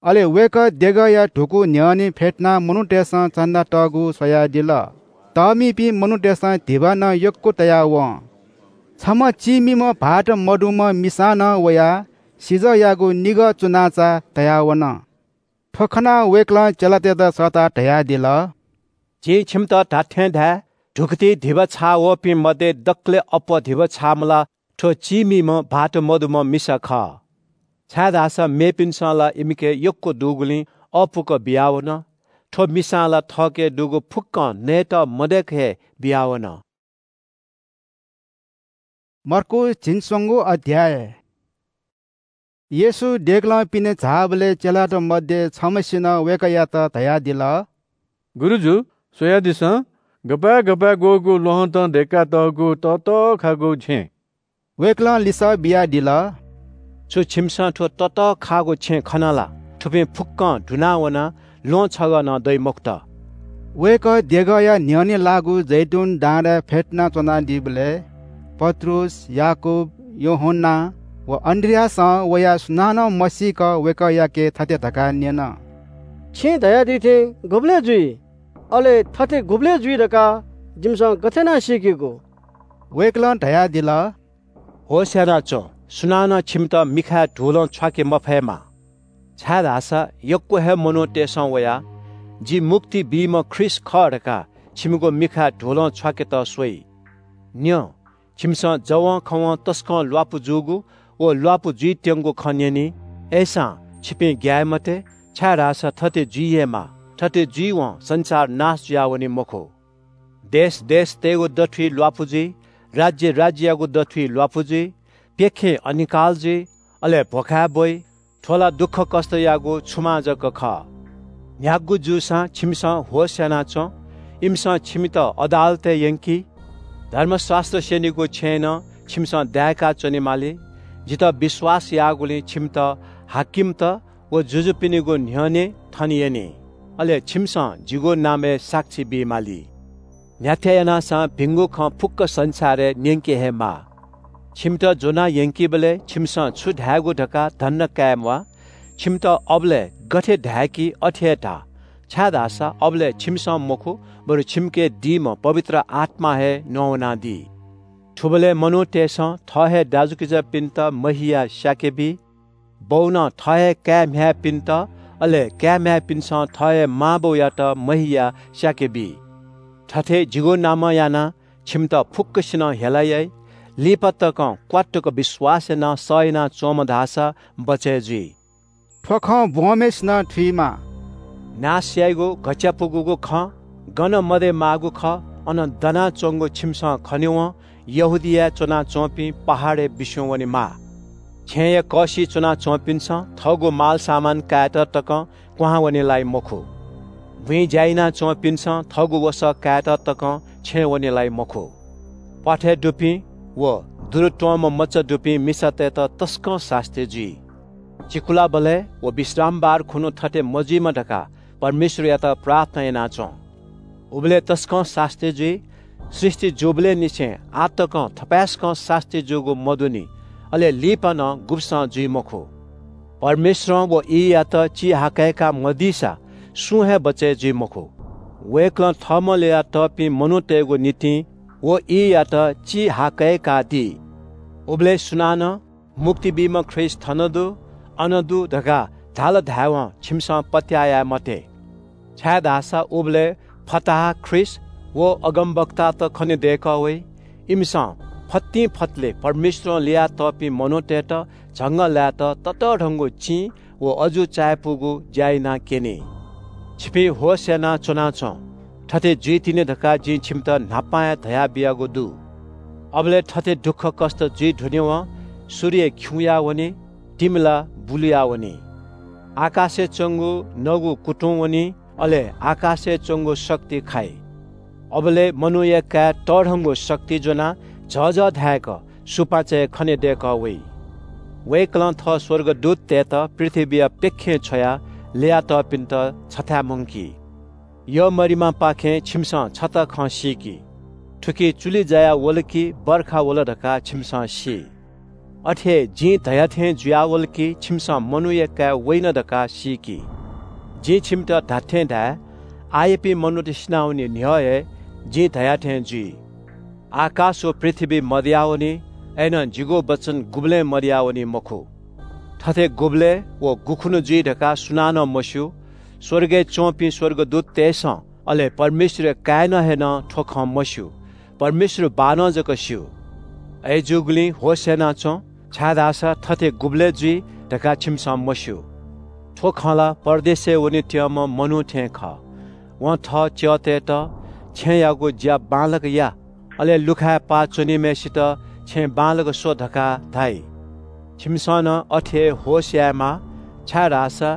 अले वय्‌कः देगःया धुकू न्ह्यःने फ्यतुनाः मनूतय्‌सं चन्दा तःगु स्वयादिल। तःमिपिं मनूतय्‌सं धिबा नं यक्व तयावं। छम्ह चीमिम्ह भाःत मदुम्ह मिसां नं वयाः सिजःयागु निगः चुनाचा तयावन। थ्व खनाः वय्‌कलं चेलातय्‌त सःताः धयादिल, "जिं छिमित धात्थें धाये, धुकुतिइ धिबा छाः वःपिं मध्ये दकलय् अप्वः धिबा छाःम्ह ला थ्व चीमिम्ह भाःत मदुम्ह मिसा खः। छाय्‌धाःसा मेपिन्सं ला इमिके यक्व दुगुलिं अःपुक बियावन। थ्व मिसां ला थःके दुगु फुक्कं नयेत मदय्‌क हे बियावन।" मर्कूस झिंस्वंगू अध्याय। येशू देगलं पिने झाःबलय् चेलात मध्ये छम्हसिनं वय्‌कःयात धयादिल, "गुरुजु, स्वयादिसँ, गपाय् गपाय् ग्वःगु ल्वहंतं दय्‌कातःगु ततःखाःगु छेँ।" वय्‌कलं लिसः बियादिल, "छु छिमिसं थ्व ततःखाःगु छेँ खन ला? थुपिं फुक्कं दुना वनाः ल्वहं छगः नं दइ मखुत।" वय्‌कः देगःया न्ह्यःने लाःगु जैतून डाँडाय् फ्यतुना च्वनादीबलय् पत्रुस, याकूब, यूहन्‍ना व अन्‍द्रियासं वयाः सुनानं मसीक वय्‌कःयाके थथे धकाः न्‍यन, "छिं धयादी थें गुबलय् जुइ? अले थथे गुबलय् जुइ धकाः जिमिसं गथे यानाः सीकेगु?" वय्‌कलं धयादिल, "होश यानाच्‍वँ, सुनानं छिमित मिखाय् धुलं छ्वाके मफयेमा, छाय्‌धाःसा यक्‍व हे मनूतय्‌सं वयाः जि मुक्ति बीम्‍ह ख्रीष्‍ट खः धकाः छिमिगु मिखाय् धुलं छ्वाकेत स्‍वइ। न्‍यँ, छिमिसं जवंखवं तसकं ल्‍वापु जूगु व ल्‍वापु जुइत्यंगु खँ न्‍यनी। अय्‌सां छिपिं ग्‍याये मते, छाय्‌धाःसा थथे जुइ हे माः। थथे जुइवं संसार नाश जुयावनी मखु। देश देशतय्‌गु दथुइ ल्‍वापु जुइ, राज्‍य राज्‍ययागु दथुइ ल्‍वापु जुइ, प्‍यखें अनिकाल जुइ, अले भ्‍वखाय् ब्‍वइ। थ्‍व ला दुःखकष्‍टयागु छुमां जक खः। न्‍ह्यागु जूसां छिमिसं होश यानाच्‍वँ। इमिसं छिमित अदालतय् यंकी। धर्मशास्‍त्र स्‍यनीगु छेँय् नं छिमिसं दाय्‌का च्‍वनेमाली। जितः विश्‍वास याःगुलिं छिमित हाकिमत व जुजुपिनिगु न्‍ह्यःने थन यनी। अले छिमिसं जिगु नामय् साक्षी बीमाली। न्‍ह्याथाय् यानासां भिंगु खँ फुक्‍क संसारय् न्‍यंके हे माः। छिमित ज्‍वनाः यंकीबलय् छिमिसं छु धायेगु धकाः धन्‍दा काये म्‍वाः। छिमित अबलय् गथे धाय्‌की अथे हे धा, छाय्‌धाःसा अबलय् छिमिसं मखु, बरु छिमिके दीम्‍ह पवित्र आत्‍मां हे नवानादी। थुबलय् मनूतय्‌सं थः हे दाजुकिजापिन्‍त महियाः स्‍याके बी। बौनं थः हे काय् म्‍ह्याय्‌पिन्‍त, अले काय् म्‍ह्याय्‌पिन्‍सं थः हे मांबौयात महियाः स्‍याके बी। थथे जिगु नामं यानाः छिमित फुक्‍कसिनं हेला याइ। लिपा तकं क्‍वात्तुक विश्‍वास यानाः सह यानाच्‍वंम्‍ह धाःसा बचय् जुइ। थ्‍व खँ ब्‍वंम्‍हय्‌सिनं थुइमा। नाश याइगु घच्‍चापुगूगु खँ गन मदयेमाःगु खः, अन दनाच्‍वंगु छिमिसं खनेवं यहूदियाय् च्‍वनाच्‍वंपिं पहाडय् बिस्‍युं वनेमाः। छेँय् कःसिइ च्‍वनाच्‍वंपिन्‍सं थःगु मालसामान कायेत तकं क्‍वहां वने लाइ मखु। बुँइ ज्‍या यानाच्‍वंपिन्‍सं थःगु वसः कायेत तकं छेँय् वने लाइ मखु। प्‍वाथय् दुपिं व दुरु त्‍वंम्‍ह मचा दुपिं मिसातय्‌त तसकं सास्‍ती जुइ। चिकुलाबलय् व विश्रामबार खुन्‍हु थथे मजुइमा धकाः परमेश्‍वरयात प्रार्थना यानाच्‍वँ। उबलय् तसकं सास्‍ती जुइ। सृष्‍टि जूबलय् निसें आः तकं थपाय्‌सकं सास्‍ती जूगु मदुनि, अले लिपा नं गुब्‍सं जुइ मखु। परमेश्‍वरं व ईयात चिहाकय्‌का मदीसा सुं हे बचय् जुइ मखु। वय्‌कलं थःम्‍हं ल्‍ययातःपिं मनूतय्‌गु निंतिं व ईयात चिहाकय्‌कादी। उबलय् सुनानं मुक्ति बीम्‍ह ख्रीष्‍ट थन दु, अन दु धकाः धाल धायेवं छिमिसं पत्‍याः याये मते। छाय्‌धाःसा उबलय् फताहा ख्रीष्‍ट व अगमवक्तात खने दय्‌कः वइ। इमिसं फतिं फतले परमेश्‍वरं ल्‍ययातःपिं मनूतय्‌त झंगः लायेत ततःधंगु चिं व अजू चायापुगु ज्‍या यानाः क्‍यनी। छिपिं होश यानाः च्‍वनाच्‍वँ। थथे जुइतिनि धकाः जिं छिमित न्‍हापां हे धयाबियागु दु। अबलय् थथे दुःखकष्‍ट जुइ धुनेवं सूर्य खिउँया वनी, तिमि ला बुलुया वनी। आकाशय् च्‍वंगु नगु कुतुं वनी, अले आकाशय् च्‍वंगु शक्ति खाइ। अबलय् मनूया काय् तःधंगु शक्ति ज्‍वनाः झःझः धाय्‌क सुपाँचय् खने दय्‌कः वइ। वय्‌कलं थः स्‍वर्गदूततय्‌त पृथ्‍वीया प्‍यखें छ्वयाः ल्‍ययातःपिन्‍त छथाय् मुंकी। यःमरिमापाखें छिमिसं छता खँ सीकि। थुकी चुलि जायाः वल कि बर्खा वल धकाः छिमिसं सी। अथे हे जिं धया थें जुयावल कि छिमिसं मनूया काय् वइन धकाः सीकि। जिं छिमित धात्‍थें धाये, आःयापिं मनूत सिनावनी न्‍ह्यः हे जिं धया थें जुइ। आकाश व पृथ्‍वी मदयावनी, अय्‌नं जिगु वचन गुबलें मदयावनी मखु। थथे गुबलय् व गुखुन्‍हु जुइ धकाः सुनानं मस्‍यू। स्‍वर्गय् च्‍वंपिं स्‍वर्गदूततय्‌सं, अले परमेश्‍वरया काय्‌नं हे नं थ्‍व खँ मस्‍यू। परमेश्‍वर बाःनं जक स्‍यू। अय्‌जूगुलिं होश यानाच्‍वँ, छाय्‌धाःसा थथे गुबलय् जुइ धकाः छिमिसं मस्‍यू। थ्‍व खँ ला परदेशय् वनेत्यंम्‍ह मनू थें खः। वं थः च्‍यःतय्‌त, "छेँयागु ज्‍या बांलाक या, अले लुखाय् पाः च्‍वनीम्‍हय्‌सित छेँ बांलाक स्‍व" धकाः धाइ। छिमिसं नं अथे हे होश यायेमाः, छाय्‌धाःसा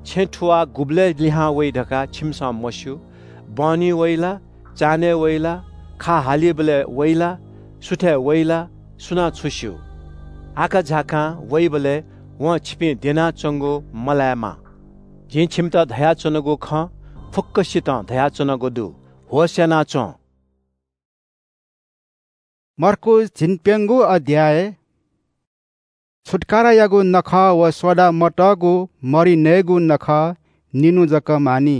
छेँ थुवाः गुबलय् लिहां वइ धकाः छिमिसं मस्‍यू। बहनी वइ ला, चान्‍हय् वइ ला, खा हालीबलय् वइ ला, सुथय् वइ ला, सुनां छु स्‍यू? आकाझाकां वइबलय् वं छिपिं द्यनाच्‍वंगु मलायेमा। जिं छिमित धयाच्‍वनागु खँ फुक्‍कसितं धयाच्‍वनागु दु। होश यानाच्‍वँ। मर्कूस झिंप्‍यंगू अध्‍याय। छुत्‍कारायागु नखः व सोडा मतःगु मरि नयेगु नखः निन्‍हु जक मानि।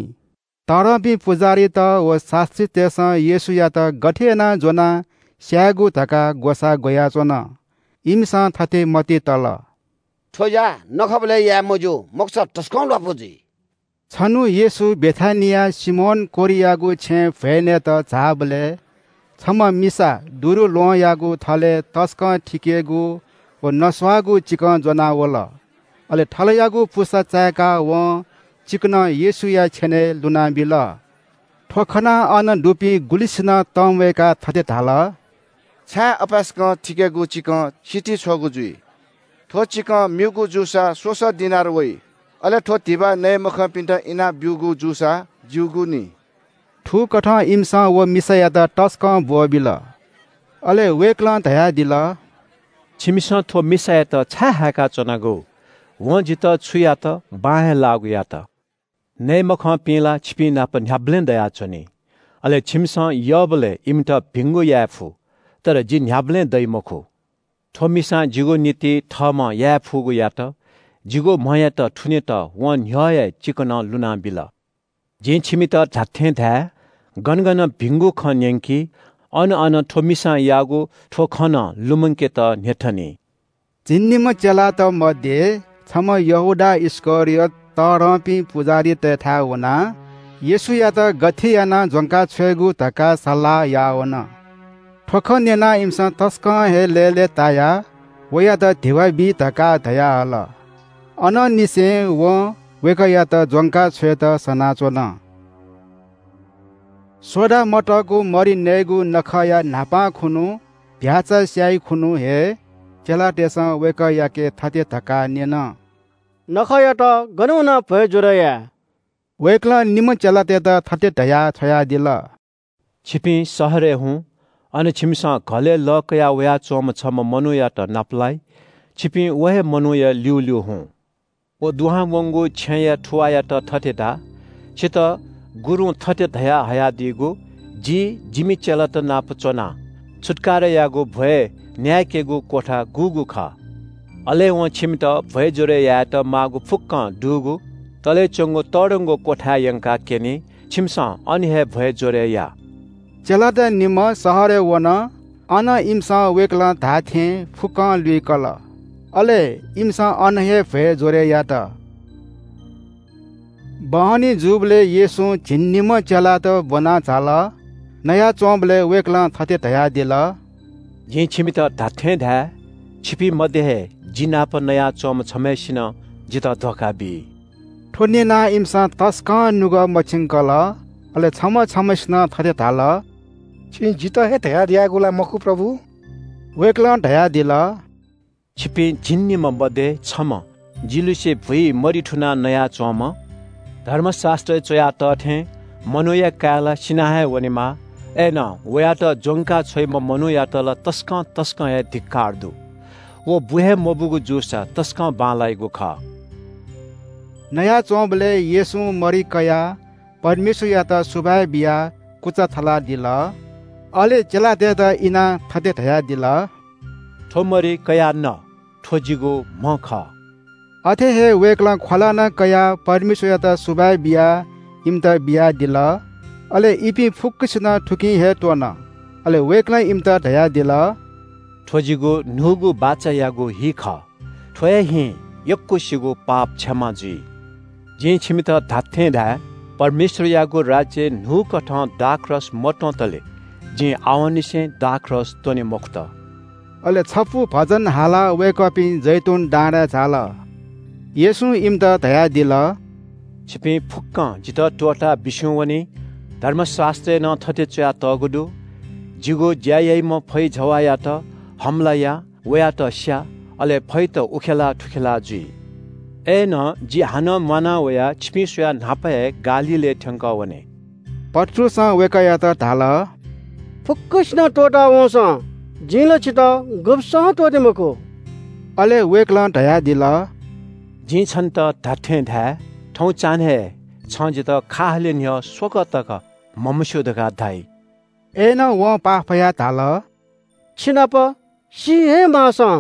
तःधंपिं पुजाहारीत व शास्‍त्रीतय्‌सं येशूयात गथे यानाः ज्‍वनाः स्‍यायेगु धकाः ग्‍वसाः ग्‍वयाच्‍वन। इमिसं थथे मतिइ तल, "थ्‍व ज्‍या नखःबलय् याये मज्‍यू, मखुसा तसकं ल्‍वापु जुइ।" छन्‍हु येशू बेथानियाय् सिमोन कोह्रियागु छेँय् भ्‍वय् नयेत झाःबलय् छम्‍ह मिसा दुरुल्‍वहंयागु थलय् तसकं थिकेगु व नस्‍वाःगु चिकं ज्‍वनाः वल। अले थलयागु पुसा चाय्‌काः वं चिकनं येशूया छ्‍यनय् लुनाबिल। थ्‍व खनाः अन दुपिं गुलिसिनं तंम्‍वय्‌काः थथे धाल, "छाय् अपाय्‌सकं थिकेगु चिकं सितिछ्वःगु जुइ? थ्‍व चिकं म्‍यूगु जूसा स्‍वसः दिनार वइ, अले थ्‍व धिबा नये मखंपिन्‍त इनाप ब्‍यूगु जूसा ज्‍यूगु नि।" थुकथं इमिसं व मिसायात तसकं ब्‍वःबिल। अले वय्‌कलं धयादिल, "छिमिसं थ्‍व मिसायात छाय् हाय्‌काच्‍वनागु? वं जितः छु यात, बां हे लाःगु यात। नये मखंपिं ला छिपिं नाप न्‍ह्याबलें दयाच्‍वनी, अले छिमिसं यःबलय् इमित भिंगु याये फु, तर जि न्‍ह्याबलें दइ मखु। थ्‍व मिसां जिगु निंतिं थःम्‍हं याये फुगु यात। जिगु म्‍हयात थुनेत वं न्‍ह्यः हे चिकनं लुनाबिल। जिं छिमित धात्‍थें धाये, गन गन भिंगु खँ न्‍यंकी, अन अन थ्‍व मिसां याःगु थ्‍व खँ नं लुमंकेत न्‍ह्यथनी।" झिंनिम्‍ह चेलात मध्ये छम्‍ह यहूदा इस्‍करियोत तःधंपिं पुजाहारीतय्‌थाय् वनाः येशूयात गथे यानाः ज्‍वंका छ्वयेगु धकाः सल्‍लाह याः वन। थ्‍व खँ न्‍यनाः इमिसं तसकं हे लय्‌लय्‌तायाः वयात धिबा बी धकाः धयाहल। अनंनिसें वं वय्‌कःयात ज्‍वंका छ्वयेत सनाच्‍वन। सोडा मतःगु मरि नयेगु नखःया न्‍हापां खुन्‍हु भ्‍याःचा स्‍याइ खुन्‍हु हे चेलातय्‌सं वय्‌कःयाके थथे धकाः न्‍यन, "नखःयात गन वनाः भ्‍वय् ज्‍वर याये?" वय्‌कलं निम्‍ह चेलातय्‌त थथे धयाः छ्वयादिल, "छिपिं शहरय् हुँ, अन छिमिसं घलय् लः कयाः वयाच्‍वंम्‍ह छम्‍ह मनूयात नापलाइ। छिपिं व हे मनूया ल्‍यूल्‍यू हुँ। व दुहां वंगु छेँया थुवाःयात थथे धा, 'छितः गुरुं थथे धयाहयादीगु, जि जिमि चेलात नाप च्वनाः छुत्कारायागु भ्‍वय् न्‍याय्‌केगु क्‍वथा गुगु खः? अले वं छिमित भ्‍वय् ज्‍वरय् यायेत माःगु फुक्‍कं दुगु तलय् च्‍वंगु तःधंगु क्‍वथाय् यंकाः क्‍यनी। छिमिसं अन हे भ्‍वय् ज्‍वरय् या।” चेलात निम्‍ह शहरय् वन। अन इमिसं वय्‌कलं धाःथें फुक्‍कं लुइकल। अले इमिसं अन हे भ्‍वय् ज्‍वरय् यात। बहनी जूबलय् येशूं झिंनिम्‍ह चेलात ब्‍वना झाल। नयाच्‍वंबलय् वय्‌कलं थथे धयादिल, “जिं छिमित धात्‍थें धाये, छिपिं मध्‍ये हे जि नाप नयाच्‍वंम्‍ह छम्‍हय्‌सिनं जितः धोखा बी।” थ्‍व न्‍यनाः इमिसं तसकं नुगः मछिंकल। अले छम्‍ह छम्‍हय्‌सिनं थथे धाल, “छिं जितः हे धयादियागु ला मखु, प्रभु?” वय्‌कलं धयादिल, “छिपिं झिंनिम्‍ह मध्‍ये छम्‍ह जिलिसे भुइ मरि थुनाः नयाच्‍वंम्‍ह, धर्मशास्‍त्रय् च्‍वया तः थें मनूया काय् ला सिना हे वनेमाः। अय्‌नं वयात ज्‍वंका छ्वइम्‍ह मनूयात ला तसकं तसकं हे धिक्‍कार दु। व बु हे मबूगु जूसा तसकं बांलाइगु खः।” नयाच्‍वंबलय् येशूं मरि कयाः परमेश्‍वरयात सुभाय् बियाः कुचा थलादिल। अले चेलातय्‌त इनाः थथे धयादिल, “थ्‍व मरि कयाः न, थ्‍व जिगु म्‍ह खः।” अथे हे वय्‌कलं ख्‍वला नं कयाः परमेश्‍वरयात सुभाय् बियाः इमित बियादिल। अले इपिं फुक्‍कसिनं थुकिं हे त्‍वन। अले वय्‌कलं इमित धयादिल, “थ्‍व जिगु न्‍हूगु बाचायागु हि खः। थ्‍व हे हिं यक्‍वसिगु पाप क्षमा जुइ। जिं छिमित धात्‍थें धाये, परमेश्‍वरयागु राज्‍यय् न्‍हूकथं दाखरस मत्‍वंतले जिं आवंनिसें दाखरस त्‍वने मखुत।” अले छपु भजन हालाः वय्‌कःपिं जैतून डाँडाय् झाल। येशूं इमित धयादिल, “छिपिं फुक्‍कं जितः त्‍वःताः बिस्युं वनी। धर्मशास्‍त्रय् नं थथे च्‍वयातःगु दु – ‘जिगु ज्‍या याइम्‍ह फैजवाःयात हमला या, वयात स्‍या, अले फैत उखेला थुखेला जुइ।’ अय्‌नं जि हानं म्‍वाना वयाः छिपिं स्‍वयाः न्‍हापा हे गालीलय् थ्‍यंकः वने।” पत्रुसं वय्‌कःयात धाल, “फुक्‍कसिनं त्‍वःता वंसां जिं ला छितः गुब्‍सं त्‍वःते मखु।” अले वय्‌कलं धयादिल, “जिं छन्‍त धात्‍थें धाये, थौं चान्‍हय् छं जितः खाहालय् न्‍ह्यः स्वकः तक म्हमस्‍यू धकाः धाइ।” अय्‌नं वं पाफयाः धाल, “छिनाप सी हे माःसां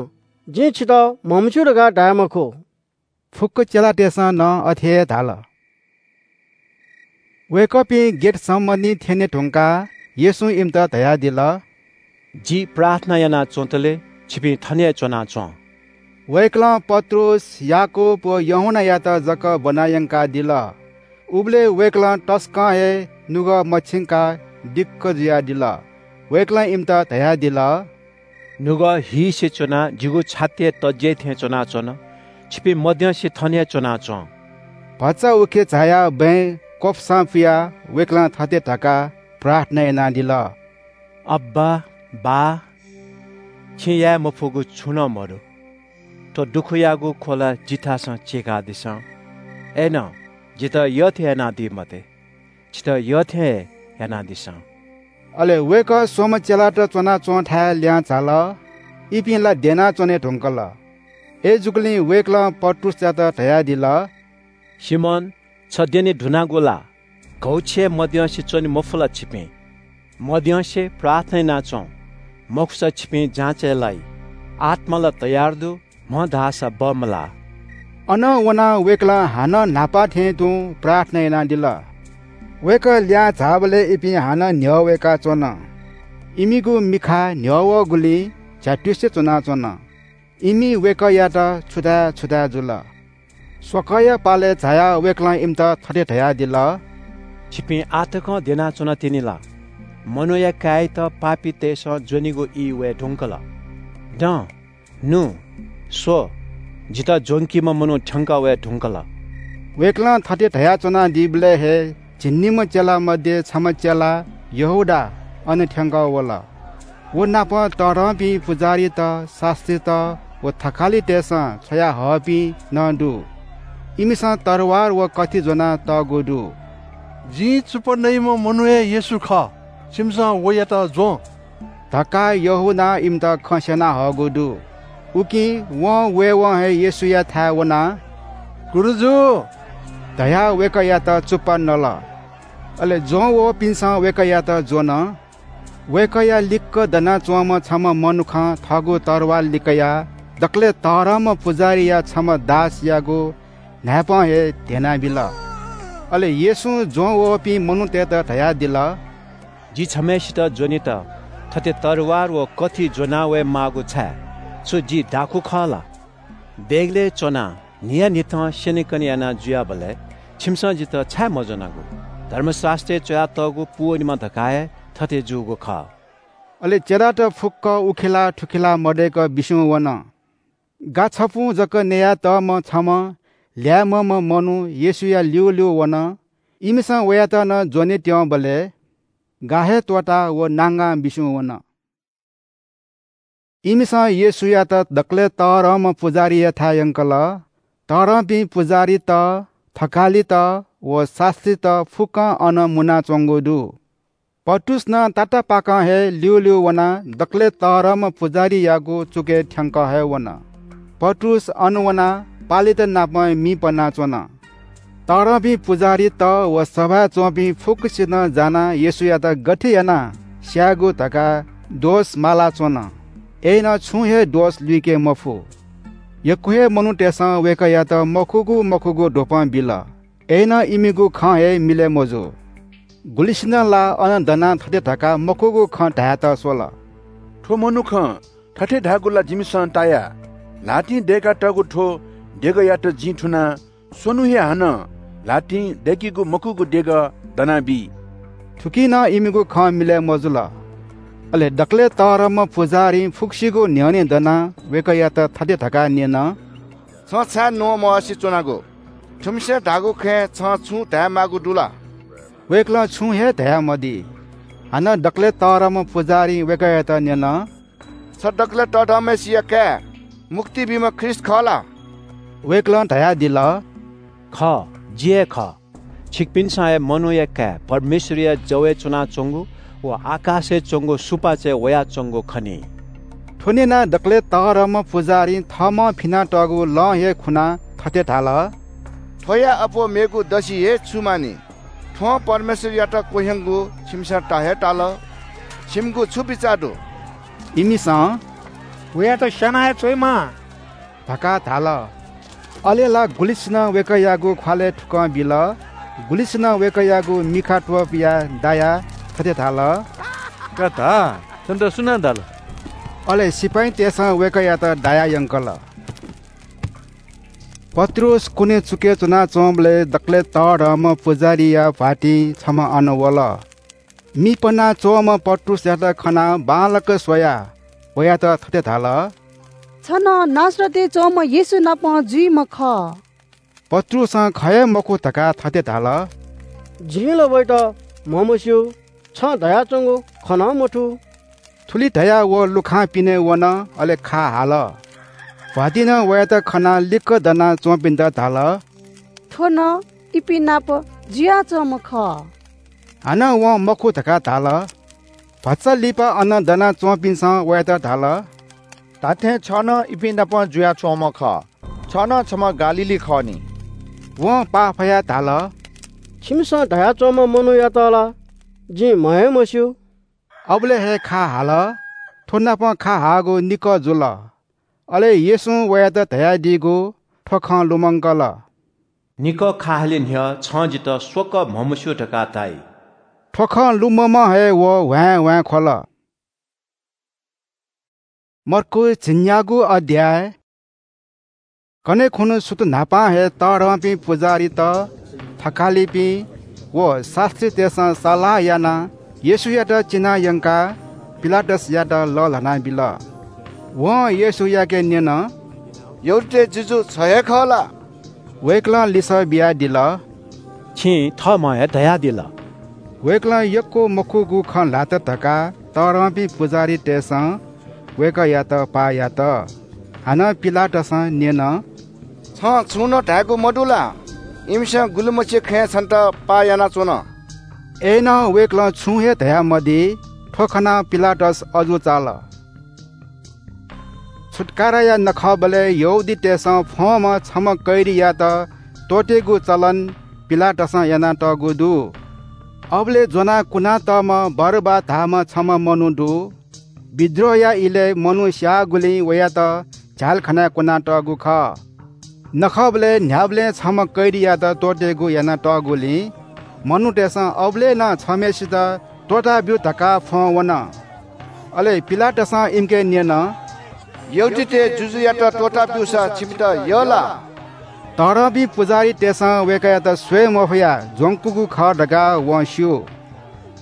जिं छितः म्हमस्‍यू धकाः धाये मखु।” फुक्‍क चेलातय्‌सं नं अथे हे धाल। वय्‌कःपिं गेतसमनी थ्‍यने धुंकाः येशूं इमित धयादिल, “जि प्रार्थना याना च्‍वंतले छिपिं थन हे च्‍वनाच्‍वँ।” वय्‌कलं पत्रुस, याकूब व यूहन्‍नायात जक ब्‍वना यंकादिल। उबलय् वय्‌कलं तसकं हे नुगः मछिंकाः दिक्‍क जुयादिल। वय्‌कलं इमित धयादिल, “नुगः हीसे च्‍वनाः जिगु छातिया तज्‍याइ थें च्‍वनाच्‍वन। छिपिं मद्यंसे थन हे च्‍वनाच्‍वँ।” भचा उखे झायाः बँय् क्‍वपुसां पुयाः वय्‌कलं थथे धकाः प्रार्थना यानादिल, “अब्‍बा, बाः, छिं याये मफुगु छुं नं मदु। थ्‍व दुःखयागु ख्‍वला जिथासं चीकादिसँ। अय्‌नं जितः यःथें यानादी मते, छितः यःथें हे यानादिसँ।” अले वय्‌कः स्‍वम्‍ह चेलात च्‍वनाच्‍वंथाय् लिहां झाल। इपिं ला द्यनाच्‍वने धुंकल। अय्‌जूगुलिं वय्‌कलं पत्रुसयात धयादिल, “सिमोन, छ द्यने धुनागु ला? घौछि हे मद्यंसे च्‍वने मफु ला छिपिं? मद्यंसे प्रार्थना यानाच्‍वँ, मखुसा छिपिं जाँचय् लाइ। आत्‍मा ला तयार दु, म्‍ह धाःसा बमलाः।” अनं वनाः वय्‌कलं हानं न्‍हापा थें तुं प्रार्थना यानादिल। वय्‌कः लिहां झाःबलय् इपिं हानं न्‍ह्यः वय्‌काच्‍वन। इमिगु मिखा न्‍ह्यः वःगुलिं झ्‍यातुसे च्‍वनाच्‍वन। इमि वय्‌कःयात छु धाये छु धाये जुल। स्वकःया पालय् झायाः वय्‌कलं इमित थथे धयादिल, “छिपिं आः तकं द्यनाच्‍वना तिनि ला? मनूया काय्‌यात पापीतय्‌सं ज्‍वनीगु ई वये धुंकल। दँ, नु, स्‍व, जितः ज्‍वंकीम्‍ह मनू थ्‍यंकः वये धुंकल।” वय्‌कलं थथे धयाच्‍वनादीबलय् हे झिंनिम्‍ह चेला मध्ये छम्‍ह चेला यहूदा अन थ्‍यंकः वल। व नाप तःधंपिं पुजाहारीत, शास्‍त्रीत व थकालितय्‌सं छ्वयाहःपिं नं दु। इमिसं तरवार व कथि ज्‍वना तःगु दु। “जिं चुप्‍पा नइम्‍ह मनू हे येशू खः। छिमिसं वयात ज्‍वँ” धकाः यहूदां इमित खँ स्‍यना हःगु दु। उकिं वं वयेवं हे येशूयाथाय् वनाः, “गुरुजु” धयाः वय्‌कःयात चुप्‍पा नल। अले ज्वं वःपिन्सं वय्‌कःयात ज्वन। वय्‌कःया लिक्क दनाच्वंम्ह छम्ह मनुखं थःगु तरवार लिकयाः दकलय् तःधंम्ह पुजाहारीया छम्ह दासयागु न्हाय्‌पं हे ध्‍यनाबिल। अले येशूं ज्वं वःपिं मनूतय्‌त धयादिल, जि छम्‍हय्‌सित ज्वनेत थथे तरवार व कथि ज्वना वये माःगु छाय्? छु जि दाखुँ खः ला? देगलय् च्‍वनाः न्‍हियान्‍हिथं स्‍यनेकने याना जुयाबलय् छिमिसं जितः छाय् मज्‍वनागु? धर्मशास्‍त्रय् च्‍वयातःगु पूवनेमा धकाः हे थथे जूगु खः। अले चेलात फुक्‍क उखेला थुखेला मदय्‌क बिस्‍युं वन। गा छपुं जक नयातःम्‍ह छम्‍ह ल्‍याय्‌म्‍हम्‍ह मनू येशूया ल्‍यूल्‍यू वन। इमिसं वयात नं ज्‍वने त्यंबलय् गा हे त्‍वःताः व नांगां बिस्‍युं वन। इमिसं येशूयात दकलय् तःधंम्‍ह पुजाहारीयाथाय् यंकल। तःधंपिं पुजाहारीत, थकालित व शास्‍त्रीत फुक्‍कं अन मुनाच्‍वंगु दु। पत्रुस नं तातापाकं हे ल्‍यूल्‍यू वनाः दकलय् तःधंम्‍ह पुजाहारीयागु चुकय् थ्‍यंकः हे वन। पत्रुस अन वनाः पालेत नाप मि पनाच्‍वन। तःधंपिं पुजाहारीत व सभाय् च्‍वंपिं फुक्‍कसिनं जानाः येशूयात गथे यानाः स्‍यायेगु धकाः दोष मालाच्‍वन। अय्‌नं छुं हे दोष लुइके मफु। यक्‍व हे मनूतय्‌सं वय्‌कःयात मखुगु मखुगु द्वपं बिल। अय्‌नं इमिगु खँ हे मिलय् मजू। गुलिसिनं ला अन दनाः थथे धकाः मखुगु खँ धायेत स्‍वल, थ्‍व मनुखं थथे धाःगु ला जिमिसं ताया। ल्‍हातिं दय्‌कातःगु थ्‍व देगःयात जिं थुनाः स्वन्‍हु हे हानं ल्‍हातिं दय्‌केगु मखुगु देगः दनाबी। थुकिं नं इमिगु खँ मिलय् मजुल। अले दकलय् तःधंम्‍ह पुजाहारीं फुक्‍कसिगु न्‍ह्यःने दनाः वय्‌कःयात थथे धकाः न्‍यन, छं छाय् न्‍वहः मवसे च्‍वनागु? थुमिसं धाःगु खँय् छं छुं धायेमाःगु दु ला? वय्‌कलं छुं हे धयामदी। हानं दकलय् तःधंम्‍ह पुजाहारीं वय्‌कःयात न्‍यन, छ दकलय् तःधंम्‍हय्‌सिया काय्, मुक्ति बीम्‍ह ख्रीष्‍ट खः ला? वय्‌कलं धयादिल, खः, जि हे खः। छिकपिन्‍सं हे मनूया काय् परमेश्‍वरया जवय् च्‍वनाच्‍वंगु व आकाशय् च्‍वंगु सुपाँचय् वयाच्‍वंगु खनी। थ्‍व न्‍यनाः दकलय् तःधंम्‍ह पुजाहारीं थःम्‍हं फिनातःगु लं हे खुनाः थथे धाल, थ्‍वया अप्‍वः मेगु दसि हे छु माःनि? थ्‍वं परमेश्‍वरयात क्‍वह्यंगु छिमिसं ता हे ताल। छिमिगु छु बिचाः दु? इमिसं वयात स्‍याना हे च्‍वयेमाः धकाः धाल। अले ला गुलिसिनं वय्‌कःयागु ख्‍वालय् थुकं बिल, गुलिसिनं वय्‌कःयागु मिखा त्‍वपुयाः दायाः थथे धाल, का धा, छन्‍त सुनां धाल? अले सिपाइँतय्‌सं वय्‌कःयात दायाः यंकल। पत्रुस कुने चुकय् च्‍वनाच्‍वंबलय् दकलय् तःधंम्‍ह पुजाहारीया भ्‍वातिं छम्‍ह अन वल। मि पनाच्‍वंम्‍ह पत्रुसयात खनाः बांलाक स्‍वयाः वयात थथे धाल, छ नं नासरतय् च्‍वंम्‍ह येशू नाप जुइम्‍ह खः। पत्रुसं खः हे मखु धकाः थथे धाल, जिं ला वयात म्‍हमस्‍यू, छं धयाच्‍वंगु खँ नं मथू। थुलि धयाः व लुखां पिने वन, अले खा हाल। भ्‍वातिनं वयात खनाः लिक्‍क दनाच्‍वंपिन्‍त धाल, थ्‍व नं इपिं नाप जुयाच्‍वंम्‍ह खः। हानं वं मखु धकाः धाल। भचा लिपा अन दनाच्‍वंपिन्‍सं वयात धाल, धात्‍थें छ नं इपिं नाप जुयाच्‍वंम्‍ह खः। छ नं छम्‍ह गालीली खः नि। वं पाफयाः धाल, छिमिसं धयाच्‍वंम्‍ह मनूयात ला जिं म्‍ह हे मस्‍यू। अबलय् हे खा हाल। थ्‍व नाप खा हाःगु निकः जुल। अले येशूं वयात धयादीगु थ्‍व खँ लुमंकल, निकः खा हाले न्‍ह्यः छं जितः स्वकः म्‍हमस्‍यू धकाः धाइ। थ्‍व खँ लुमंम्‍ह हे व ह्वाँय् ह्वाँय् ख्‍वल। मर्कूस झिंन्‍यागू अध्‍याय। कन्‍हय् खुन्‍हु सुथ न्‍हापां हे तःधंपिं पुजाहारीत, थकालिपिं व शास्‍त्रीतय्‌सं सल्‍लाह यानाः येशूयात चिनायंकाः पिलातसयात लःल्‍हानाबिल। वं येशूयाके न्‍यन, यहूदीतय् जुजु छ हे खः ला? वय्‌कलं लिसः बियादिल, छिं थःम्‍हं हे धयादिल। वय्‌कलं यक्‍व मखुगु खँ ल्‍हात धकाः तःधंपिं पुजाहारीतय्‌सं वय्‌कःयात पाः यात। हानं पिलातसं न्‍यन, छं छुं नं धायेगु मदु ला? इमिसं गुलिमछि खँय् छन्‍त पाः यानाच्‍वन। अय्‌नं वय्‌कलं छुं हे धयामदी। थ्‍व खनाः पिलातस अजू चाल। छुत्‍काराया नखःबलय् यहूदीतय्‌सं फ्‍वंम्‍ह छम्‍ह कैदीयात त्‍वःतेगु चलन पिलातसं यानातःगु दु। अबलय् ज्वनाः कुनातःम्ह बरब्बा धाःम्ह छम्ह मनू दु। विद्रोहया इलय् मनू स्याःगुलिं वयात झ्यालखानाय् कुनातःगु खः। नखःबलय् न्ह्याबलें छम्ह कैदीयात त्वःतेगु यानातःगुलिं मनूतय्‌सं अबलय् नं छम्हय्‌सित त्वःताब्यु धकाः फ्वं वन। अले पिलातसं इमिके न्यन, "यहूदीतय् जुजुयात त्वःताब्यूसा छिमित यः ला?" तःधंपिं पुजाहारीतय्‌सं वय्‌कःयात स्वये मफयाः ज्वंकूगु खः धकाः वं स्यू।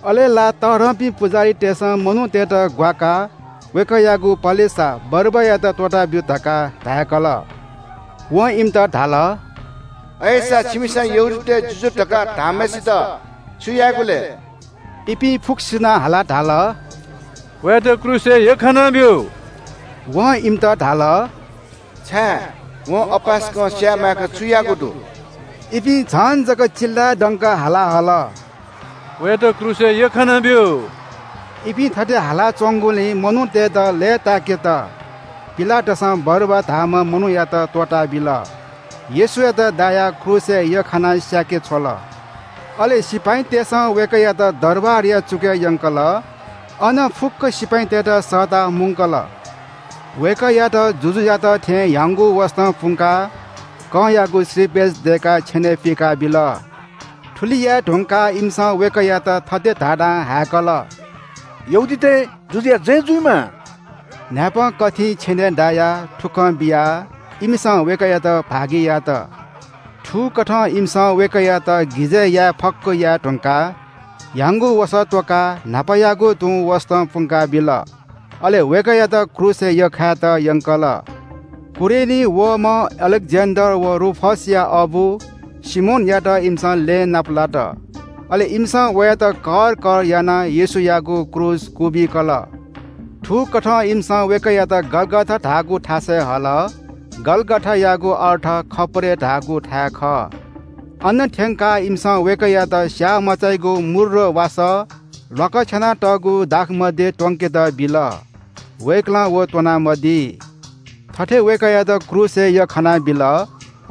अले ला तःधंपिं पुजाहारीतय्‌सं मनूतय्‌त ग्वाकाः वय्‌कःयागु पलेसा बरब्बायात त्वःताब्यु धकाः धाय्‌कल। वं इमित धाल, "अय्‌सा छिमिसं यहूदीतय् जुजु धकाः धाःम्हय्‌सित छु यायेगु ले?" इपिं फुक्कसिनं हालाः धाल, "वयात क्रूसय् यख्खानाब्यु।" वं इमित धाल, "छाय्? वं अपाय्‌सकं स्याये माय्‌क छु याःगु दु?" इपिं झन जक चिल्लाय् दंकाः हाला हल, "वयात क्रूसय् यख्खानाब्यु।" इपिं थथे हालाच्वंगुलिं मनूतय्‌त लय्‌ताय्‌केत पिलातसं बरब्बा धाःम्ह मनूयात त्वःताबिल। येशूयात दायाः क्रूसय् यख्खानाः स्याके छ्वल। अले सिपाइँतय्‌सं वय्‌कःयात दरबारया चुकय् यंकल। अन फुक्क सिपाइँतय्‌त सःताः मुंकल। वय्‌कःयात जुजुयात थें ह्याउँगु वसतं पुंकाः कंयागु श्रीपेच दय्‌काः छ्यनय् पिकाबिल। थुलि याये धुंकाः इमिसं वय्‌कःयात थथे धाधां हाय्‌कल, "यहूदीतय् जुजुया जय जुइमा।" न्हाय्‌पं कथिं छ्यनय् दायाः थुकं बियाः इमिसं वय्‌कःयात भागि यात। थुकथं इमिसं वय्‌कःयात गिजय् याये फक्व याये धुंकाः ह्याउँगु वसः त्वकाः न्हापायागु तुं वसतं पुंकाबिल। अले वय्‌कःयात क्रूसय् यख्खायेत यंकल। कुरेनी वःम्ह अलेक्जेन्डर व रूफसया अबु सिमोनयात इमिसं लँय् नापलात। अले इमिसं वयात कर कर यानाः येशूयागु क्रूस क्वबिकल। थुकथं इमिसं वय्‌कःयात गलगथा धाःगु थासय् हल। गलगथायागु अर्थ खप्परे धाःगु थाय् खः। अन थ्यंकाः इमिसं वय्‌कःयात स्याःमचाइगु मुर्र वासः ल्वाकछ्यानातःगु दाखमद्य त्वंकेत बिल। वय्‌कलं व त्वनामदी। थथे वय्‌कःयात क्रूसय् यख्खानाबिल।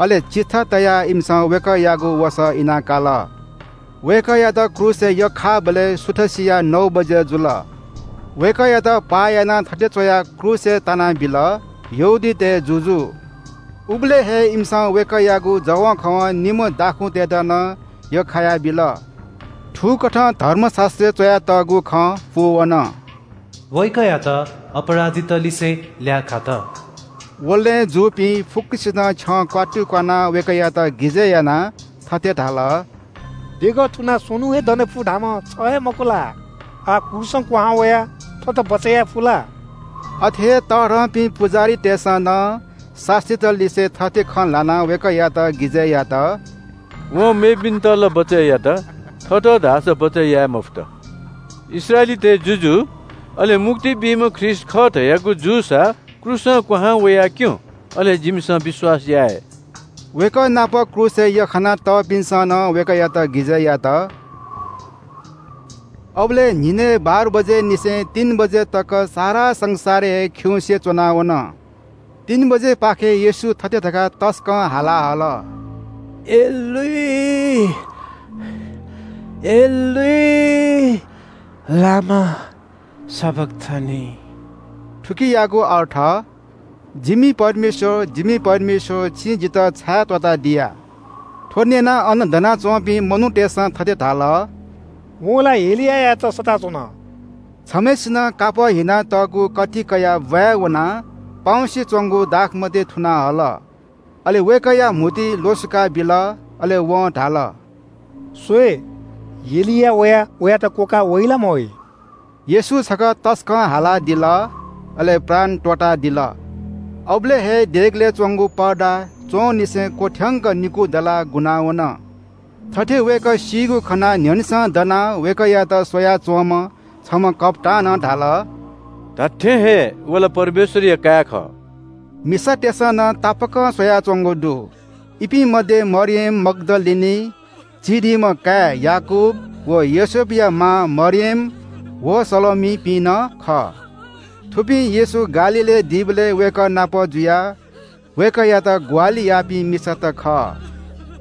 अले चिट्ठा तयाः इमिसं वय्‌कःयागु वसः इनाकाल। वय्‌कःयात क्रूसय् यख्खाःबलय् सुथसिया नौ बजे जुल। वय्‌कःयात पाः यानाः थथे च्वयाः क्रूसय् तानाबिल, "यहूदीतय् जुजु।" उबलय् हे इमिसं वय्‌कःयागु जवंखवं निम्ह दाखुँतय्‌त नं यख्खायाबिल। थुकथं धर्मशास्‍त्रय् च्‍वयातःगु खँ पूवन। वय्‌कःयात अपराधीत लिसे ल्याः खात। वलय् जूपिं फुक्‍कसिनं छ्यं क्‍वातुक्‍वानाः वय्‌कःयात गिजय् यानाः थथे धाल, देगः थुनाः स्वन्‍हु हे दने फु धाःम्‍ह छ हे मखु ला? आः क्रूसं क्‍वहां वयाः थःत बचय् याये फु ला? अथे हे तःधंपिं पुजाहारीतय्‌सं नं शास्‍त्रीत लिसे थथे खँ ल्‍हानाः वय्‌कःयात गिजय् यात। वं मेपिन्‍त ला बचय् यात, थःत धाःसा बचय् याये मफुत। इस्राएलीतय् जुजु, अले मुक्ति बीम्‍ह ख्रीष्‍ट खः धयागु जूसा क्रूसं क्‍वहां वयाः क्‍यँ, अले जिमिसं विश्‍वास याये। वय्‌कः नाप क्रूसय् यख्‍खाना तःपिन्‍सं नं वय्‌कःयात गिजय् यात। अबलय् न्‍हिनय् बाह्र बजेनिसें तीन बजे तक सारा संसारय् हे खिउँसे च्‍वनावन। तीन बजेपाखे येशू थथे धकाः तसकं हाला हल, एलोई, एलोई, लामा सबक्‍थनी? थुकियागु अर्थ, जिमि परमेश्‍वर, जिमि परमेश्‍वर, छिं जितः छाय् त्‍वःतादिया? थ्‍व न्‍यनाः अन दनाच्‍वंपिं मनूतय्‌सं थथे धाल, वं ला एलियायात सःताच्‍वन। छम्‍हय्‌सिनं कापः हिनातःगु कथि कयाः ब्‍वाँय् वनाः पाउँसे च्‍वंगु दाखमद्य थुना हल। अले वय्‌कःया म्‍हुतुइ ल्‍वसुका बिल, अले वं धाल, स्‍वये, एलिया वयाः वयात क्‍वकाः वइ ला मवइ? येशू छकः तसकं हालादिल, अले प्राण त्‍वःतादिल। अबलय् हे देगलय् च्‍वंगु पर्दा च्‍वंनिसें क्‍वथ्यंक निकू दलाः गुना वन। थथे वय्‌कः सीगु खनाः न्‍ह्यःनेसं दनाः वय्‌कःयात स्‍वयाच्‍वंम्‍ह छम्‍ह कप्‍तानं धाल, धात्‍थें हे व ला परमेश्‍वरया काय् खः। मिसातय्‌सं नं तापाकं स्‍वयाच्‍वंगु दु। इपिं मध्ये मरियम मग्‍दलिनी, जिब्‍दीम्‍ह काय् याकूब व योसेफया मां मरियम व सलोमीपिं नं खः। थुपिं येशू गालीलय् दीबलय् वय्‌कः नाप जुयाः वय्‌कःयात ग्‍वाहालि याःपिं मिसात खः।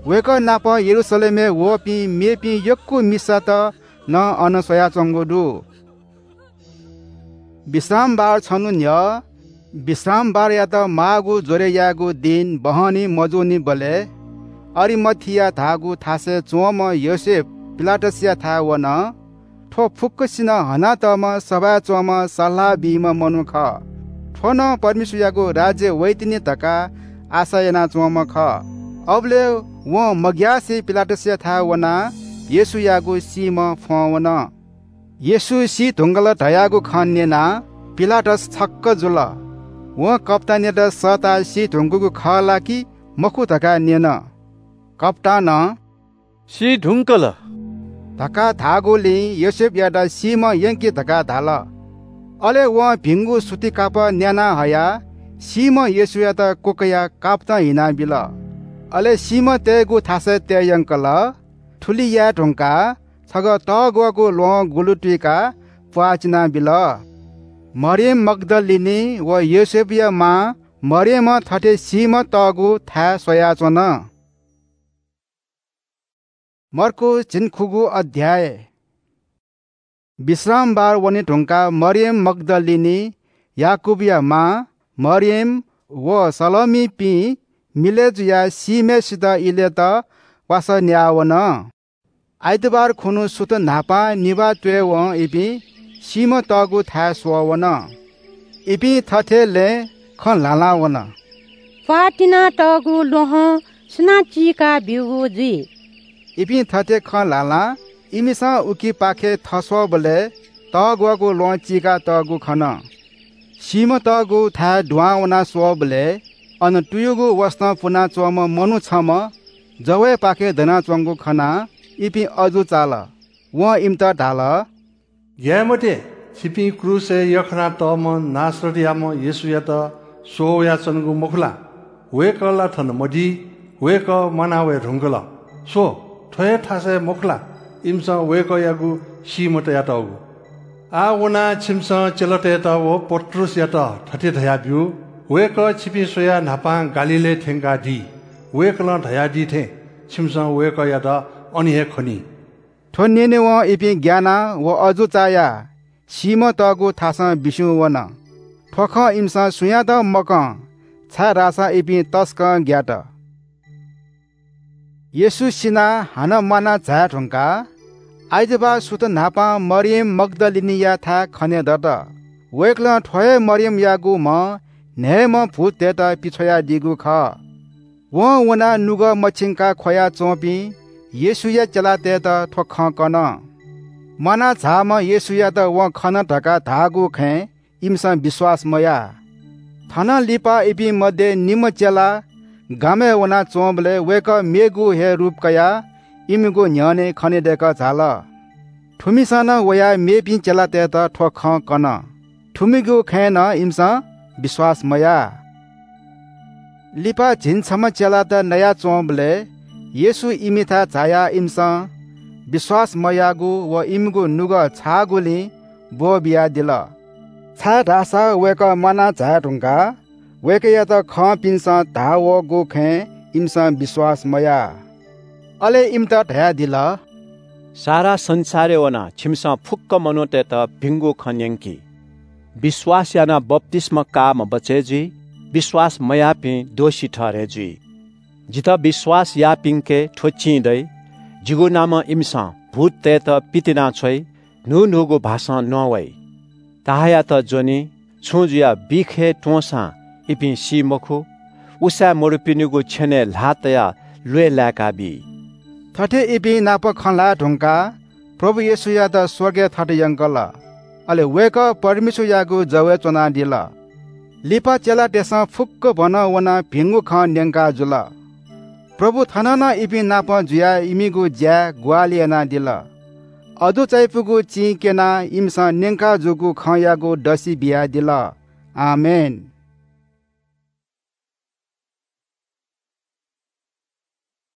वय्‌कः नाप यरूशलेमय् वःपिं मेपिं यक्‍व मिसात नं अन स्वयाच्वंगु दु। विश्रामबार छन्हु न्ह्यः विश्रामबारयात माःगु ज्वरय् यायेगु दिं बहनी मजूनिबलय् अरिमथिया धाःगु थासय् च्वंम्ह योसेफ पिलातसयाथाय् वन। थ्व फुक्कसिनं हनातःम्ह सभाय् च्वंम्ह सल्लाह बीम्ह मनू खः। थ्व नं परमेश्वरयागु राज्य वइतिनि धकाः आशा यानाच्वंम्ह खः। अबलय् वं मग्यासे पिलातसयाथाय् वनाः येशूयागु सीम्ह फ्वं वन। येशू सी धुंकल धयागु खँ न्यनाः पिलातस छक्क जुल। वं कप्‍तानयात सःताः सी धुंकूगु खः ला कि मखु धकाः न्यन। कप्‍तानं सी धुंकल धकाः धाःगुलिं योसेफयात सीम्ह यंकि धकाः धाल। अले वं भिंगु सुति कापः न्‍याना हयाः सीम्ह येशूयात क्‍वकयाः कापतं हिनाबिल। अले सीम्ह तयेगु थासय् तये यंकल। थुलि याये धुंकाः छगः तःग्‍वःगु ल्‍वहं गुलु तुइकाः प्‍वाः चिनाबिल। मरियम मग्‍दलिनी व योसेफया मां मरियमं थथे सीम्ह तःगु थाय् स्वयाच्‍वन। मर्कूस झिंखुगू अध्‍याय। विश्रामबार वने धुंकाः मरियम मग्‍दलिनी, याकूबया मां मरियम व सलोमीपिं मिलय् जुयाः सीम्‍हय्‌सित इलेत वासः न्‍याः वन। आइतबार खुन्‍हु सुथ न्‍हापां निभाः त्‍वय्‌वं इपिं सीम्‍ह तःगु थाय् स्वः वन। इपिं थथे लँय् खँ ल्‍हालां वन। प्‍वाः तिनातःगु ल्‍वहं सुनां चीका ब्‍यूगु जुइ? इपिं थथे खँ ल्‍हालां इमिसं उकिपाखे थस्‍वःबलय् तःग्‍वःगु ल्‍वहं चीकातःगु खन। सीम्‍ह तःगु थाय् दुहां वनाः स्वःबलय् अन तुयुगु वसतं पुनाच्‍वंम्ह मनू छम्‍ह जवय्‌पाखे दनाच्‍वंगु खनाः इपिं अजू चाल। वं इमित धाल, ग्‍याये मते, छिपिं क्रूसय् यख्‍खानातःम्‍ह नासरतयाम्‍ह येशूयात स्वः वयाच्‍वनागु मखु ला? वय्‌कः ला थन मदी, वय्‌कः म्‍वाना वये धुंकल। स्‍व, थ्‍व हे थासय् मखु ला इमिसं वय्‌कःयागु सीम्‍ह तयातःगु? आः वनाः छिमिसं चेलातय्‌त व पत्रुसयात थथे धयाब्‍यु, वय्‌कः छिपिं स्वयाः न्‍हापां गालीलय् थ्‍यंकादी। वय्‌कलं धयादी थें छिमिसं वय्‌कःयात अन हे खनी। थ्‍व न्‍यनेवं इपिं ग्‍यानाः व अजू चायाः सीम्‍ह तःगु थासं बिस्‍युं वन। थ्‍व खँ इमिसं सुयातं मकं, छाय्‌धाःसा इपिं तसकं ग्‍यात। येशू सिनाः हानं म्‍वाना झाये धुंकाः आइतबाः सुथ न्‍हापां मरियम मग्‍दलिनीयाथाय् खने दत। वय्‌कलं थ्‍व हे मरियमयागु म्‍हं न्‍हय्‌म्‍ह भूततय्‌त पिछ्वयादीगु खः। वं वनाः नुगः मछिंकाः ख्‍वया च्‍वंपिं येशूया चेलातय्‌त थ्‍व खँ कन। म्‍वाना झाःम्‍ह येशूयात वं खन धकाः धाःगु खँय् इमिसं विश्‍वास मयाः। थनं लिपा इपिं मध्ये निम्‍ह चेला गामय् वनाच्‍वंबलय् वय्‌कः मेगु हे रूप कयाः इमिगु न्‍ह्यःने खनेदय्‌कः झाल। थुमिसं नं वयाः मेपिं चेलातय्‌त थ्‍व खँ कन। थुमिगु खँय् नं इमिसं विश्‍वास मयाः। लिपा झिंछम्‍ह चेलात नयाच्‍वंबलय् येशू इमिथाय् झायाः इमिसं विश्‍वास मयाःगु व इमिगु नुगः छाःगुलिं ब्‍वःबियादिल। छाय्‌धाःसा वय्‌कः म्‍वाना झाये धुंकाः वय्‌कःयात खंपिन्‍सं धाः वःगु खँय् इमिसं विश्‍वास मयाः। अले इमित धयादिल, सारा संसारय् वनाः छिमिसं फुक्‍क मनूतय्‌त भिंगु खँ न्‍यंकि। विश्‍वास यानाः बप्‍तिस्‍मा काःम्‍ह बचय् जुइ, विश्‍वास मयाःपिं दोषी ठहरय् जुइ। जितः विश्‍वास याःपिन्‍के थ्‍व चिं दइ, जिगु नामं इमिसं भूततय्‌त पितिनाछ्वइ, न्‍हून्‍हूगु भाषां नवाइ। ताहायात ज्‍वनी, छुं जुयाः बिख हे त्‍वंसां इपिं सी मखु, उसाँय् मदुपिनिगु छ्यनय् ल्‍हाः तयाः ल्‍वय् लाय्‌का बी। थथे इपिं नाप खँ ल्‍हाये धुंकाः प्रभु येशूयात स्‍वर्गय् थत यंकल। अले वय्‌कः परमेश्‍वरयागु जवय् च्‍वनादिल। लिपा चेलातय्‌सं फुक्‍क भनं वनाः भिंगु खँ न्‍यंका जुल। प्रभु थन नं इपिं नाप जुयाः इमिगु ज्‍याय् ग्‍वाहालि यानादिल। अजू चायापुगु चिं क्‍यनाः इमिसं न्‍यंका जूगु खँयागु दसि बियादिल। आमेन।